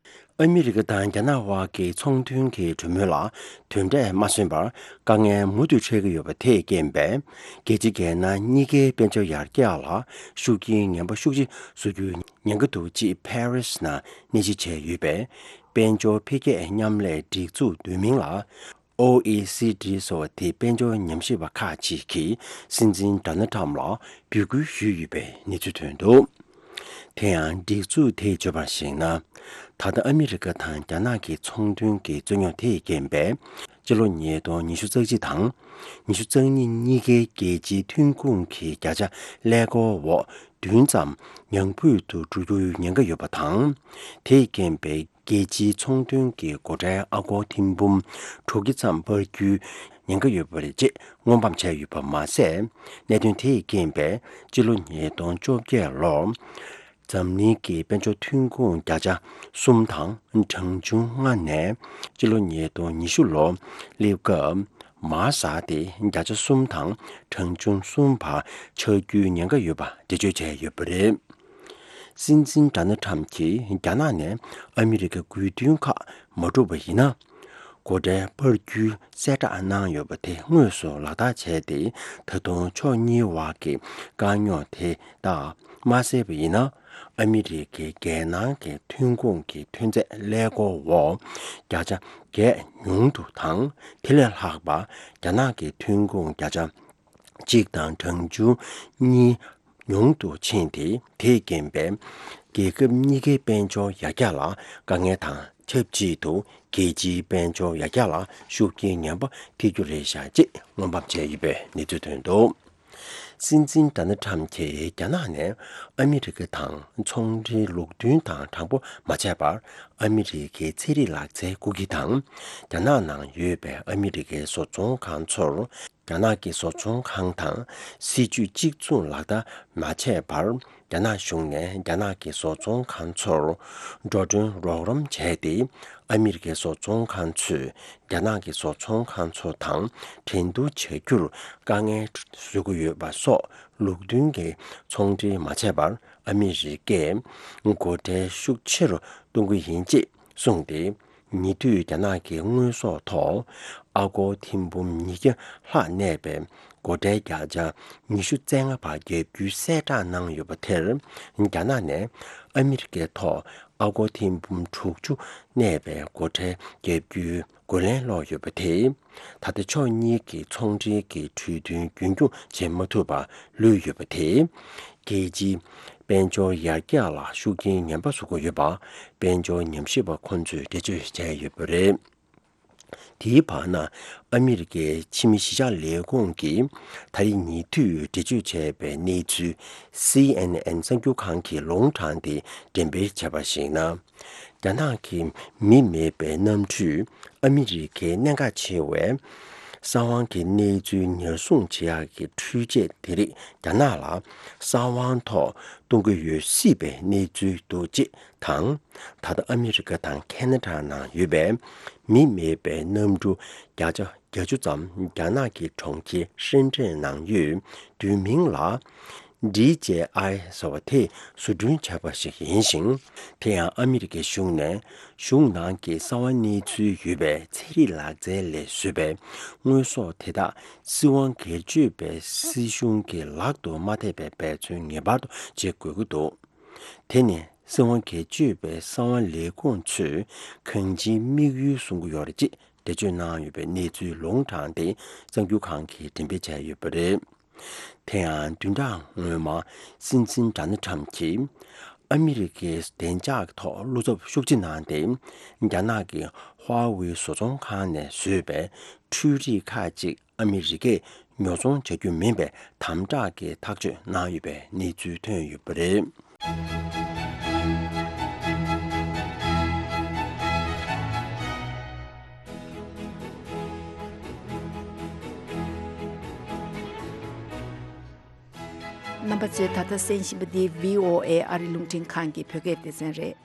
ཨ་མི་རི་ཀ་དང་རྒྱ་ནག་དབར་གྱི་ཚོང་དོན་གྱི་གྲོས་མོལ་ལ་དོན་འབྲས་མ་སོན་པར་དཀའ་ངལ་མུ་མཐུད་འཕྲད་ཀྱི་ཡོད་པ་དེས་རྐྱེན་པས། རྒྱལ་སྤྱི་རྒྱལ་ནང་གཉིས་ཀའི་དཔལ་འབྱོར་ཡར་རྒྱས་ལ་ཤུགས་རྐྱེན་ངན་པ་ཤུགས་ཆེ་བཟོ་རྒྱུའི་ཉེན་ཁ་འདུག་ཅེས་ཕ་རི་སི་ནང་གནས་ཕྱིར་བྱས་ཡོད་པའི་དཔལ་འབྱོར་འཕེལ་རྒྱས་མཉམ་ལས་སྒྲིག་འཛུགས་བསྡུས་མིང་ལ། ཨོ་ཨི་སི་ཌི་ཟེར་བ་དེའི་དཔལ་འབྱོར་ཉམས་ཞིབ་པ་ཁག་ཅིག་གིས་སྲིད་འཛིན་ཌོ་ནལ་ཌི་ཊརམ་ཕ་ལ་འབོད་སྐུལ་ཞུས་ཡོད་པའི་གནས་ཚུལ་ཐོན་འདུག། དེ་ཡང་སྒྲིག་འཛུགས་དེས་བརྗོད་པར་གཞིགས་ན། ད་ལྟ་ཨ་མི་རི་ཀ་དང་རྒྱ་ནག་གི་ཚོང་དོན་གྱི་རྩོད་རྙོག་དེས་རྐྱེན་པས། སྤྱི་ལོ་ཉིས་སྟོང་ཉི་ཤུ་རྩ་གཅིག་དང་ཉི་ཤུ་རྩ་གཉིས་གཉིས་ཀའི་རྒྱལ་སྤྱིའི་ཐོན་ཁུངས་ཀྱི་བརྒྱ་ཆ་ཀླད་ཀོར་འོག་བདུན་ཙམ་ཉམས་རྒུད་དུ་འགྲོ་རྒྱུའི་ཉེན་ཁ་ཡོད་པ་དང་། དེས་རྐྱེན་པས། རྒྱལ་སྤྱིའི་ཚོང་དོན་གྱི་སྒོ་ཁྲལ་ཨ་སྒོར་ཐེར་འབུམ་དྲུག་བརྒྱ་ཙམ་སྤར་རྒྱུའི་ཉེན་ཁ་ཡོད་པ་རེད་ཅེས་སྔོན་དཔག་བྱས་ཡོད་པ་མ་ཟད། གནད་དོན་དེས་རྐྱེན་པས་སྤྱི་ལོ་ཉིས་སྟོང་བཅོ་བརྒྱད་ལོར་འཛམ་གླིང་གི་དཔལ་འབྱོར་ཐོན་ཁུངས་བརྒྱ་ཆ་གསུམ་དང་གྲངས་ཆུང་ལྔ་ནས་སྤྱི་ལོ་ཉིས་སྟོང་ཉི་ཤུ་ལོར་སླེབས་སྐབས། མར་ཟག་སྟེ་བརྒྱ་ཆ་གསུམ་དང་གྲངས་ཆུང་གསུམ་བར་ཆག་རྒྱུའི་ཉེན་ཁ་ཡོད་པ་འགྲེལ་བརྗོད་བྱས་ཡོད་པ་རེད། སྲིད་འཛིན་ཌོ་ནལ་ཊམ་གྱིས་རྒྱ་ནག་ནས་ཨ་མི་རི་ཀའི་དགོས་འདུན་ཁག་མ་འགྲུབ་པ་ཡིན་ན། སྒོ་ཁྲལ་སྤར་རྒྱུའི་གསལ་བསྒྲགས་གནང་ཡོད་པ་དེ་དངོས་སུ་ལག་བསྟར་བྱས་ཏེ། ད་དུང་ཕྱོགས་གཉིས་བར་གྱི་དཀའ་རྙོག་དེ་དག་མ་སེལ་བ་ཡིན་ན། ཨ་མི་རི་ཀའི་རྒྱལ་ནང་གི་ཐོན་ཁུངས་ཀྱི་ཐོན་རྫས་ཀླད་ཀོར་འོག་བརྒྱ་ཆ་བརྒྱད་ཉུང་དུ་དང་། དེ་ལས་ལྷག་པ་རྒྱ་ནག་གི་ཐོན་ཁུངས་བརྒྱ་ཆ་གཅིག་དང་གྲངས་ཆུང་གཉིས་ཉུང་དུ་ཕྱིན་ཏེ། དེས་རྐྱེན་པས་རྒྱལ་ཁབ་གཉིས་ཀའི་དཔལ་འབྱོར་ཡར་རྒྱས་ལ་དཀའ་ངལ་དང་ཆབས་ཅིག་ཏུ། རྒྱལ་སྤྱིའི་དཔལ་འབྱོར་ཡར་རྒྱས་ལ་ཤུགས་རྐྱེན་ངན་པ་ཐེབས་རྒྱུ་རེད་ཤག་ཅེས་སྔོན་དཔག་བྱས་ཡོད་པའི་གནས་ཚུལ་ཐོན་འདུག། སྲིད་འཛིན་ཌོ་ནལ་ཊམ་གྱིས་རྒྱ་ནག་ནས་ཨ་མི་རི་ཀ་དང་ཚོང་འབྲེལ་ལུགས་མཐུན་དང་དྲང་པོ་མ་བྱས་པར། ཨ་མི་རི་ཀའི་ཚན་རིག་ལག་རྩལ་རྐུ་གི་དང་། རྒྱ་ནག་ནང་ཡོད་པའི་ཨ་མི་རི་ཀའི་བཟོ་ཚོང་ཁང་ཚོར། རྒྱ་ནག་གི་བཟོ་ཚོང་ཁང་དང་སྲིད་ཇུས་གཅིག་མཚུངས་ལག་བསྟར་མ་བྱས་པར། རྒྱ་ནག་གཞུང་ནས་རྒྱ་ནག་གི་བཟོ་ཚོང་ཁང་ཚོར་འགྲོ་གྲོན་རོགས་རམ་བྱས་ཏེ། ཨ་མི་རི་ཀའི་བཟོ་ཚོང་ཁང་ཚོས་རྒྱ་ནག་གི་བཟོ་ཚོང་ཁང་ཚོ་དང་འགྲན་བསྡུར་བྱ་རྒྱུར་དཀའ་ངལ་བཟོ་གི་ཡོད་པ་སོགས། ལུགས་མཐུན་གྱི་ཚོང་འབྲེལ་མ་བྱས་པར་ཨ་མི་རི་ཀས་སྒོ་ཁྲལ་ཤུགས་ཆེ་རུ་གཏོང་གི་ཡིན་ཅེས་གསུངས་ཏེ། ཉེ་དུས་རྒྱ་ནག་གི་དངོས་ཟོག་ཐོག་ཨ་སྒོར་ཐེར་འབུམ་ཉིས་བརྒྱ་ལྷག་གནས་པའི་སྒོ་ཁྲལ་བརྒྱ་ཆ་ཉི་ཤུ་རྩ་ལྔ་བར་བརྒྱབ་རྒྱུའི་གསལ་བསྒྲགས་གནང་ཡོད་པ་དེར། རྒྱ་ནག་ནས་ཨ་མི་རི་ཀའི་ཐོག་ཨ་སྒོར་ཐེར་འབུམ་དྲུག་ཅུ་གནས་པའི་སྒོ་ཁྲལ་བརྒྱབ་རྒྱུའི་རྒོལ་ལན་སློག་ཡོད་པ་དེས། ད་ལྟ་ཕྱོགས་གཉིས་ཀྱི་ཚོང་འབྲེལ་གྱི་གྲོས་མཐུན་རྒྱུན་འཁྱོངས་བྱེད་མ་ཐུབ་པར་ལུས་ཡོད་པ་དེས། རྒྱལ་སྤྱིའི་དཔལ་འབྱོར་ཡར་རྒྱས་ལ་ཤུགས་རྐྱེན་ངན་པ་བཟོ་གི་ཡོད་པ། དཔལ་འབྱོར་ཉམས་ཞིབ་པ་ཁོང་ཚོས་འགྲེལ་བརྗོད་བྱས་ཡོད་པ་རེད། དེའི་བར་ན། ཨ་མི་རི་ཀའི་ཕྱི་མི་གཞིས་ཆགས་ལས་ཁུངས་ཀྱིས་ད་རེས་ཉེ་དུས་འགྲེལ་བརྗོད་བྱས་པའི་གནས་ཚུལ། སི་ཨེན་ཨེན་གསར་འགྱུར་ཁང་གིས་ལུང་དྲངས་ཏེ་འགྲེམས་སྤེལ་བྱས་པར་གཞིགས་ན། རྒྱ་ནག་གི་མི་མེད་པའི་གནམ་གྲུས་ཨ་མི་རི་ཀའི་གནད་འགག་ཆེ་བའི་གསང་བའི་གནས་ཚུལ་ཉར་སྲུང་བྱེད་ཡག་གི་འཕྲུལ་ཆས་དེ་རིགས་རྒྱ་ནག་ལ་གསང་བའི་ཐོག་གཏོང་གི་ཡོད་སྲིད་པའི་གནས་ཚུལ་འདུག་ཅེས་དང་། ད་ལྟ་ཨ་མི་རི་ཀ་དང་ཁེ་ན་ཌ་ནང་ཡོད་པའི་མི་མེད་པའི་གནམ་གྲུ་བརྒྱ་ཆ་བརྒྱད་ཅུ་ཙམ་རྒྱ་ནག་གི་གྲོང་ཁྱེར་ཧྲེན་ཀྲེན་ནང་ཡོད་བསྡུས་མིང་ལ། ཌི་ཇེ་ཨའི་ཟེར་བ་དེས་བཟོ་སྐྲུན་བྱས་པ་ཞིག་ཡིན་ཞིང་། དེ་ཡང་ཨ་མི་རི་ཀའི་གཞུང་ནས་གཞུང་ནང་གི་གསང་བ་གནས་ཚུལ་ཡོད་པའི་ཚན་རིག་ལག་རྩལ་ལས་བཟོས་པའི་དངོས་ཟོག་དེ་དག་སྲིད་དབང་སྒེར་གཅོད་པའི་སྲིད་གཞུང་གི་ལག་ཏུ་མ་ཐེབས་པའི་འབད་བརྩོན་ངེས་པར་དུ་བྱེད་དགོས་ཀྱི་འདུག་དེ་ནི་སྲིད་དབང་སྒེར་གཅོད་པའི་གསང་བ་ལས་ཁུངས་ཚོས་གང་ཅིའི་དམིགས་ཡུལ་བཟུང་གི་ཡོད་རེད་ཅེས་འགྲེལ་བརྗོད་གནང་ཡོད་པའི་གནས་ཚུལ་ལུང་དྲངས་ཏེ། གསར་འགྱུར་ཁང་གིས་འགྲེམས་སྤེལ་བྱས་ཡོད་པ་རེད། དེ་ཡང་བདུན་ཕྲག་སྔོན་མ་སྲིད་འཛིན་ཌོ་ནལ་ཊམ་གྱིས་ཨ་མི་རི་ཀའི་བདེ་འཇགས་ཐོག་བློ་འཚབ་ཤུགས་ཆེ་གནང་སྟེ། རྒྱ་ནག་གི་ཧྭ་ཝེ་བཟོ་ཚོང་ཁང་ནས་བཟོས་པའི་འཕྲུལ་རིག་ཁག་ཅིག་ཨ་མི་རི་ཀས་ཉོ་ཚོང་བྱ་རྒྱུ་མིན་པའི་དམ་དྲག་གི་ཐག་གཅོད་གནང་ཡོད་པའི་གནས་ཚུལ་ཐོན་ཡོད་པ་རེད། རྣམ་པ་ཚོས་ད་ལྟ་གསན་བཞིན་པ་འདི་བྷི་ཨོ་ཨེ་ཨ་རི་རླུང་འཕྲིན་ཁང་གི་བོད་སྐད་སྡེ་ཚན་རེད།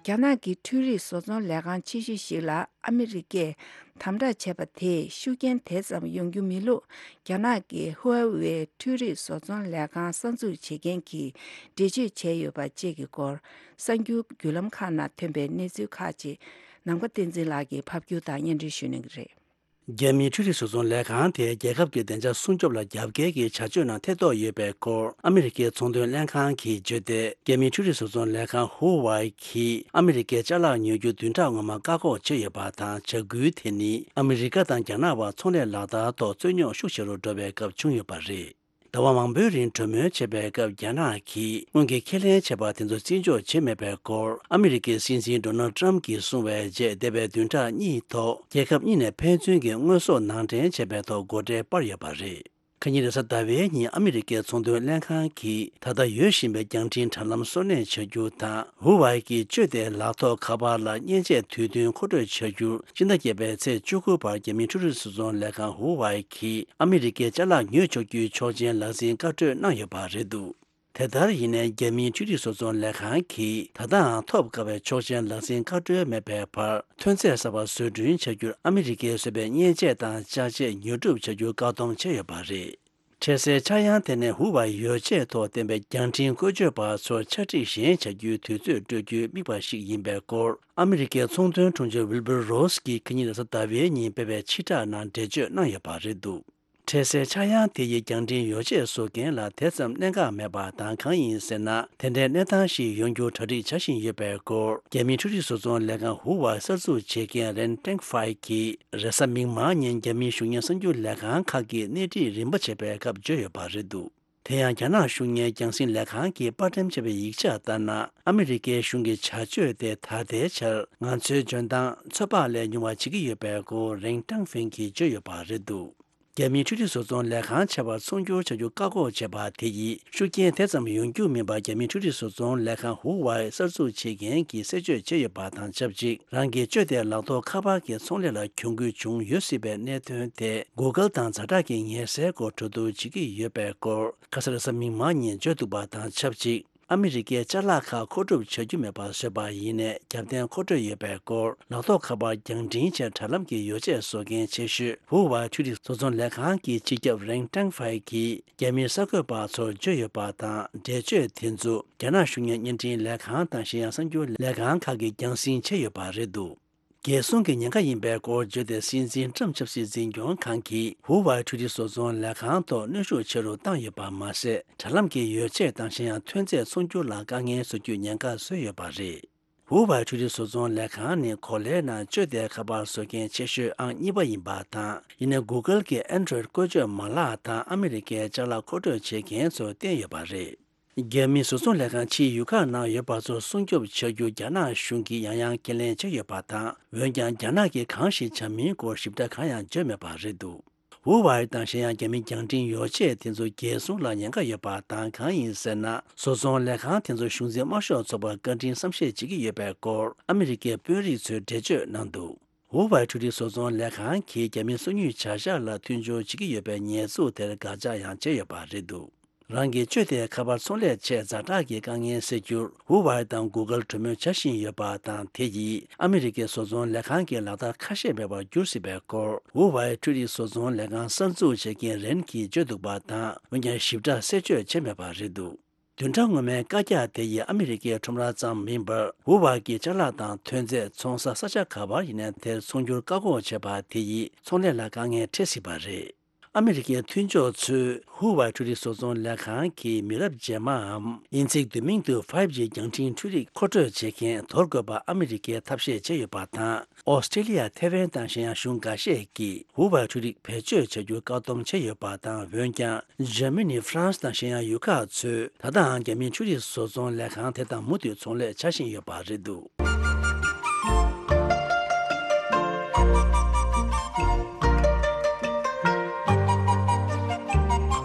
རྒྱ་ནག་གི་འཕྲུལ་རིག་བཟོ་ཚོང་ལས་ཁང་ཆེ་ཤོས་ཤིག་ལ་ཨ་མི་རི་ཀས་དམ་དྲག་བྱས་པ་དེས་ཤུགས་རྐྱེན་དེ་ཙམ་ཡོང་རྒྱུ་མེད་ལུགས། རྒྱ་ནག་གི་ཧུའེ་ཝེ་འཕྲུལ་རིག་བཟོ་ཚོང་ལས་ཁང་གསར་འཛུགས་བྱེད་མཁན་གྱིས་འགྲེལ་བརྗོད་བྱས་ཡོད་པ་བཅས་ཀྱི་སྐོར། གསར་འགྱུར་བརྒྱུད་ལམ་ཁག་ནང་ཐོན་པའི་གནས་ཚུལ་ཁག་ཅིག་ནམ་མཁའ་བསྟན་འཛིན་ལགས་ཀྱིས་ཕབ་སྒྱུར་དང་སྙན་སྒྲོན་ཞུ་གནང་གི་རེད། རྒྱ་མིའི་འཕྲུལ་རིག་བཟོ་ཚོང་ལས་ཁང་དེས་རྒྱལ་ཁབ་ཀྱི་བདེ་འཇགས་སྲུང་སྐྱོབ་ལ་རྒྱབ་འགལ་གྱི་བྱ་སྤྱོད་ནང་ཐེ་གཏོགས་ཡོད་པའི་སྐོར། ཨ་མི་རི་ཀའི་ཚོང་དོན་ལྷན་ཁང་གིས་བརྗོད་དེ། རྒྱ་མིའི་འཕྲུལ་རིག་བཟོ་ཚོང་ལས་ཁང་ཧུའུ་ཝའི་གིས་ཨ་མི་རི་ཀའི་ཅ་ལག་ཉོ་རྒྱུ་བདུན་ཕྲག་སྔོན་མ་བཀག་འགོག་བྱས་ཡོད་པ་དང་། བྱ་འགུལ་དེ་ནི་ཨ་མི་རི་ཀ་དང་རྒྱ་ནག་བར་ཚོང་ལས་ལག་བསྟར་ཐོག་རྩོད་རྙོག་ཤུགས་ཆེ་རུ་འགྲོ་བའི་སྐབས་བྱུང་ཡོད་པ་རེད། ཟླ་བ་མང་པོའི་རིང་གྲོས་མོལ་བྱས་པའི་སྐབས། རྒྱ་ནག་གིས་སྔོན་གྱི་ཁས་ལེན་བྱས་པ་དེ་ཚོ་བརྩི་འཇོག་བྱས་མེད་པའི་སྐོར། ཨ་མི་རི་ཀའི་སྲིད་འཛིན་ཌོ་ནལ་ཊམ་གྱིས་གསུངས་པའི་རྗེས། འདས་པའི་བདུན་ཕྲག་གཉིས་ཐོག་རྒྱལ་ཁབ་གཉིས་ནས་ཕན་ཚུན་གྱི་དངོས་ཟོག་ནང་འདྲེན་བྱས་པའི་ཐོག་སྒོ་ཁྲལ་སྤར་ཡོད་པ་རེད། ཁ་ཉིན་རེས་གཟའ་ཟླ་བའི་ཉིན་ཨ་མི་རི་ཀའི་ཚོང་དོན་ལྷན་ཁང་གིས། ད་ལྟ་ཡོད་བཞིན་པའི་རྒྱང་འཕྲིན་དྲ་ལམ་སོར་གནས་བྱ་རྒྱུ་དང་། ཧུའུ་ཝའི་གི་སྤྱོད་བདེའི་ལག་ཐོགས་ཁ་པར་ལ་མཉེན་ཆས་དུས་བསྟུན་མཁོ་སྤྲོད་བྱ་རྒྱུར། སྤྱི་ཟླ་བརྒྱད་པའི་ཚེས་བཅུ་དགུ་བར་རྒྱ་མིའི་འཕྲུལ་རིག་བཟོ་ཚོང་ལས་ཁང་ཧུའུ་ཝའི་གིས་ཨ་མི་རི་ཀའི་ཅ་ལག་ཉོས་ཆོག་རྒྱུའི་ཆོག་མཆན་ལག་འཛིན་བཀའ་འཁྲོལ་གནང་ཡོད་པ་རེད་འདུག་དེ་ལྟར་ཡིན་ནའི་རྒྱ་མིའི་འཕྲུལ་རིག་བཟོ་ཚོང་ལས་ཁང་གིས་ད་ལྟའང་ཐོབ་དཀའ་བའི་ཆོག་མཆན་ལག་འཛིན་བཀའ་འཁྲོལ་མེད་པའི་བར། ཐོན་རྫས་གསར་པ་བཟོ་སྐྲུན་བྱ་རྒྱུར་ཨ་མི་རི་ཀས་བཟོས་པའི་མཉེན་ཆས་དང་ཅ་ཆས་ཉོ་སྒྲུབ་བྱ་རྒྱུ་བཀག་སྡོམ་བྱས་ཡོད་པ་རེད། འཕྲལ་སེལ་ཆག་ཡང་དེ་ནས་ཧུའུ་ཝའི་ཡོ་ཆས་ཐོག་བསྟན་པའི་རྒྱང་འཕྲིན་བཀོལ་སྤྱོད་པ་ཚོར་ཆ་སྒྲིག་གཞན་བྱ་རྒྱུའི་དུས་ཚོད་སྤྲོད་རྒྱུའི་དམིགས་པ་ཞིག་ཡིན་པའི་སྐོར། ཨ་མི་རི་ཀའི་ཚོང་དོན་དྲུང་ཆེ་ཝིལ་བུར་རོ་སི་ཀྱིས་ཁ་ཉིན་རེས་གཟའ་ཟླ་བའི་ཉིན་སྤེལ་བའི་ཕྱིར་བསྒྲགས་ནང་འགྲེལ་བརྗོད་གནང་ཡོད་པ་རེད་འདུག་འཕྲལ་སེལ་ཆག་ཡང་དེ་ཡིས་རྒྱང་འཕྲིན་ཡོ་ཆས་བཟོ་མཁན་ལ་དེ་ཙམ་གནད་འགག་མེད་པ་དང་། གང་ཡིན་ཟེར་ན། དེ་འདྲའི་གནས་སྟངས་ཤིག་ཡོང་རྒྱུར་གྲ་སྒྲིག་བྱ་བཞིན་ཡོད་པའི་སྐོར། རྒྱ་མིའི་འཕྲུལ་རིག་བཟོ་ཚོང་ལས་ཁང་ཧུའུ་ཝའི་གསར་འཛུགས་བྱེད་མཁན་རེན་ཀྲེང་ཧྥའེ་གིས་རེས་གཟའ་མིག་དམར་ཉིན་རྒྱ་མིའི་གཞུང་གཉེར་གསར་འགྱུར་ལས་ཁང་ཁག་གིས་གནས་འདྲི་རིམ་པ་བྱས་པའི་སྐབས་བརྗོད་ཡོད་པ་རེད་འདུག་དེ་ཡང་། རྒྱ་ནག་གཞུང་གཉེར་རྒྱང་སྲིང་ལས་ཁང་གིས་དཔར་འགྲེམས་བྱས་པའི་ཡིག་ཆ་ལྟར་ན། ཨ་མི་རི་ཀའི་གཞུང་གི་བྱ་སྤྱོད་དེ་ད་ལྟའི་ཆར་ང་ཚོའི་འཇོན་ཐང་ཚོད་དཔག་ལས་ཉུང་བ་བྱེད་ཀྱི་ཡོད་པའི་སྐོར། རེན་ཀྲང་ཧྥེང་གིས་བརྗོད་ཡོད་པ་རེད་འདུག་རྒྱ་མིའི་འཕྲུལ་རིག་བཟོ་ཚོང་ལས་ཁང་ཆེ་བར་ཚོང་སྒྱུར་བྱ་རྒྱུ་བཀག་འགོག་བྱས་པ་དེ་ཡིས་ཤུགས་རྐྱེན་དེ་ཙམ་ཡོང་རྒྱུ་མིན་པ། རྒྱ་མིའི་འཕྲུལ་རིག་བཟོ་ཚོང་ལས་ཁང་ཧུའུ་ཝའི་གསར་འཛུགས་བྱེད་མཁན་གྱིས་གསལ་བརྗོད་བྱས་ཡོད་པ་དང་ཆབས་ཅིག་རང་གི་སྤྱོད་བདེའི་ལག་ཐོགས་ཁ་པར་གྱི་ཚོང་ལས་ལ་གྱོང་གུན་བྱུང་ཡོད་སྲིད་པའི་གནད་དོན་དེ། གུ་གལ་དང་ཛ་དྲག་གི་ཉེས་སེལ་སྐོར་གྲོས་བསྡུར་བྱེད་ཀྱི་ཡོད་པའི་སྐོར། ཁ་ས་རེས་གཟའ་མིག་དམར་ཉིན་བརྗོད་འདུག་པ་དང་ཆབས་ཅིག་ཨ་མི་རི་ཀའི་ཅ་ལག་ཁག་མཁོ་སྒྲུབ་བྱ་རྒྱུ་མེད་པར་བཟོས་པ་ཡིན་ནའི། རྒྱབ་རྟེན་མཁོ་སྤྲོད་ཡོད་པའི་སྐོར། ལག་ཐོགས་ཁ་པར་རྒྱང་འཕྲིན་ཆེད་དྲ་ལམ་གྱི་ཡོ་ཆས་བཟོ་མཁན་ཆེ་ཤོས་ཧུའུ་ཝའི་འཕྲུལ་རིག་བཟོ་ཚོང་ལས་ཁང་གི་སྤྱི་ཁྱབ་རེན་ཀྲང་ཧྥའེ་གིས་རྒྱ་མིའི་གསར་འགོད་པ་ཚོར་བརྗོད་ཡོད་པ་དང་། འགྲེལ་བརྗོད་དེ་ཚོ་རྒྱ་ནག་གཞུང་གཉེར་བརྙན་འཕྲིན་ལས་ཁང་དང་གཞན་ཡང་གསར་འགྱུར་ལས་ཁང་ཁག་གིས་རྒྱང་སྲིང་བྱས་ཡོད་པ་རེད་འདུག་རྒྱལ་སྲུང་གི་ཉེན་ཁ་ཡིན་པའི་སྐོར་བརྗོད་དེ། སྲིད་འཛིན་ཊམ་ཆབ་སྲིད་འཛིན་སྐྱོང་ཁང་གིས་ཧུའུ་ཝའི་འཕྲུལ་རིག་བཟོ་ཚོང་ལས་ཁང་ཐོག་གནོན་ཤུགས་ཆེ་རུ་བཏང་ཡོད་པ་མ་ཟད། དྲ་ལམ་གྱི་ཡོ་ཆས་དང་གཞན་ཡང་ཐོན་རྫས་ཚོང་སྒྱུར་ལ་དཀའ་ངལ་བཟོ་རྒྱུའི་ཉེན་ཁ་བཟོས་ཡོད་པ་རེད། ཧུའུ་ཝའི་འཕྲུལ་རིག་བཟོ་ཚོང་ལས་ཁང་ནི་གོ་ལའི་ནང་སྤྱོད་བདེའི་ཁ་པར་བཟོ་མཁན་ཆེ་ཤོས་ཨང་གཉིས་པ་ཡིན་པ་དང་། ཡིན་ནའི་གུ་གལ་གྱི་ཨན་ཌོ་རོའིཌ་བཀོལ་སྤྱོད་མ་ལག་དང་ཨ་མི་རི་ཀའི་ཅ་ལག་མཁོ་སྤྲོད་བྱེད་མཁན་ཚོར་བརྟེན་ཡོད་པ་རེད། རྒྱ་མིའི་བཟོ་ཚོང་ལས་ཁང་ཕྱིའི་ཡུལ་ཁག་ནང་ཡོད་པ་ཚོར་སྲུང་སྐྱོབ་བྱ་རྒྱུ་རྒྱ་ནག་གཞུང་གིས་ཡང་ཡང་ཁས་ལེན་བྱས་ཡོད་པ་དང་། འོན་ཀྱང་། རྒྱ་ནག་གིས་གང་ཞིག་བྱ་མིན་སྐོར་ཞིབ་ཕྲ་གང་ཡང་བརྗོད་མེད་པ་རེད་འདུག་ཧུའུ་ཝའི་དང་གཞན་ཡང་རྒྱ་མིའི་རྒྱང་འཕྲིན་ཡོ་ཆས་དེ་ཚོ་རྒྱལ་སྲུང་ལ་ཉེན་ཁ་ཡོད་པ་དང་། གང་ཡིན་ཟེར་ན། བཟོ་ཚོང་ལས་ཁང་དེ་ཚོ་གཞུང་འཛིན་དམར་ཤོག་ཚོགས་པར་བཀའ་དྲིན་བསམ་ཤེས་བྱེད་ཀྱི་ཡོད་པའི་སྐོར་ཨ་མི་རི་ཀའི་དཔོན་རིགས་ཚོས་འགྲེལ་བརྗོད་གནང་འདུག་ཧུའུ་ཝའི་འཕྲུལ་རིག་བཟོ་ཚོང་ལས་ཁང་གིས་རྒྱ་མིའི་སོ་ཉུལ་བྱ་གཞག་ལ་མཐུན་སྦྱོར་བྱེད་ཀྱི་ཡོད་པའི་ཉེས་འཛུགས་དེར་དགག་བྱ་ཡང་བྱས་ཡོད་པ་རེད་འདུག་རང་གི་སྤྱོད་བདེའི་ཁ་པར་ཚོང་ལས་ཆེད་ཛ་དྲག་གི་དཀའ་ངལ་སེལ་རྒྱུར་ཧུ་ཝའེ་དང་གུ་གལ་གྲོས་མོལ་བྱ་བཞིན་ཡོད་པ་དང་། དེ་ཡིས་ཨ་མི་རི་ཀའི་བཟོ་ཚོང་ལས་ཁང་གི་ལག་བསྟར་ཁ་ཤས་མེད་པར་འགྱུར་སྲིད་པའི་སྐོར་ཧུ་ཝའེ་འཕྲུལ་རིག་བཟོ་ཚོང་ལས་ཁང་གསར་འཛུགས་བྱེད་མཁན་རེན་གྱིས་བརྗོད་འདུག་པ་དང་། འོན་ཀྱང་ཞིབ་ཕྲ་གསལ་བརྗོད་བྱས་མེད་པ་རེད་འདུག་བདུན་ཕྲག་སྔོན་མའི་བཀའ་རྒྱ་དེ་ཡིས་ཨ་མི་རི་ཀའི་ཁྲོམ་ར་ཙམ་མིན་པར་ཧུ་ཝའེ་གི་ཅ་ལག་དང་ཐོན་རྫས་འཚོང་ས་ས་ཆ་ག་པར་ཡིན་ནའི་དེར་འཚོང་རྒྱུར་བཀག་འགོག་བྱས་པ་དེ་ཡིས་ཚོང་ལས་ལ་དཀའ་ངལ་འཕྲད་སྲིད་པ་རེད། ཨ་མི་རི་ཀའི་མཐུན་ཕྱོགས་ཚོས་ཧུ་ཝའེ་འཕྲུལ་རིག་བཟོ་ཚོང་ལས་ཁང་གི་མི་རབས་རྗེས་མའམ། དབྱིན་ཚིག་བསྡུས་མིང་དུ་ཕའིབ་ཇི་རྒྱང་འཕྲིན་འཕྲུལ་རིག་མཁོ་སྤྲོད་བྱེད་མཁན་དོར་དགོས་པ་ཨ་མི་རི་ཀས་ཐབས་ཤེས་བྱས་ཡོད་པ་དང་། ཨོ་སི་ཀྲེ་ལི་ཡ། ཐེ་ཝན་དང་གཞན་ཡང་གཞུང་འགའ་ཤས་ཀྱིས་ཧུ་ཝའེ་འཕྲུལ་རིག་བེད་སྤྱོད་བྱ་རྒྱུར་བཀག་སྡོམ་བྱས་ཡོད་པ་དང་། འོན་ཀྱང་འཇར་མ་ནི། ཧྥ་རན་སི་དང་གཞན་ཡང་ཡུལ་ཁག་ཚོས་ད་ལྟའང་རྒྱ་མིའི་འཕྲུལ་རིག་བཟོ་ཚོང་ལས་ཁང་དེ་དང་མུ་མཐུད་ཚོང་ལས་བྱ་བཞིན་ཡོད་པ་རེད་འདུག་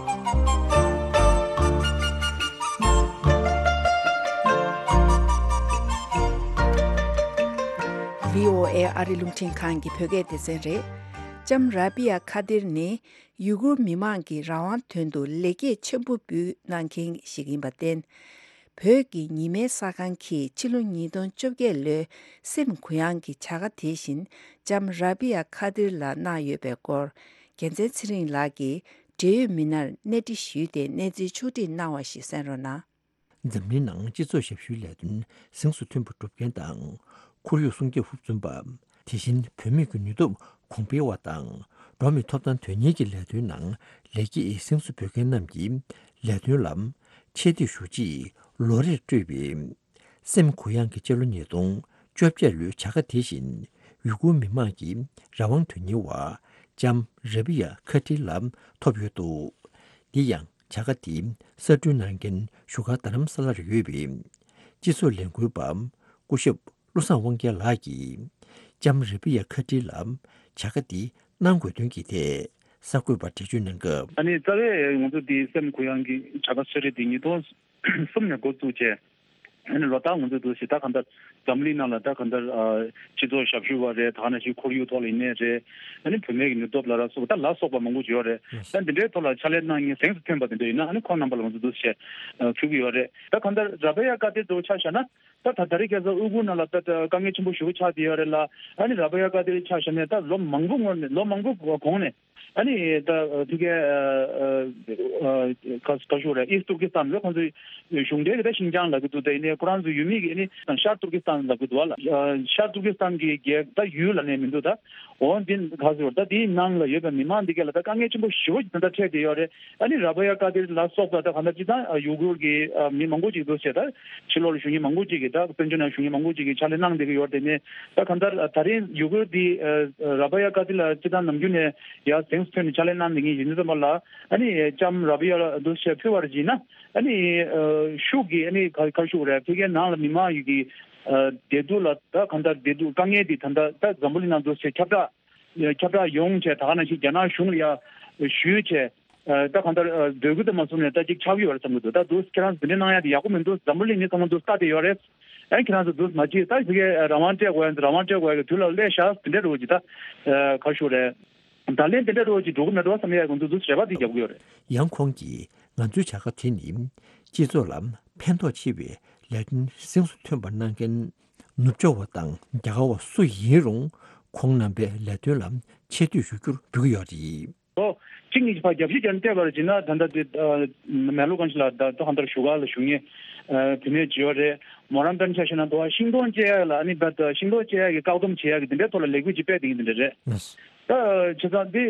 བྷི་ཨོ་ཨེ་ཨ་རི་རླུང་འཕྲིན་ཁང་གི་བོད་སྐད་སྡེ་ཚན་རེད། ལྕམ་ར་བི་ཡ་ཁ་དིར་ནི་ཡུ་གུར་མི་མང་གི་རང་དབང་དོན་དུ་ལེགས་སྐྱེས་ཆེན་པོ་འབུལ་གནང་མཁན་ཞིག་ཡིན་པར་བརྟེན། བོད་ཀྱི་ཉི་མའི་གསར་ཁང་གིས་ཕྱི་ལོ་ཉིས་སྟོང་བཅོ་བརྒྱད་ལོའི་སེམས་གུ་ཡངས་ཀྱི་བྱ་དགའ་དེ་བཞིན་ལྕམ་ར་བི་ཡ་ཁ་དིར་ལ་གནང་ཡོད་པའི་སྐོར། རྒྱལ་མཚན་ཚེ་རིང་ལགས་ཀྱིས་འབྲེལ་ཡོད་མི་སྣར་གནས་འདྲི་ཞུས་ཏེ་གནས་ཚུལ་ཕྱོགས་བསྒྲིགས་གནང་བ་ཞིག་གསན་རོགས་གནང་། འཛམ་གླིང་ནང་སྤྱི་ཚོགས་ཞབས་ཞུའི་ལས་དོན་གཟེངས་སུ་ཐོན་པ་སྒྲུབ་མཁན་དང་། ཁོར་ཡུག་སྲུང་སྐྱོབ་ཧུར་བརྩོན་པ། དེ་བཞིན་བུད་མེད་ཀྱི་ནུས་སྟོབས་གོང་འཕེལ་བ་དང་། འགྲོ་བ་མིའི་ཐོབ་ཐང་དོན་གཉེར་གྱི་ལས་དོན་ནང་ལེགས་སྐྱེས་གཟེངས་སུ་འབུལ་མཁན་རྣམས་ཀྱི་ལས་དོན་ལ་ཆེ་བསྟོད་ཞུ་ཆེད་ལོ་རེར་སྤྲོད་པའི་སེམས་གུ་ཡངས་ཀྱི་སྤྱི་ལོ་ཉིས་སྟོང་བཅོ་བརྒྱད་ལོའི་བྱ་དགའ་དེ་བཞིན་ཡུ་གུར་མི་མང་གི་རང་དབང་དོན་གཉེར་བ་ལྕམ་ར་བི་ཡ་ཁ་ཏི་ལ་ཐོབ་ཡོད་འདུག་འདི་ཡང་བྱ་དགའ་འདི་གསར་སྐྲུན་གནང་མཁན་བཞུགས་སྒར་རྡ་རམ་ས་ལར་ཡོད་པའི་སྤྱི་ཚོགས་ལས་འགུལ་པ་སྐུ་ཞབས་བློ་བཟང་དབང་རྒྱལ་ལགས་ཀྱིས་ལྕམ་ར་བི་ཡ་ཁ་ཏི་ལ་བྱ་དགའ་འདི་གནང་དགོས་དོན་གྱི་ཐད་གསར་འགོད་པར་འགྲེལ་བརྗོད་གནང་སྐབས། ཨ་ནི་རྩ་བའི་ང་ཚོ་འདི་སེམས་གུ་ཡངས་ཀྱི་བྱ་དགའ་གསོལ་རས་འདི་ཉིས་སྟོང་གསུམ་ནས་འགོ་བཙུགས་བྱས། ཨ་ནི་ལོ་ལྟར་ང་ཚོ་འདུག་ཞེ་ད་གང་ལྟར་འཛམ་གླིང་ནང་ལ་ད་གང་ལྟར་ཨ་སྤྱི་ཚོགས་ཞབས་ཞུ་བ་རེད། ད་ག་ནང་བཞིན་ཁོར་ཡུག་ཐོག་ལ་ཡིན་ནའི་རེད། ཨ་ནི་བུད་མེད་ཀྱི་ནུས་སྟོབས་ལ་རག་སོགས་ད་ལ་སོགས་པ་མང་པོ་ཡོད་རེད། ད་འདི་འདྲའི་ཐོག་ལ་ཕྱག་ལས་གནང་མཁན་གཟེངས་སུ་ཐོན་པ་དེ་འདྲ་ཡིན་ན་ཨ་ནི་ཁོང་རྣམ་པ་ལ་ང་ཚོ་འདུག་ཞེས་ཨ་ཕུལ་གྱི་ཡོད་རེད། ད་གང་ལྟར་ར་བ་ཡ་ཀ་ཏེ་ཚོ་ཆ་བཞག་ན་ད་ད་ད་རེས་ཁ་སང་ཨུ་གུར་ནང་ལ་ད་ད་དཀའ་ངལ་ཆེན་པོ་ཞེ་པོ་ཆགས་བསྡད་ཡོད་རེད་ལ། ཨ་ནི་ར་བ་ཡ་ཀ་ཏེ་ཆ་བཞག་ནས་ད་ལོ་མང་པོ་སྔོན་ནས་ལོ་མང་པོ་གོང་ནས། ཨ་ནི་ད་ཕ་གིའི་ཨ་ཨ་ཨ་ག་ག་ཞུ་རེད། ཨིསྟ་ཏུར་ཀི་སི་ཐན་ལ་ཁོང་ཚོའི་གཞུང་འབྲེལ་གྱི་ད་ཤིན་ཅང་ལབ་ཀྱི་འདུག་ད་ཡིན་ནའི་ཁོ་རང་ཚོའི་ཡུལ་མི་གི་ཨ་ནི་ཤར་ཏུར་ཀི་སི་ཐན་ལབ་ཀྱི་འདུག་བ་ལ། ཤར་ཏུར་ཀི་སི་ཐན་གྱི་རྒྱལ་ད་ཡུལ་ལབ་ནའི་མི་འདུག་ད་འོ་འདི་ག་ཟེར་བ་ད་དེའི་ནང་ལ་ཡོད་པའི་མི་མང་འདི་ག་ལ་ད་དཀའ་ངལ་ཆེན་པོ་ཞེ་པོ་ཅིག་ད་ལྟ་འཕྲད་བསྡད་ཡོད་རེད། ཨ་ནི་ར་བ་ཡ་ཀ་ཏེ་ལ་སོགས་པ་ད་ག་ད་སྤྱི་བཏང་ཡུ་གུར་གྱི་མི་མང་པོ་ཅིག་འདུག་ཟེར། ད་ཕྱི་ལོགས་ལ་བཞུགས་མཁན་མང་པོ་ཅིག་གིས་ད་དཔལ་འབྱོར་ནང་བཞུགས་མཁན་མང་པོ་ཅིག་གིས་ཕྱག་ལས་གནང་བསྡད་ཀྱི་ཡོད་རེད། དེ་ནས་ད་ག་ད་ད་རིང་ཡུ་གུར་འདི་ར་བ་ཡ་ཀ་ཏེ་ལ་སྤྱི་བཏང་ནམ་རྒྱུན་ནས་ཡ་གཟེངས་སུ་ཐོན་ནས་ཕྱག་ལས་གནང་བསྡད་མཁན་ཡིན་དུས་ཙམ་པ་ལ། ཨ་ནི་ལྕམ་ར་བི་ཡ་ལ་འདུག་ཟེར་ཕུལ་བ་རེད་ཅེ་ན། ཨ་ནི་ཤུགས་ཀྱིས་ཨ་ནི་ག་ག་ཞུ་རེད། ཕ་གིའི་ནང་ལ་མི་མང་ཡོད་ཀྱི་བདེ་སྡུག་ལ་ད་གང་ལྟར་བདེ་སྡུག་དཀའ་ངལ་འདི་ད་ལྟ་ད་འཛམ་བུ་གླིང་ནང་འདུག་ཟེར་ཁྱབ་བསྒྲགས་ཁྱབ་བསྒྲགས་ཡོང་བྱས། ད་ག་ནང་བཞིན་རྒྱ་ནག་གཞུང་ལ་ཡ་ཞུས་བྱས། ད་གང་ལྟར་འབོད་སྐུལ་དུ་མ་བཟུང་ནས་ད་ཅིག་ཁྱབ་ཀྱི་ཡོད་རེད་བསམ་གྱི་འདུག་ད་འདུག་ཁྱེད་རང་ཚོ་འདི་འདྲ་གནང་ཡ་དེ་ཡག་པོ་མི་འདུག་འཛམ་བུ་གླིང་མི་ཚང་མ་འདུག་ལྟ་བསྡད་ཡོད་རེད། ཨ་ཁྱེད་རང་ཚོ་འདུག་མ་བྱེད། ད་ཕ་གིའི་རང་དབང་སྤྲད་དགོས་ཡ་ཚོ་རང་དབང་སྤྲད་དགོས་ཡ་གི་དུས་ལ་སླེབས་ཤག་དེ་འདྲ་རེད་ཅེ། ད་ག་ཞུ་རེད། ད་ལན་དེ་འདྲ་རོགས་ཀྱིས་འགྲོ་གི་མེད་འགྲོ་བསམ་ཡས་ཀྱི་འདུག་འདུག་རེ་བ་དེ་རྒྱབ་གི་ཡོད་རེད། ཡང་ཁོང་གིས་ང་ཚོའི་བྱ་དགའ་དེ་ནི་སྤྱི་ཚོགས་ལ་ཕན་ཐོགས་ཆེ་བའི་ལས་དོན་གཟེངས་སུ་ཐོན་པ་གནང་མཁན་ནུབ་ཕྱོགས་པ་དང་རྒྱ་གར་བ་སུ་ཡིན་རུང་ཁོང་རྣམ་པའི་ལས་དོན་ལ་ཆེ་བསྟོད་ཞུ་རྒྱུར་འབུལ་གྱི་ཡོད་རེད། ཨོ། གཅིག་གཉིས་ཀྱི་ཕར་རྒྱབ་བཤིག་རྒྱབ་ནས་བལྟས་པ་རེད་ཅེ་ན། ད་ལྟ་དེ་མེ་ལོ་གང་ཞིག་ལ་ད་ལྟ་ཧ་འདར་བཞུགས་སྒར་ལ་བཞུགས་མཁན་བུད་མེད་ཅིག་ཡོད་རེད། མོ་རང་དཔེར་ན་ཆ་བཞག་ན་དུ་བ་ཤིང་སྡོང་བཅད་ཡག་ལ་ཨ་ནི་ད་ཤིང་སྡོང་བཅད་ཡག་གི་བཀག་སྡོམ་བྱེད་ཡག་གི་དེ་འདྲའི་ཐོག་ལ་ལས་འགུལ་ཅིག་སྤེལ་བསྡད་མཁན་དེ་འདྲ་རེད། ད་བྱས་ཙང་དེ་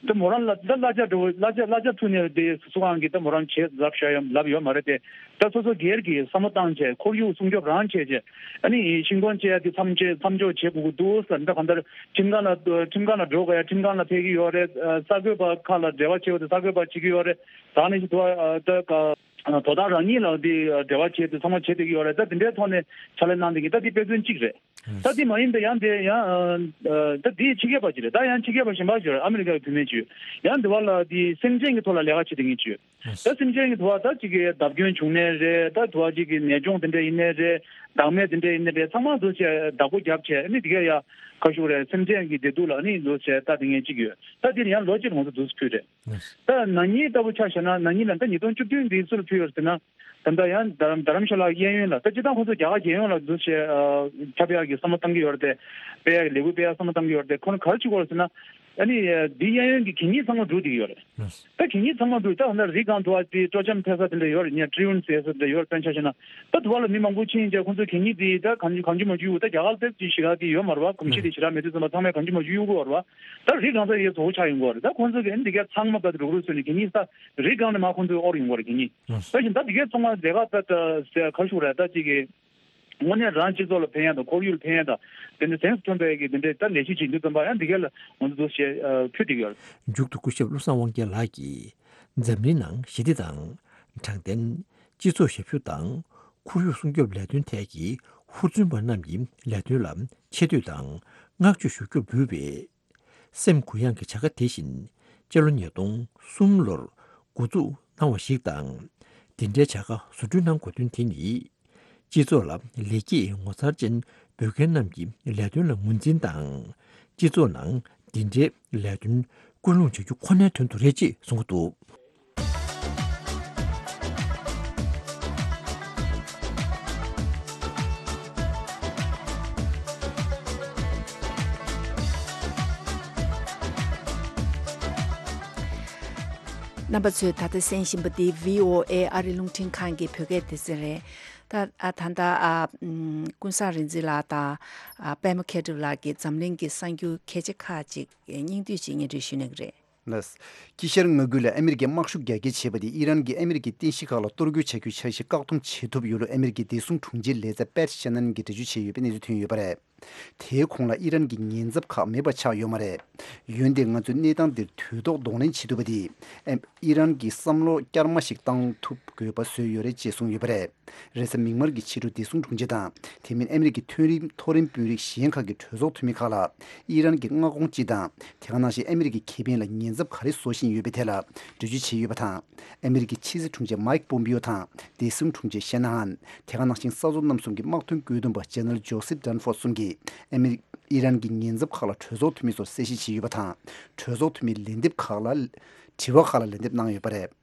ད་མོ་རང་ལ་ད་གླ་ཆ་འགྲོ་གླ་ཆ་གླ་ཆ་ཐུག་ནས་དེ་སུ་གང་གིས་ད་མོ་རང་བྱས་ལབ་བཞག་ཡོད་ལབ་ཡོད་མ་རེད་དེ། ད་སོ་སོ་སྒེར་གྱིས་བསམ་བློ་བཏང་བྱས་ཁོར་ཡུག་སྲུང་སྐྱོབ་རང་བྱས་བྱས། ཨ་ནི་ཤིང་སྡོང་བཅད་ཡ་དེ་མཚམས་བཅད་མཚམས་འཇོག་བྱེད་དགོས་ཀྱི་འདུག་ཟེར། ད་གང་ལྟར་ཁྲིམས་ཁང་ལ་ཁྲིམས་ཁང་ལ་འགྲོ་དགོས་ཡ་ཁྲིམས་ཁང་ལ་ཕེབས་ཀྱི་ཡོད་རེད། གསར་འགོད་པ་ཁག་ལ་འབྲེལ་བ་བྱེད་དགོས་དེ་གསར་འགོད་པ་བྱེད་ཀྱི་ཡོད་རེད། ད་ནི་ཞིག་འདུག་ད་ག་དོ་བདག་རང་ཉིད་ལ་དེ་འབྲེལ་བ་བྱེད་དེ་ཚང་མ་བྱེད་བསྡད་ཀྱི་ཡོད་རེད། ད་དེ་འདྲའི་ཐོག་ནས་ཕྱག་ལས་གནང་བསྡད་ཀྱི་ད་དེ་དཔེ་མཚོན་གཅིག་རེད། ད་དེ་མ་ཡིན་པའི་ཡང་དེ་ཡང་ད་དེའི་ཕྱི་རྒྱལ་པ་ཅིག་རེད། ད་ཡང་ཕྱི་རྒྱལ་པ་གཞན་པ་ཅིག་རེད། ཨ་མི་རི་ཀའི་བུད་མེད་ཅིག་ཡང་དེ་བ་ལ་དེ་སེམས་ཅན་གྱི་ཐོག་ལ་ལས་ཀ་བྱེད་བསྡད་མཁན་ཅིག་ད་སེམས་ཅན་གྱི་དུ་བ་ད་ཅིག་གི་བརྡབ་སྐྱོན་བྱུང་ནའི་རེད། ད་དུ་བ་ཅིག་གི་ནད་གཅོང་དེ་འདྲ་ཡིན་ནའི་རེད། བདག་མེད་དེ་འདྲ་ཡིན་ནའི་ཚང་མ་འདུག་བྱས་བདག་པོ་རྒྱབ་བྱས་ཨ་ནི་དེ་ག་ཡ་ཁ་ཤུག་རེད། སེམས་ཅན་གྱི་བདེ་སྡུག་ལ་ཨ་ནི་འདུག་བྱས་ད་དེ་ངས་གཅིག་ཡོད། ད་དེ་ནི་ཡང་ལོ་གཅིག་ལ་ང་ཚོ་འདུག་ཁུལ་རེད། ད་ན་ནིང་ལྟ་བུ་ཆ་བཞག་ན་ན་ནིང་ལ་ད་ཉིས་སྟོང་བཅུ་བདུན་འདི་སུ་ལ་ཕུལ་ཡོད་ཟེར་ན། ད་ལྟ་ཡང་རྡ་རམ་རྡ་རམ་ཤ་ལ་གཡས་གཡོན་ལ་ད་སྤྱིར་བཏང་ཁོང་ཚོ་རྒྱ་གར་རྒྱལ་ཡོངས་ལ་འདུག་བྱས་ཁྱབ་ཡག་གི་བསམ་བློ་བཏང་གི་ཡོད་རེད་དེ། སྤེལ་ཡག་གི་ལས་འགུལ་སྤེལ་ཡག་བསམ་བློ་བཏང་གི་ཡོད་རེད་དེ། ཁོ་ན་ག་རེ་བྱེད་དགོས་རེད་ཟེར་ན། ཨ་ནི་འདི་གཡས་གཡོན་གྱི་གད་སྙིགས་ཚང་མ་འགྲོ་བསྡད་ཀྱི་ཡོད་རེད། ད་གད་སྙིགས་ཚང་མ་འགྲོ་ད་ཧ་ན་རི་སྒང་དུ་བ་དེ་སྤྲོ་འཆམ་ཐེབས་ས་དེ་འདྲ་ཡོད་རེད། ཉ་ཀྲི་ཡུན་ཟེར་ས་དེ་འདྲ་ཡོད་རེད། དཔེར་ན་ཆ་བཞག་ན་ད་དུ་བ་ལ་མི་མང་པོ་ཕྱིན་བྱས་ཁོང་ཚོ་གད་སྙིགས་དེ་ད་གང་གང་ཅི་མ་ཅི་གཡུག་ད་རྒྱ་གར་ལ་དེ་ཞི་ག་དེ་ཡོད་མ་རེད་བ། གོམས་གཤིས་དེ་ཞེ་དྲག་མེད་དུས་ཙམ་པ་ཚང་མས་གང་ཅི་མ་ཅི་གཡུག་གི་ཡོད་རེད་བ། ད་རི་སྒང་ས་ཡེ་བཟོ་བོ་ཆགས་ཡོང་གི་ཡོད་རེད། ད་ཁོང་ཚོ་གི་ཨ་ནི་འདི་ག་ཚང་མ་ད་རུག་རུག་བཟོས་ནས་གད་སྙིགས་ས་རི་སྒང་ནས་མ་ཁོང་ཚོས་དབོར་ཡོང་གི་ཡོད་རེད་གད་སྙིགས། ད་བཞིན་ད་འདི་ག་ཚང་མ་ལས་ཀ་ད་ད་ག་རེ་ཞུ་དགོས་རེད། ད་ཅིག་གི་དངོས་གནས་རང་སྤྱི་ཚོགས་ལ་ཕན་ཡག་དང་ཁོར་ཡུག་ལ་ཕན་ཡག་དང་དེ་འདྲ་གཟེངས་སུ་ཐོན་པའི་གི་དེ་འདྲའི་ད་ལས་གཞི་བྱེད་དུས་ཙམ་པ་ཡང་འདི་ག་ལ་ང་ཚོ་འདུག་བྱས་ཕུལ་བསྡད་ཀྱི་ཡོད། མཇུག་ཏུ་སྐུ་ཞབས་བློ་བཟང་དབང་རྒྱལ་ལགས་ཀྱིས་འཛམ་གླིང་ནང་ཞི་བདེ་དང་། དྲང་བདེན། སྤྱི་ཚོགས་ཞབས་ཞུ་དང་། ཁོར་ཡུག་སྲུང་སྐྱོབ་ལས་དོན་ཐད་ཀྱི་ཧུར་བརྩོན་པ་རྣམས་ཀྱི་ལས་དོན་ལ་ཆེ་བསྟོད་དང་བསྔགས་བརྗོད་ཞུ་རྒྱུར་འབུལ་བས། སེམས་གུ་ཡངས་ཀྱི་བྱ་དགའ་དེ་བཞིན་སྤྱི་ལོ་ཉིས་སྟོང་གསུམ་ལོར་འགོ་འཛུགས་གནང་བ་ཞིག་དང་། འདི་འདྲའི་བྱ་དགའ་བཟོ་སྐྲུན་གནང་དགོས་དོན་དེ་ནི། སྤྱི་ཚོགས་ལ་ལེགས་སྐྱེས་ངོ་མཚར་ཅན་འབུལ་མཁན་རྣམས་ཀྱི་ལས་དོན་ལ་ངོས་འཛིན་དང་། སྤྱི་ཚོགས་ནང་འདི་འདྲའི་ལས་དོན་སྐུལ་སློང་བྱ་རྒྱུ་ཁོ་ནའི་དོན་དུ་རེད་ཅེས་གསུངས་ཀྱི་འདུག། རྣམ་པ་ཚོས་ད་ལྟ་གསན་བཞིན་པ་འདི་བྷི་ཨོ་ཨེ་ཨ་རི་རླུང་འཕྲིན་ཁང་གི་བོད་སྐད་སྡེ་ཚན་རེད། ད་ཨ་ད་ལྟ་ཨ་ཀུན་བཟང་རིག་འཛིན་ལགས་དང་ཨ་པད་མ་མཁས་གྲུབ་ལགས་ཀྱིས་འཛམ་གླིང་གི་གསར་འགྱུར་གལ་ཆེ་ཁག་ཅིག་སྙིང་བསྡུས་ཅིག་སྙན་སྒྲོན་ཞུ་གནང་གི་རེད། ལགས། དཀྱིལ་ཤར་མངའ་ཁུལ་ལ་ཨ་མི་རི་ཀས་དམག་ཤུགས་རྒྱ་སྐྱེད་བྱས་པ་དེས་ཨི་རན་གྱིས་ཨ་མི་རི་ཀའི་རྟེན་གཞི་ཁག་ལ་གཏོར་རྒོལ་བྱ་རྒྱུའི་འཆར་གཞི་བཀག་སྡོམ་བྱེད་ཐུབ་ཡོད་ལུགས་ཨ་མི་རི་ཀའི་བདེ་སྲུང་དྲུང་ཆེ་ལེ་ཛར་པེ་ཤ་ནན་གྱིས་འགྲེལ་བརྗོད་བྱས་ཡོད་པའི་གནས་ཚུལ་ཐོན་ཡོད་པ་རེད། དེའི་གོང་ལ་ཨི་རན་གྱི་ཉེན་ཚབས་ཁག་མེད་པ་ཆགས་ཡོད་མ་རེད། འོན་ཏེ་ང་ཚོས་གནས་སྟངས་འདིར་དུས་ཐོག་གདོང་ལེན་བྱེད་ཐུབ་པ་དེས་ཨི་རན་གྱི་བསམ་བློ་བསྐྱར་མ་ཞིག་བཏང་ཐུབ་དགོས་པ་བཟོས་ཡོད་རེད་ཅེས་གསུངས་ཡོད་པ་རེད། རེས་གཟའ་མིག་དམར་གྱི་ཕྱི་དྲོ་བདེ་སྲུང་དྲུང་ཆེ་དང་དེ་མིན་ཨ་མི་རི་ཀའི་མཐོ་རིམ་མཐོ་རིམ་དཔོན་རིགས་གཞན་ཁག་གི་གྲོས་ཚོགས་འཐུས་མི་ཁག་ལ་ཨི་རན་གྱི་མངའ་ཁོངས་སྤྱི་དང་དེ་ག་ནང་བཞིན་ཨ་མི་རི་ཀའི་ཁེ་ཕན་ལ་ཉེན་ཚབས་ག་རེ་བཟོ་བཞིན་ཡོད་པའི་ཐད་ལ་འགྲེལ་བརྗོད་བྱས་ཡོད་པ་དང་། ཨ་མི་རི་ཀའི་ཕྱི་སྲིད་དྲུང་ཆེ་མའིག་པོམ་པིའོ་དང་བདེ་སྲུང་དྲུང་ཆེ་ཤེ་ན་ཧན། དེ་ག་ནང་བཞིན་ས་མཚོ་གནམ་གསུམ་གྱི་དམག་དོན་བཀོད་འདོམས་པ་ཇེ་ནེ་རལ་ཇོ་སེབ་ཌན་ཧྥོརྡ་གསུམ་གྱིས་ཨ་མི་རི་ཨི་རན་གྱི་ཉེན་ཚབས་ཁག་ལ་གྲོས་ཚོགས་འཐུས་མི་ཚོར་གསལ་བཤད་བྱས་ཡོད་པ་དང་། གྲོས་ཚོགས་འཐུས་མིའི་ལན་འདེབས་ཁག་ལ། དྲི་བ་ཁག་ལ་ལན་འདེབས་གནང་ཡོད་པ་རེད།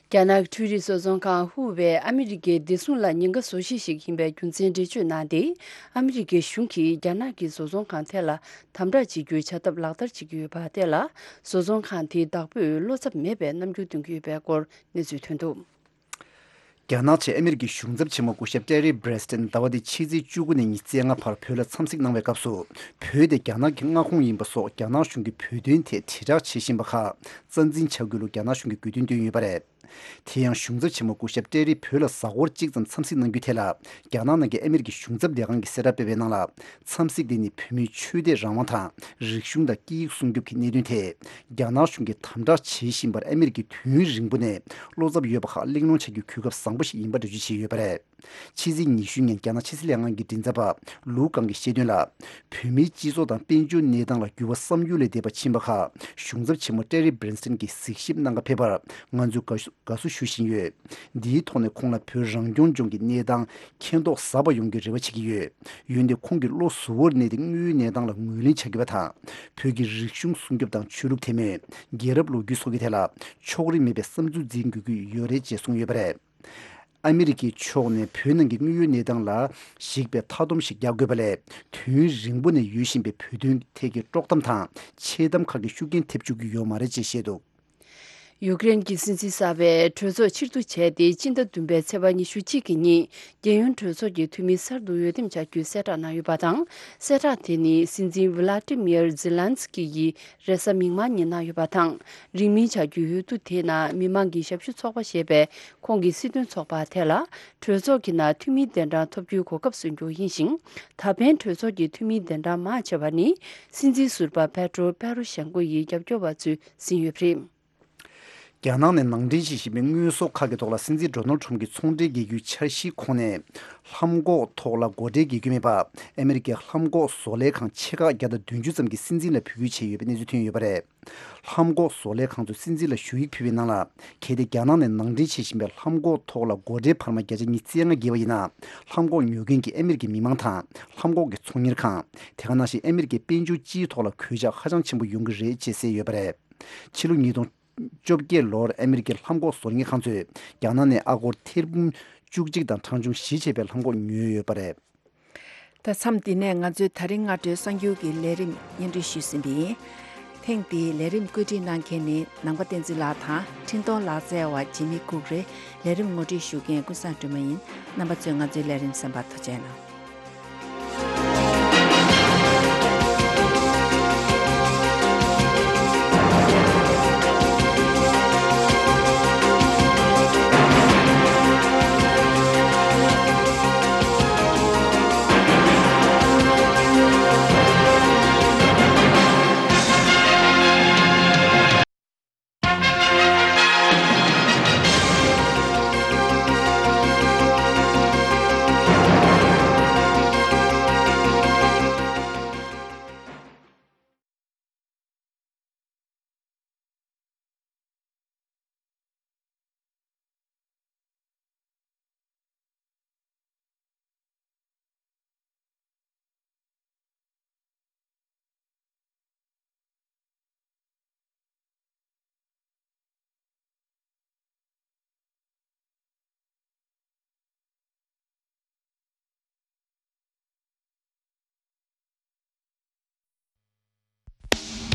རྒྱ་ནག་འཕྲུལ་རིག་བཟོ་ཚོང་ཁང་ཧུ་ཝེ་ཨ་མི་རི་ཀའི་བདེ་སྲུང་ལ་ཉེན་ཁ་བཟོ་གཞི་ཞིག་ཡིན་པའི་རྒྱུ་མཚན་འགྲེལ་བརྗོད་གནང་སྟེ། ཨ་མི་རི་ཀའི་གཞུང་གིས་རྒྱ་ནག་གི་བཟོ་ཚོང་ཁང་དེ་ལ་དམ་དྲག་བྱེད་རྒྱུའི་བྱ་ཐབས་ལག་བསྟར་བྱེད་ཀྱི་ཡོད་པ་དེ་ལ། བཟོ་ཚོང་ཁང་དེའི་བདག་པོས་བློ་འཚབ་མེད་པའི་རྣམ་འགྱུར་སྟོན་གྱི་ཡོད་པའི་སྐོར་གནས་ཚུལ་ཐོན་འདུག། རྒྱ་ནག་ཆེད་ཨ་མི་རི་ཀའི་གཞུང་ཚབ་ཆེན་མོ་སྐུ་ཞབས་ཀྲེ་རི་བྷེ་སི་ཏན་ཟླ་བ་འདིའི་ཕྱི་ཚེས་བཅུ་དགུ་ནས་ཉི་ཤུ་རྩ་ལྔ་བར་བོད་ལ་འཚམས་གཟིགས་གནང་བའི་སྐབས་སུ། བོད་དེ་རྒྱ་ནག་གི་མངའ་ཁོངས་ཡིན་པ་སོགས་རྒྱ་ནག་གཞུང་གིས་བོད་དོན་ཐད་དྲིལ་བསྒྲགས་བྱེད་བཞིན་པ་ཁག་རྩ་འཛིན་བྱ་དགོས་ལུགས་རྒྱ་ནག་གཞུང་གིས་དགོས་འདུན་བཏོན་ཡོད་པ་རེད། དེ་ཡང་གཞུང་ཚབ་ཆེན་མོ་སྐུ་ཞབས་ཀྲེ་རི་བོད་ལ་གཟའ་འཁོར་གཅིག་ཙམ་འཚམས་གཟིགས་གནང་རྒྱུའི་ཐད་ལ། རྒྱ་ནག་ནང་གི་ཨ་མི་རི་ཀའི་གཞུང་ཚབ་ལས་ཁང་གིས་གསལ་བསྒྲགས་སྤེལ་བའི་ནང་ལ། འཚམས་གཟིགས་དེ་ནི་བོད་མིའི་ཆོས་དད་རང་དབང་དང་། རིག་གཞུང་དང་སྐད་ཡིག་སྲུང་སྐྱོབ་ཀྱི་གནད་དོན་ཐད། རྒྱ་ནག་གཞུང་གིས་དམ་དྲག་བྱེད་བཞིན་པར་ཨ་མི་རི་ཀས་དུས་ཡུན་རིང་པོ་ནས་བློ་འཚབ་ཡོད་པ་ཁག་གླེང་སློང་བྱ་རྒྱུའི་གོ་སྐབས་བཟང་པོ་ཞིག་ཡིན་པ་འགྲེལ་བརྗོད་བྱས་ཡོད་པ་རེད། ཕྱི་ཚེས་ཉི་ཤུ་ཉིན་རྒྱ་ནག་ཕྱི་སྲིད་ལྷན་ཁང་གི་མགྲིན་ཚབ་པ་ལུའུ་ཀང་གིས་བཤད་དོན་ལ། བོད་མིའི་སྤྱི་ཚོགས་དང་དཔལ་འབྱོར་གནས་སྟངས་ལ་འགྱུར་བ་བསམ་ཡུལ་ལས་འདས་པ་ཕྱིན་པ་ཁག་གཞུང་ཚབ་ཆེན་མོ་ཀྲེ་རི་བྷེ་སི་ཏན་གྱིས་གཟིགས་ཞིབ་གནང་ག་ཕེབས་པར་ང་ཚོས་དགའ་བསུ་དགའ་བསུ་ཞུ་བཞིན་ཡོད། འདིའི་ཐོག་ནས་ཁོང་ལ་བོད་རང་སྐྱོང་ལྗོངས་ཀྱི་གནས་སྟངས་མཁྱེན་རྟོགས་ཟབ་པ་ཡོང་རྒྱུའི་རེ་བ་བྱེད་ཀྱི་ཡོད། འོན་ཏེ་ཁོང་གིས་བློ་གཟུ་བོར་གནས་ཏེ་དངོས་ཡོད་གནས་སྟངས་ལ་ངོས་ལེན་བྱ་དགོས་པ་དང་། བོད་ཀྱི་རིག་གཞུང་སྲུང་སྐྱོབ་དང་ཆོས་ལུགས་དད་མོས། རྒྱལ་རབས་ལོ་རྒྱུས་སོགས་ཀྱི་ཐད་ལ་ཕྱོགས་རིས་མེད་པའི་བསམ་ཚུལ་འཛིན་དགོས་ཀྱི་ཡོད་རེད་ཅེས་གསུངས་ཡོད་པ་རེད། ཨ་མི་རི་ཀའི་ཕྱོགས་ནས་བོད་ནང་གི་དངོས་ཡོད་གནས་སྟངས་ལ་གཞིགས་པའི་མཐའ་སྡོམ་ཞིག་རྒྱག་དགོས་པ་ལས། དུས་ཡུན་རིང་པོ་ནས་ཡོད་བཞིན་པའི་བོད་དོན་ཐད་ཀྱི་དཀྲོག་གཏམ་དང་ཆེ་གཏམ་ཁག་གིས་ཤུགས་རྐྱེན་ཐེབས་བཅུག་གི་ཡོད་མ་རེད་ཅེས་བཤད་འདུག། ཡུཀ་རེན་གྱི་སྲིད་འཛིན་གསར་པས་གྲོས་ཚོགས་ཕྱིར་བསྡུ་བྱས་ཏེ། སྤྱི་ཟླ་བདུན་པའི་ཚེས་པ་ཉི་ཤུ་གཅིག་གི་ཉིན་རྒྱལ་ཡོངས་གྲོས་ཚོགས་ཀྱི་འཐུས་མི་གསར་དུ་འོས་འདེམས་བྱ་རྒྱུའི་གསལ་བསྒྲགས་གནང་ཡོད་པ་དང་། གསལ་བསྒྲགས་དེ་ནི་སྲིད་འཛིན་ཝི་ལ་ཏི་མིར་ཛི་ལན་སི་ཀི་ཡིས་རེས་གཟའ་མིག་དམར་ཉིན་གནང་ཡོད་པ་དང་། རིང་མིན་བྱ་རྒྱུའི་འོས་བསྡུ་དེའི་ནང་མི་མང་གི་ཞབས་ཞུ་ཚོགས་པ་ཞེས་པའི་ཁོང་གི་སྲིད་དོན་ཚོགས་པ་དེ་ལ་གྲོས་ཚོགས་ཀྱི་ནང་འཐུས་མིའི་གདན་གྲངས་ཐོབ་རྒྱུའི་གོ་སྐབས་སུ་གྱུར་ཡིན་ཞིང་། ད་ཕན་གྲོས་ཚོགས་ཀྱི་འཐུས་མིའི་གདན་གྲངས་མང་ཆེ་བ་ནི་སྲིད་འཛིན་ཟུར་པ་པེ་ཏྲོ་པེ་རོ་ཤན་ཀོ་ཡི་རྒྱབ་སྐྱོར་བ་ཚོས་ཟིན་ཡོད་པ་རེད། རྒྱ་ནག་ནས་ནང་འདྲེན་བྱེད་བཞིན་པའི་དངོས་ཟོག་ཁག་གི་ཐོག་ལ་སྲིད་འཛིན་ཌོ་ནལ་ཁྲོམ་གྱི་ཚོང་འབྲེལ་རྒྱག་རྒྱུའི་འཆར་གཞིའི་ཁོངས་ནས། ལྷམ་གོག་ཐོག་ལ་སྒོ་ཁྲལ་རྒྱག་རྒྱུ་མེད་པ། ཨ་མི་རི་ཀའི་ལྷམ་གོག་བཟོ་ལས་ཁང་ཆེ་ཁག་བརྒྱ་དང་བདུན་ཅུ་ཙམ་གྱིས་སྲིད་འཛིན་ལ་འབོད་སྐུལ་བྱས་ཡོད་པའི་གནས་ཚུལ་ཐོན་ཡོད་པ་རེད། ལྷམ་གོག་བཟོ་ལས་ཁང་ཚོས་སྲིད་འཛིན་ལ་ཞུ་ཡིག་ཕུལ་བའི་ནང་ལ། གལ་ཏེ་རྒྱ་ནག་ནས་ནང་འདྲེན་བྱེད་བཞིན་པའི་ལྷམ་གོག་ཐོག་ལ་སྒོ་ཁྲལ་འཕར་མ་བརྒྱ་ཆ་ཉི་ཤུ་རྩ་ལྔ་བརྒལ་བ་ཡིན་ན། ལྷམ་གོག་ཉོ་མཁན་གྱི་ཨ་མི་རི་ཀའི་མི་མང་དང་། ལྷམ་གོག་གི་ཚོང་གཉེར་ཁང་། དེ་ག་ནང་བཞིན་ཨ་མི་རི་ཀའི་དཔལ་འབྱོར་སྤྱིའི་ཐོག་ལ་གོད་ཆག་ཧ་ཅང་ཆེན་པོ་ཡོང་གི་རེད་ཅེས་གསལ་ཡོད་པ་རེད། ཕྱི་ལོ་ཉིས་སྟོང་བཅོ་བརྒྱད་ལོར་ཨ་མི་རི་ཀའི་ལྷམ་གོག་བཟོ་མཁན་ཁང་ཚོས་རྒྱ་ནག་ནས་ཨ་སྒོར་ཐེར་འབུམ་བཅུ་གཅིག་དང་གྲངས་ཆུང་བཞི་བྱས་པའི་ལྷམ་གོག་ཉོས་ཡོད་པ་རེད། ད་མཚམས་འདི་ནས་ང་ཚོའི་ད་རིང་སྔ་དྲོའི་གསར་འགྱུར་གྱི་ལས་རིམ་སྙན་སྒྲོན་ཞུས་ཟིན་པ་ཡིན། ཐེངས་འདིའི་ལས་རིམ་བཀོད་སྒྲིག་གནང་མཁན་ནི་ནང་པ་བསྟན་འཛིན་ལགས་དང་འཕྲིན་གཏོང་ལག་རྩལ་བ་འཇིགས་མེད་ལྐུགས་རེད། ལས་རིམ་ངོ་སྤྲོད་ཞུ་མཁན་ཀུན་བཟང་སྒྲོལ་མ་ཡིན། རྣམ་པ་ཚོས་ང་ཚོའི་ལས་རིམ་གསན་པར་ཐུགས་རྗེ་གནང་།